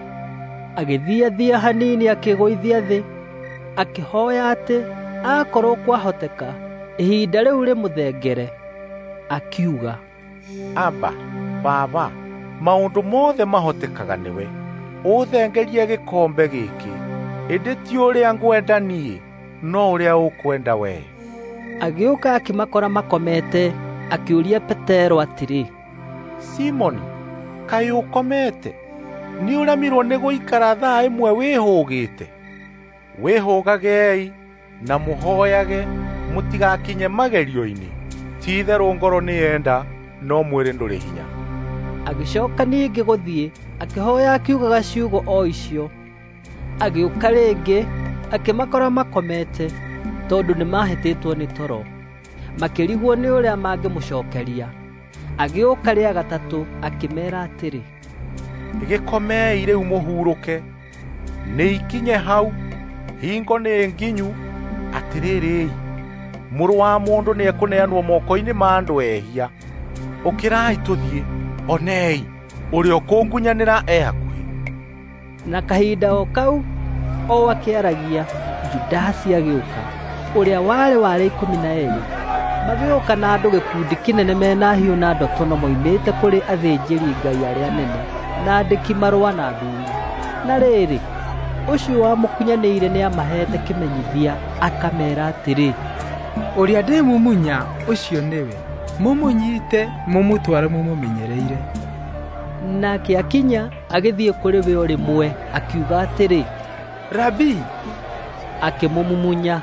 A: Agĩthiathia hanini akĩgũithia thĩ, akĩhooya atĩ aakorwo kwahoteka ihinda rĩu rĩmũthengere. Akiuga,
E: Aba, Baba, maũndũ mothe mahotekaga nĩwe. Ũthengerie gĩkombe gĩkĩ, ĩndĩ ti ũrĩa ngwenda niĩ, no ũrĩa ũkwenda wee.
A: Agĩũka akĩmakora makomete, akĩũria Petero atĩrĩ,
E: Simoni, kaĩ ũkomete? Nĩũremirwo nĩ gũikara thaa ĩmwe wĩhũgĩte? Wĩhũgagei na mũhooyage mũtigakinye magerio-inĩ. Ti-itherũ ngoro nĩyenda no mwĩrĩ ndũrĩ hinya.
A: Agĩcoka ningĩ gũthiĩ, akĩhoya akiugaga ciugo o icio. Agĩũka rĩngĩ, akĩmakora makomete, tondũ nĩmahĩtĩtwo nĩ toro. Makĩrigwo nĩ ũrĩa mangĩmũcookeria. Agĩũka rĩa gatatũ, akĩmeera atĩrĩ,
E: Gĩkomei rĩu mũhurũke. Nĩ ikinye hau, hingo nĩ nginyu. Atĩrĩrĩ, Mũrũ wa Mũndũ nĩekũneanwo moko-inĩ ma andũ ehia. Ũkĩrai tũthiĩ, onei, ũrĩa ũkũngunyanĩra e hakuhĩ.
A: Na kahinda o kau o akĩaragia, Judasi agĩũka, ũrĩa warĩ wa arĩa 12. Magĩũka na andũ gĩkundi kĩnene mena hiũ na ndotono moimĩte kũrĩ athĩnjĩri-Ngai arĩa anene, na andĩki-marũa na athuuri. Na rĩrĩ, ũcio wamũkunyanĩire nĩamaheete kĩmenyithia, akameera atĩrĩ,
G: Ũrĩa ndĩmumunya, ũcio nĩwe; mũmũnyiite mũmũtware mũmũmenyereire.
A: Nake akinya, agĩthiĩ kũrĩ we o rĩmwe, akiuga atĩrĩ,
G: Rabii!
A: Akĩmũmumunya.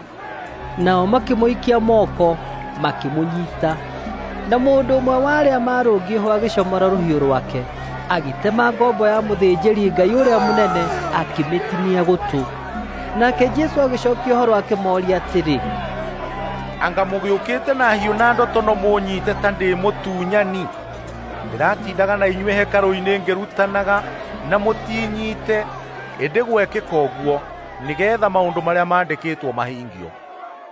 A: Nao makĩmũikia moko, makĩmũnyiita. Na mũndũ ũmwe wa arĩa maarũngiĩ ho agĩcomora rũhiũ rwake, agĩtema ngombo ya mũthĩnjĩri-Ngai ũrĩa mũnene, akĩmĩtinia gũtũ. Nake Jesũ agĩcookia ũhoro akĩmooria atĩrĩ,
E: Anga mũgĩũkĩte na hiũ na ndotono mũũnyiite ta ndĩ mũtunyani? Ndĩratindaga na inyuĩ hekarũ-inĩ ngĩrutanaga na mũtinyiite, ĩndĩ gwekĩka ũguo nĩgeetha maũndũ marĩa maandĩkĩtwo mahingio.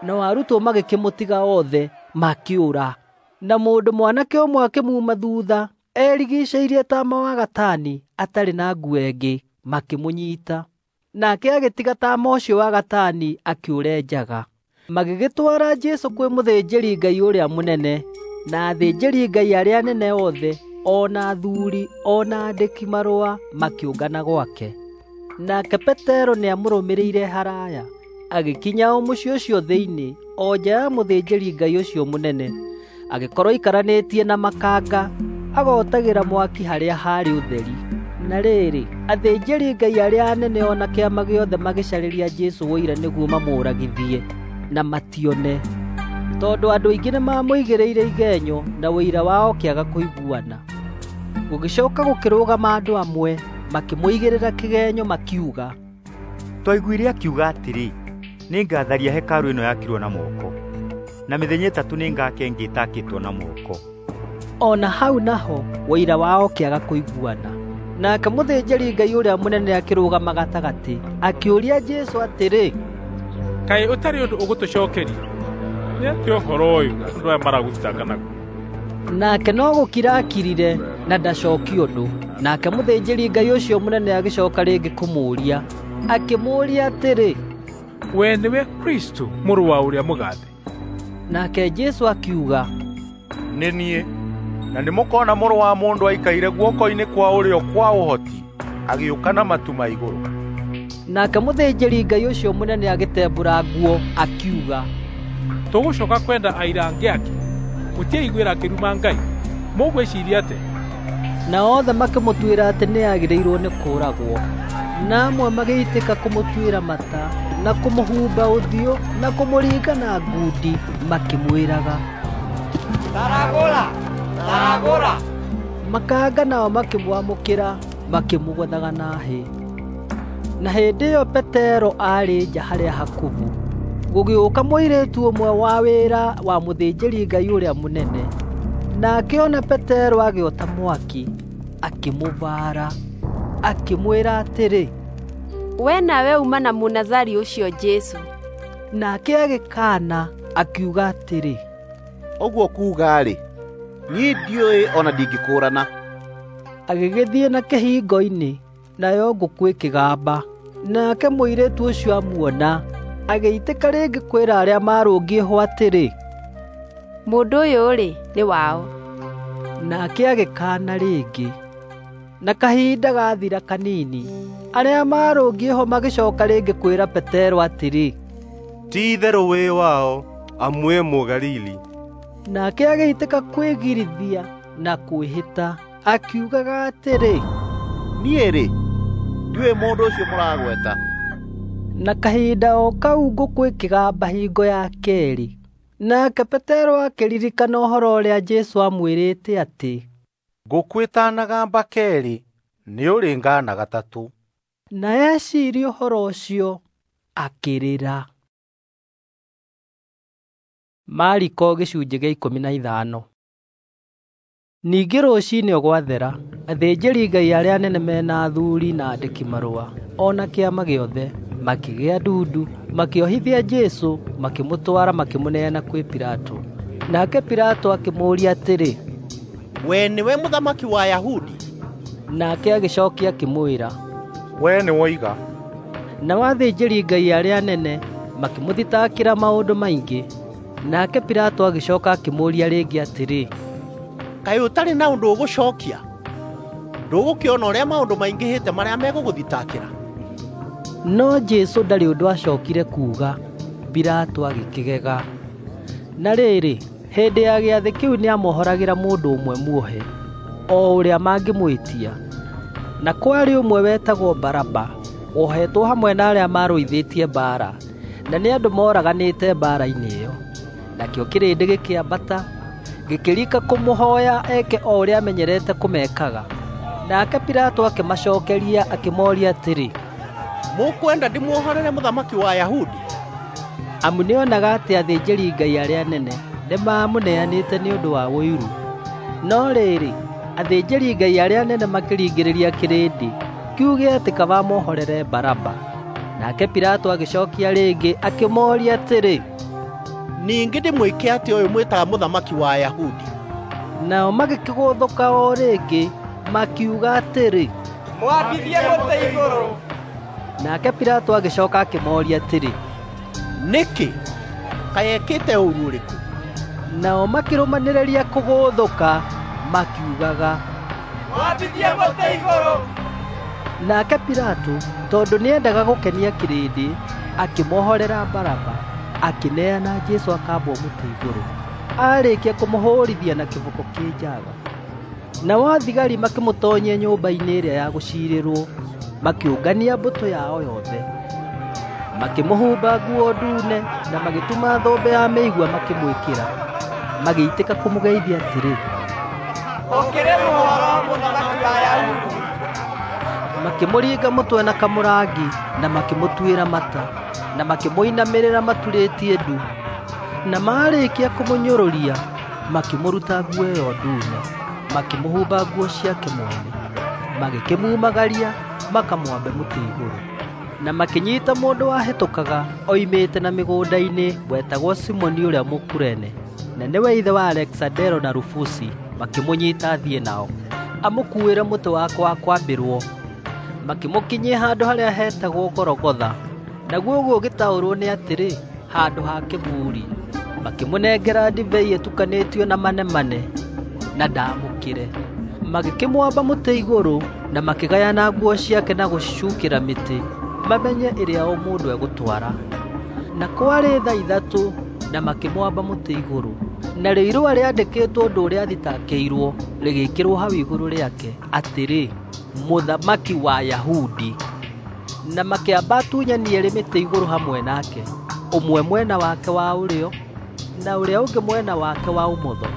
A: Nao arutwo magĩkĩmũtiga othe, makĩũra. Na mũndũ mwanake ũmwe akĩmuuma thuutha, erigiicĩirie taama wa gatani, atarĩ na nguo ĩngĩ, makĩmũnyiita. Nake agĩtiga taama ũcio wa gatani akĩũra njaga. Magĩgĩtwara Jesũ kwĩ mũthĩnjĩri-Ngai ũrĩa mũnene, na athĩnjĩri-Ngai arĩa anene othe, o na athuuri, o na andĩki-marũa makĩũngana gwake. Nake Petero nĩamũrũmĩrĩire haraaya, agĩkinya o mũciĩ ũcio thĩinĩ, o nja ya mũthĩnjĩri-Ngai ũcio mũnene. Agĩkorwo aikaranĩtie na makanga, agotagĩra mwaki harĩa haarĩ ũtheri. Na rĩrĩ, athĩnjĩri-Ngai arĩa anene o na kĩama gĩothe magĩcarĩria Jesũ ũira nĩguo mamũũragithie, na matione, tondũ andũ aingĩ nĩmamũigĩrĩire igenyo na ũira wao ũkĩaga kũiguana. Gũgĩcooka gũkĩrũgama andũ amwe, makĩmũigĩrĩra kĩgenyo makiuga,
C: Twaiguire akiuga atĩrĩ, ‘Nĩngatharia hekarũ ĩno yakirwo na moko, na mĩthenya ĩtatũ nĩngaka ĩngĩ ĩtaakĩtwo na moko.’
A: O na hau naho ũira wao ũkĩaga kũiguana. Nake mũthĩnjĩri-Ngai ũrĩa mũnene akĩrũgama gatagatĩ, akĩũria Jesũ atĩrĩ,
B: Kaĩ ũtarĩ ũndũ ũgũtũcookeria? Nĩ atĩa ũhoro ũyũ andũ aya maragũthitanga naguo?
A: Nake no gũkira akirire na ndacookie ũndũ. Nake mũthĩnjĩri-Ngai ũcio mũnene agĩcooka rĩngĩ kũmũũria, akĩmũũria atĩrĩ,
B: Wee nĩwe Kristũ, mũrũ wa ũrĩa mũgathe?
A: Nake Jesũ akiuga,
E: Nĩ niĩ, na nĩmũkona Mũrũ wa Mũndũ aikaire guoko-inĩ kwa ũrĩo kwa ũhoti, agĩũka na matu ma igũrũ.
A: Nake mũthĩnjĩri-Ngai ũcio mũnene agĩtembũra nguo, akiuga,
B: Tũgũcooka kwenda aira angĩ akĩ? Mũtiaiguĩra akĩruma Ngai? Mũgwĩciiria atĩa?
A: Nao othe makĩmũtuĩra atĩ nĩagĩrĩirwo nĩ kũũragwo. Na amwe magĩitĩka kũmũtuĩra mata, na kũmũhumba ũthiũ, na kũmũringa na ngundi, makĩmwĩraga,
K: Taragũra! Taragũra!
A: Makanga nao makĩmwamũkĩra, makĩmũgũthaga na hĩ. Na hĩndĩ ĩyo Petero aarĩ nja harĩa hakubu. Gũgĩũka mũirĩtu ũmwe wa wĩra wa mũthĩnjĩri-Ngai ũrĩa mũnene. Nake ona Petero agĩota mwaki, akĩmũbaara, akĩmwĩra atĩrĩ,
Q: We nawe uuma na Mũnazari ũcio Jesũ.
A: Nake agĩkaana, akiuga atĩrĩ,
H: Ũguo kuuga-rĩ, niĩ ndiũĩ o na ndingĩkũũrana.
A: Agĩgĩthiĩ na kĩhingo-inĩ, nayo ngũkũ ĩkĩgamba. Nake mũirĩtu ũcio amuona, agĩitĩka rĩngĩ kwĩra arĩa maarũngiĩ ho atĩrĩ,
Q: Mũndũ ũyũ-rĩ, nĩ wao.
A: Nake agĩkaana rĩngĩ. Na kahinda gaathira kanini, arĩa maarũngiĩ ho magĩcooka rĩngĩ kwĩra Petero atĩrĩ,
N: Ti-itherũ wĩ wao, amu wĩ Mũgalili.
A: Nake agĩitĩka kwĩgirithia na kwĩhĩta, akiugaga atĩrĩ,
H: Niĩ-rĩ, ndiũĩ mũndũ ũcio mũragweta.
A: Na kahinda o kau ngũkũ ĩkĩgamba hingo ya keerĩ. Nake Petero akĩririkana ũhoro ũrĩa Jesũ aamwĩrĩte atĩ,
E: Ngũkũ ĩtanagamba keerĩ nĩũrĩngaana gatatũ.
A: Na eciria ũhoro ũcio akĩrĩra. Mariko gĩcunjĩ gĩa 15. Ningĩ rũcinĩ o gwathera, athĩnjĩri-Ngai arĩa anene mena athuri na andĩki-marũa, o na kĩama gĩothe, makĩgĩa ndundu, makĩohithia Jesũ, makĩmũtwara makĩmũneana kwĩ Pilato. Nake Pilato akĩmũũria atĩrĩ,
R: "We nĩwe mũthamaki wa Ayahudi?"
A: Nake agĩcokia akĩmwĩra,
E: "We nĩwoiga."
A: Nao athĩnjĩri-Ngai arĩa anene makĩmũthitakĩra maũndũ maingĩ. Nake Pilato agĩcoka akĩmũũria rĩngĩ atĩrĩ,
R: "Kaĩ ũtarĩ na ũndũ ũgũcokia? Ndũgũkĩona ũrĩa maũndũ maingĩhĩte marĩa megũgũthitakĩra?"
A: No Jesũ ndarĩ ũndũ aacokire kuuga. Pilato agĩkĩgega. Na rĩrĩ, hĩndĩ ya gĩathĩ kĩu nĩamohoragĩra mũndũ ũmwe muohe, o ũrĩa mangĩmwĩtia. Na kwarĩ ũmwe wetagwo Baraba, wohetwo hamwe na arĩa maarũithĩtie mbaara, na nĩ andũ moraganĩte mbaara-inĩ ĩyo. Nakĩo kĩrĩndĩ gĩkĩambata, gĩkĩrika kũmũhooya eke o ũrĩa amenyerete kũmekaga. Nake Pilato akĩmacookeria akĩmooria atĩrĩ,
R: "Mũkwenda ndĩmuohorere mũthamaki wa Ayahudi?"
A: Amu nĩonaga atĩ athĩnjĩri-Ngai arĩa anene nĩmamũneanĩte nĩ ũndũ wa ũiru. No rĩrĩ, athĩnjĩri-Ngai arĩa anene makĩringĩrĩria kĩrĩndĩ kiuge atĩ kaba amohorere Baraba. Nake Pilato agĩcookia rĩngĩ akĩmooria atĩrĩ,
R: "Ningĩ ndĩmwĩke atĩa ũyũ mwĩtaga mũthamaki wa Ayahudi?"
A: Nao magĩkĩgũthũka o rĩngĩ makiuga atĩrĩ,
K: "Mwambithie mũtĩ igũrũ."
A: Nake Pilato agĩcooka akĩmooria atĩrĩ,
R: "Nĩkĩ? Kaĩ ekĩte ũũru ũrĩkũ?"
A: Nao makĩrũmanĩrĩria kũgũthũka makiugaga,
K: "Mwambithie mũtĩ igũrũ."
A: Nake Pilato, tondũ nĩendaga gũkenia kĩrĩndĩ, akĩmohorera Baraba, akĩneana Jesũ akambwo mũtĩ igũrũ, aarĩkia kũmũhũũrithia na kĩboko kĩ njaga. Nao athigari makĩmũtoonyia nyũmba-inĩ ĩrĩa ya gũciirĩrwo, makĩũngania mbũtũ yao yothe. Makĩmũhumba nguo ndune na magĩtuma thũmbĩ ya mĩigua makĩmwĩkĩra. Magĩitĩka kũmũgeithia atĩrĩ,
K: "Ũkĩrĩ mũhoro, mũthamaki wa Ayahudi!"
A: Makĩmũringa mũtwe na kamũrangi na makĩmũtuĩra mata, na makĩmũinamĩrĩra maturĩtie ndu. Na maarĩkia kũmũnyũrũria, makĩmũruta nguo ĩyo ndune, makĩmũhumba nguo ciake mwene, magĩkĩmumagaria makamwambe mũtĩ igũrũ. Na makĩnyiita mũndũ wahĩtũkaga oimĩte na mĩgũnda-inĩ wetagwo Simoni ũrĩa Mũkurene, na nĩwe ithe wa Alekisandero na Rufusi, makĩmũnyiita athiĩ nao, amũkuuĩre mũtĩ wake wa kwambĩrwo. Makĩmũkinyia handũ harĩa heetagwo Gologotha, naguo ũguo ũgĩtaũrwo nĩ atĩrĩ, handũ ha kĩbuuri. Makĩmũnengera ndibei ĩtukanĩtio na manemane, na ndaamũkĩre. Magĩkĩmwamba mũtĩ igũrũ na makĩgayana nguo ciake na gũcicukĩra mĩtĩ, mamenye ĩrĩa o mũndũ egũtwara. Na kwarĩ thaa 3 na makĩmwamba mũtĩ igũrũ. Narĩo irũa rĩandĩkĩtwo ũndũ ũrĩa athitakĩirwo rĩgĩĩkĩrwo hau igũrũ rĩake, atĩrĩ, "Mũthamaki wa Ayahudi." Na makĩamba atunyani eerĩ mĩtĩ igũrũ hamwe nake, ũmwe mwena wake wa ũrĩo na ũrĩa ũngĩ mwena wake wa ũmotho.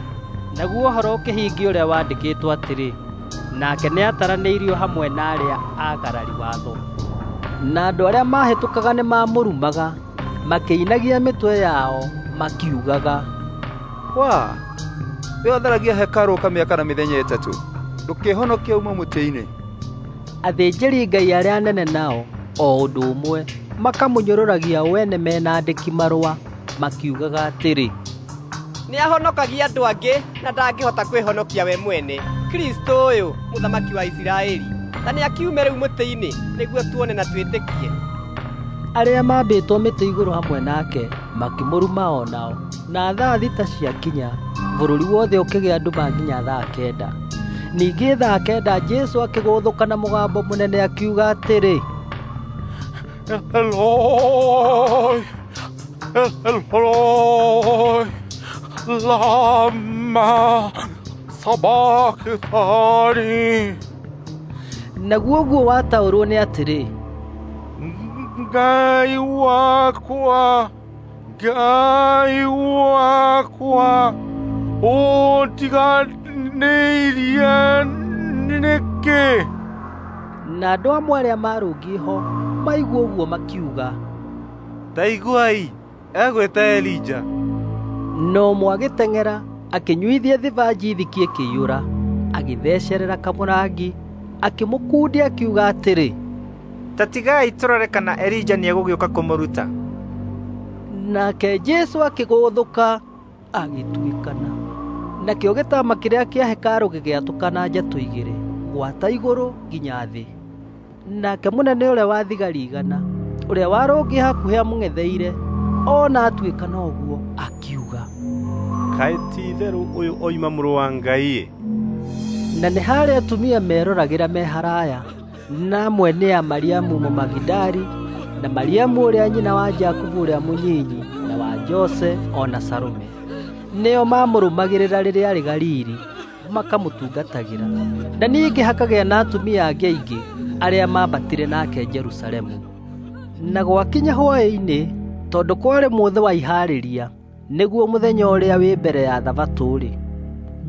A: Naguo ũhoro ũkĩhingia ũrĩa waandĩkĩtwo atĩrĩ, "Nake nĩataranĩirio hamwe na arĩa aagarari watho." Na andũ arĩa maahĩtũkaga nĩmamũrumaga, makĩinagia mĩtwe yao makiugaga,
O: "Waa, we ũtharagia hekarũ ũkamĩaka na mĩthenya 3, ndũkĩĩhonokie ume mũtĩ-inĩ."
A: Athĩnjĩri-Ngai arĩa anene nao o ũndũ ũmwe makamũnyũrũragia o ene mena andĩki-marũa, makiugaga atĩrĩ,
K: "Nĩahonokagia andũ angĩ na ndangĩhota kwĩhonokia we mwene. Kristũ ũyũ, mũthamaki wa Isiraeli, ta nĩakiume rĩu mũtĩ-inĩ, nĩguo tuone na twĩtĩkie."
A: Arĩa maambĩtwo mĩtĩ igũrũ hamwe nake makĩmũruma o nao. Na thaa 6 ciakinya, bũrũri wothe ũkĩgĩa nduma nginya thaa 9. Ningĩ thaa 9 Jesũ akĩgũthũka na mũgambo mũnene akiuga atĩrĩ,
E: "Eloi, Eloi, lama sabachthani."
A: Naguo ũguo wataũrwo nĩ atĩrĩ,
E: "Ngai wakwa, Ngai wakwa, ũndiganĩirie Mũtiganĩirie nĩkĩ?
A: Na andũ amwe arĩa maarũngiĩ ho maigua ũguo makiuga,
N: Ta iguai, egwĩta Elija.
A: Na ũmwe agĩteng'era akĩnyuithia thibanji thiki ĩkĩiyũra, agĩthecerera kamũrangi, akĩmũkundia akiuga atĩrĩ,
L: Ta tigai tũrore kana Elija nĩegũgĩũka kũmũruta.
A: Nake Jesũ akĩgũthũka agĩtuĩkana. Nakĩo gĩtama kĩrĩa kĩa hekarũ gĩgĩatũkana njatũ igĩrĩ, gwata igũrũ nginya thĩ. Nake mũnene ũrĩa wa thigari 100, ũrĩa warũngiĩ hakuhĩ amũng'etheire, ona atuĩkana ũguo, akiuga,
D: Kaĩ ti-itherũ ũyũ oima mũrũ wa Ngai-ĩ!
A: Na nĩ harĩ atumia meroragĩra me haraya, na amwe nĩ a Mariamu Mũmagidali, na Mariamu ũrĩa nyina wa Jakubu ũrĩa mũnyinyi na wa Jose o na Salome. Nĩo maamũrũmagĩrĩra rĩrĩa aarĩ Galili, makamũtungatagĩra. Na ningĩ hakagĩa na atumia angĩ aingĩ arĩa maambatire nake Jerusalemu. Na gwakinya hwaĩ-inĩ, tondũ kwarĩ mũthĩ wa Ihaarĩria, nĩguo mũthenya ũrĩa wĩ mbere ya Thabatũ-rĩ,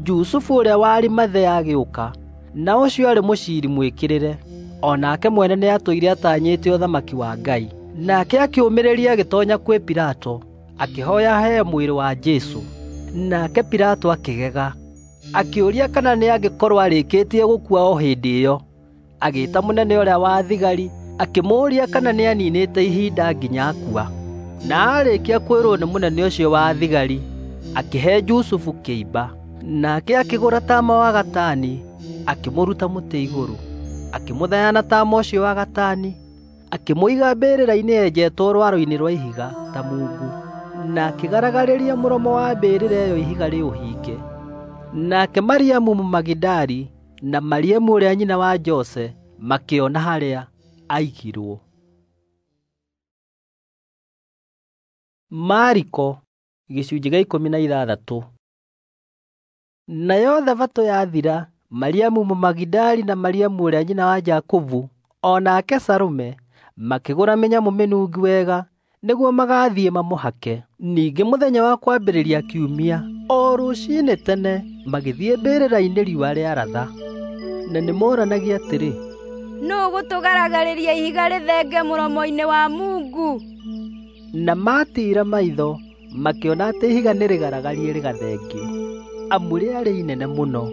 A: Jusufu ũrĩa wa Arimathea agĩũka, na ũcio aarĩ mũciiri mwĩkĩrĩre, o nake mwene nĩatũire atanyĩte ũthamaki wa Ngai. Nake akĩũmĩrĩria agĩtoonya kwĩ Pilato, akĩhooya aheo mwĩrĩ wa Jesũ. Nake Pilato akĩgega, akĩũria kana nĩangĩkorwo arĩkĩtie gũkua o hĩndĩ ĩyo. Agĩĩta mũnene ũrĩa wa thigari, akĩmũũria kana nĩaninĩte ihinda nginya akua. Na aarĩkia kwĩrwo nĩ mũnene ũcio wa thigari, akĩhe Jusufu kĩimba. Nake akĩgũra taama wa gatani, akĩmũruta mũtĩ igũrũ, akĩmũthaya na taama ũcio wa gatani, akĩmũiga mbĩrĩra-inĩ yenjetwo rwaro-inĩ rwa ihiga ta mungu, na akĩgaragarĩria mũromo wa mbĩrĩra ĩyo ihiga rĩũhinge. Nake Mariamu Mũmagidali na Mariamu ũrĩa nyina wa Jose makĩona harĩa aigirwo. Mariko gĩcunjĩ gĩa 16. Nayo Thabatũ yathira, Mariamu Mũmagidali na Mariamu ũrĩa nyina wa Jakubu o nake Salome makĩgũra mĩnyamũ mĩnungi wega nĩguo magathiĩ mamũhake. Ningĩ mũthenya wa kwambĩrĩria kiumia, o rũciinĩ tene, magĩthiĩ mbĩrĩra-inĩ riũa rĩaratha. Na nĩmoranagia atĩrĩ,
M: Nũũ ũgũtũgaragarĩria ihiga rĩthenge mũromo-inĩ wa mungu?
A: Na maatiira maitho, makĩona atĩ ihiga nĩrĩgaragarie rĩgathengio, amu rĩarĩ inene mũno.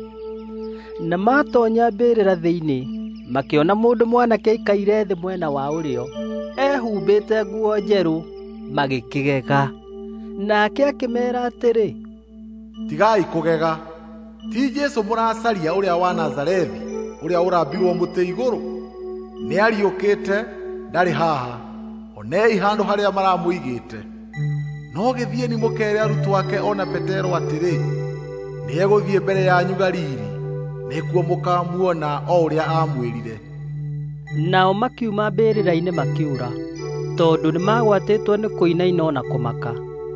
A: Na maatoonya mbĩrĩra thĩinĩ, makĩona mũndũ mwanake aikaire thĩ mwena wa ũrĩo, ehumbĩte nguo njerũ, magĩkĩgega. Nake akĩmeera atĩrĩ,
F: Tigai kũgega. Ti Jesũ mũracaria ũrĩa wa Nazarethi, ũrĩa ũrambirwo mũtĩ igũrũ? Nĩariũkĩte, ndarĩ haha. Onei handũ harĩa maramũigĩte. No gĩthiĩni mũkeere arutwo ake o na Petero atĩrĩ, nĩegũthiĩ mbere yanyu Galili, nĩkuo mũkaamuona o ũrĩa aamwĩrire.
A: Nao makiuma mbĩrĩra-inĩ makĩũra, tondũ nĩmagwatĩtwo nĩ kũinaina o na kũmaka,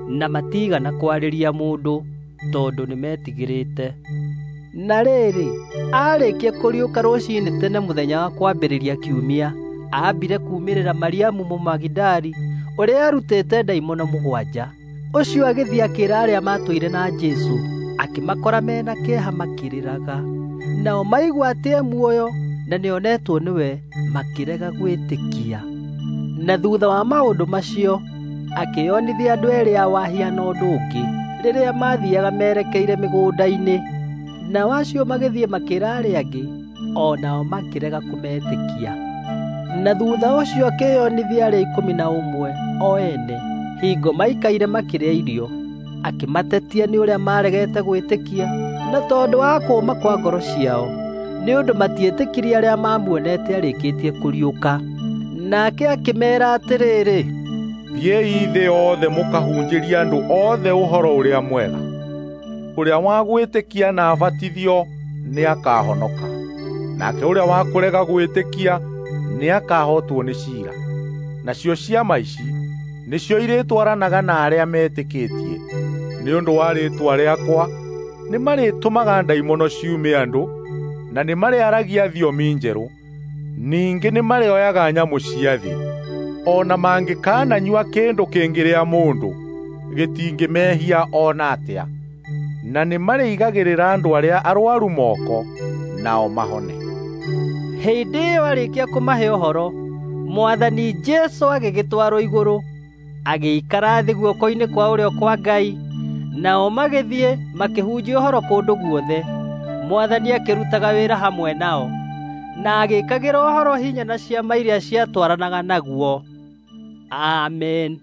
A: na matiigana kwarĩria mũndũ, tondũ nĩmetigĩrĩte. Na rĩrĩ, aarĩkia kũriũka rũciinĩ tene mũthenya wa kwambĩrĩria kiumia, aambire kuumĩrĩra Mariamu Mũmagidali ũrĩa aarutĩte ndaimono 7. Ũcio agĩthiĩ akĩĩra arĩa maatũire na Jesũ, akĩmakora me na kĩeha makĩrĩraga. Nao maigua atĩ e muoyo na nĩonetwo nĩwe, makĩrega gwĩtĩkia. Na thuutha wa maũndũ macio, akĩĩonithia andũ eerĩ ao ahiana ũndũ ũngĩ, rĩrĩa maathiiaga merekeire mĩgũnda-inĩ. Nao acio magĩthiĩ makĩĩra arĩa angĩ, o nao makĩrega kũmetĩkia. Na thuutha ũcio akĩĩonithia arĩa 11 o ene, hingo maikaire makĩrĩa irio, akĩmatetia nĩ ũrĩa maaregete gwĩtĩkia, na tondũ wa kũũma kwa ngoro ciao, nĩ ũndũ matietĩkirie arĩa maamuonete arĩkĩtie kũriũka. Nake akĩmeera atĩrĩrĩ,
E: Thiĩi thĩ yothe mũkahunjĩrie andũ othe ũhoro ũrĩa mwega. Ũrĩa wa gwĩtĩkia na abatithio nĩakahonoka, nake ũrĩa wa kũrega gwĩtĩkia nĩakahootwo nĩ ciira. Nacio ciama ici nĩcio irĩtwaranaga na arĩa metĩkĩtie. Nĩ ũndũ wa rĩĩtwa rĩakwa nĩmarĩtũmaga ndaimono ciume andũ, na nĩmarĩaragia thiomi njerũ. Ningĩ nĩmarĩoyaga nyamũ cia thĩ. O na mangĩkananyua kĩndũ kĩngĩrĩa mũndũ, gĩtingĩmehia o na atĩa. Na nĩ marĩigagĩrĩra andũ arĩa arwaru moko, nao mahone.
A: Hĩndĩ ĩyo arĩkia kũmahe ũhoro, Mwathani Jesũ agĩgĩtwarwo igũrũ, agĩikara thĩ guoko-inĩ kwa ũrĩo kwa Ngai, nao magĩthiĩ makĩhunjia ũhoro kũndũ guothe. Mwathani akĩrutaga wĩra hamwe nao, na agĩĩkagĩra ũhoro hinya na ciama iria ciatwaranaga naguo. Amen.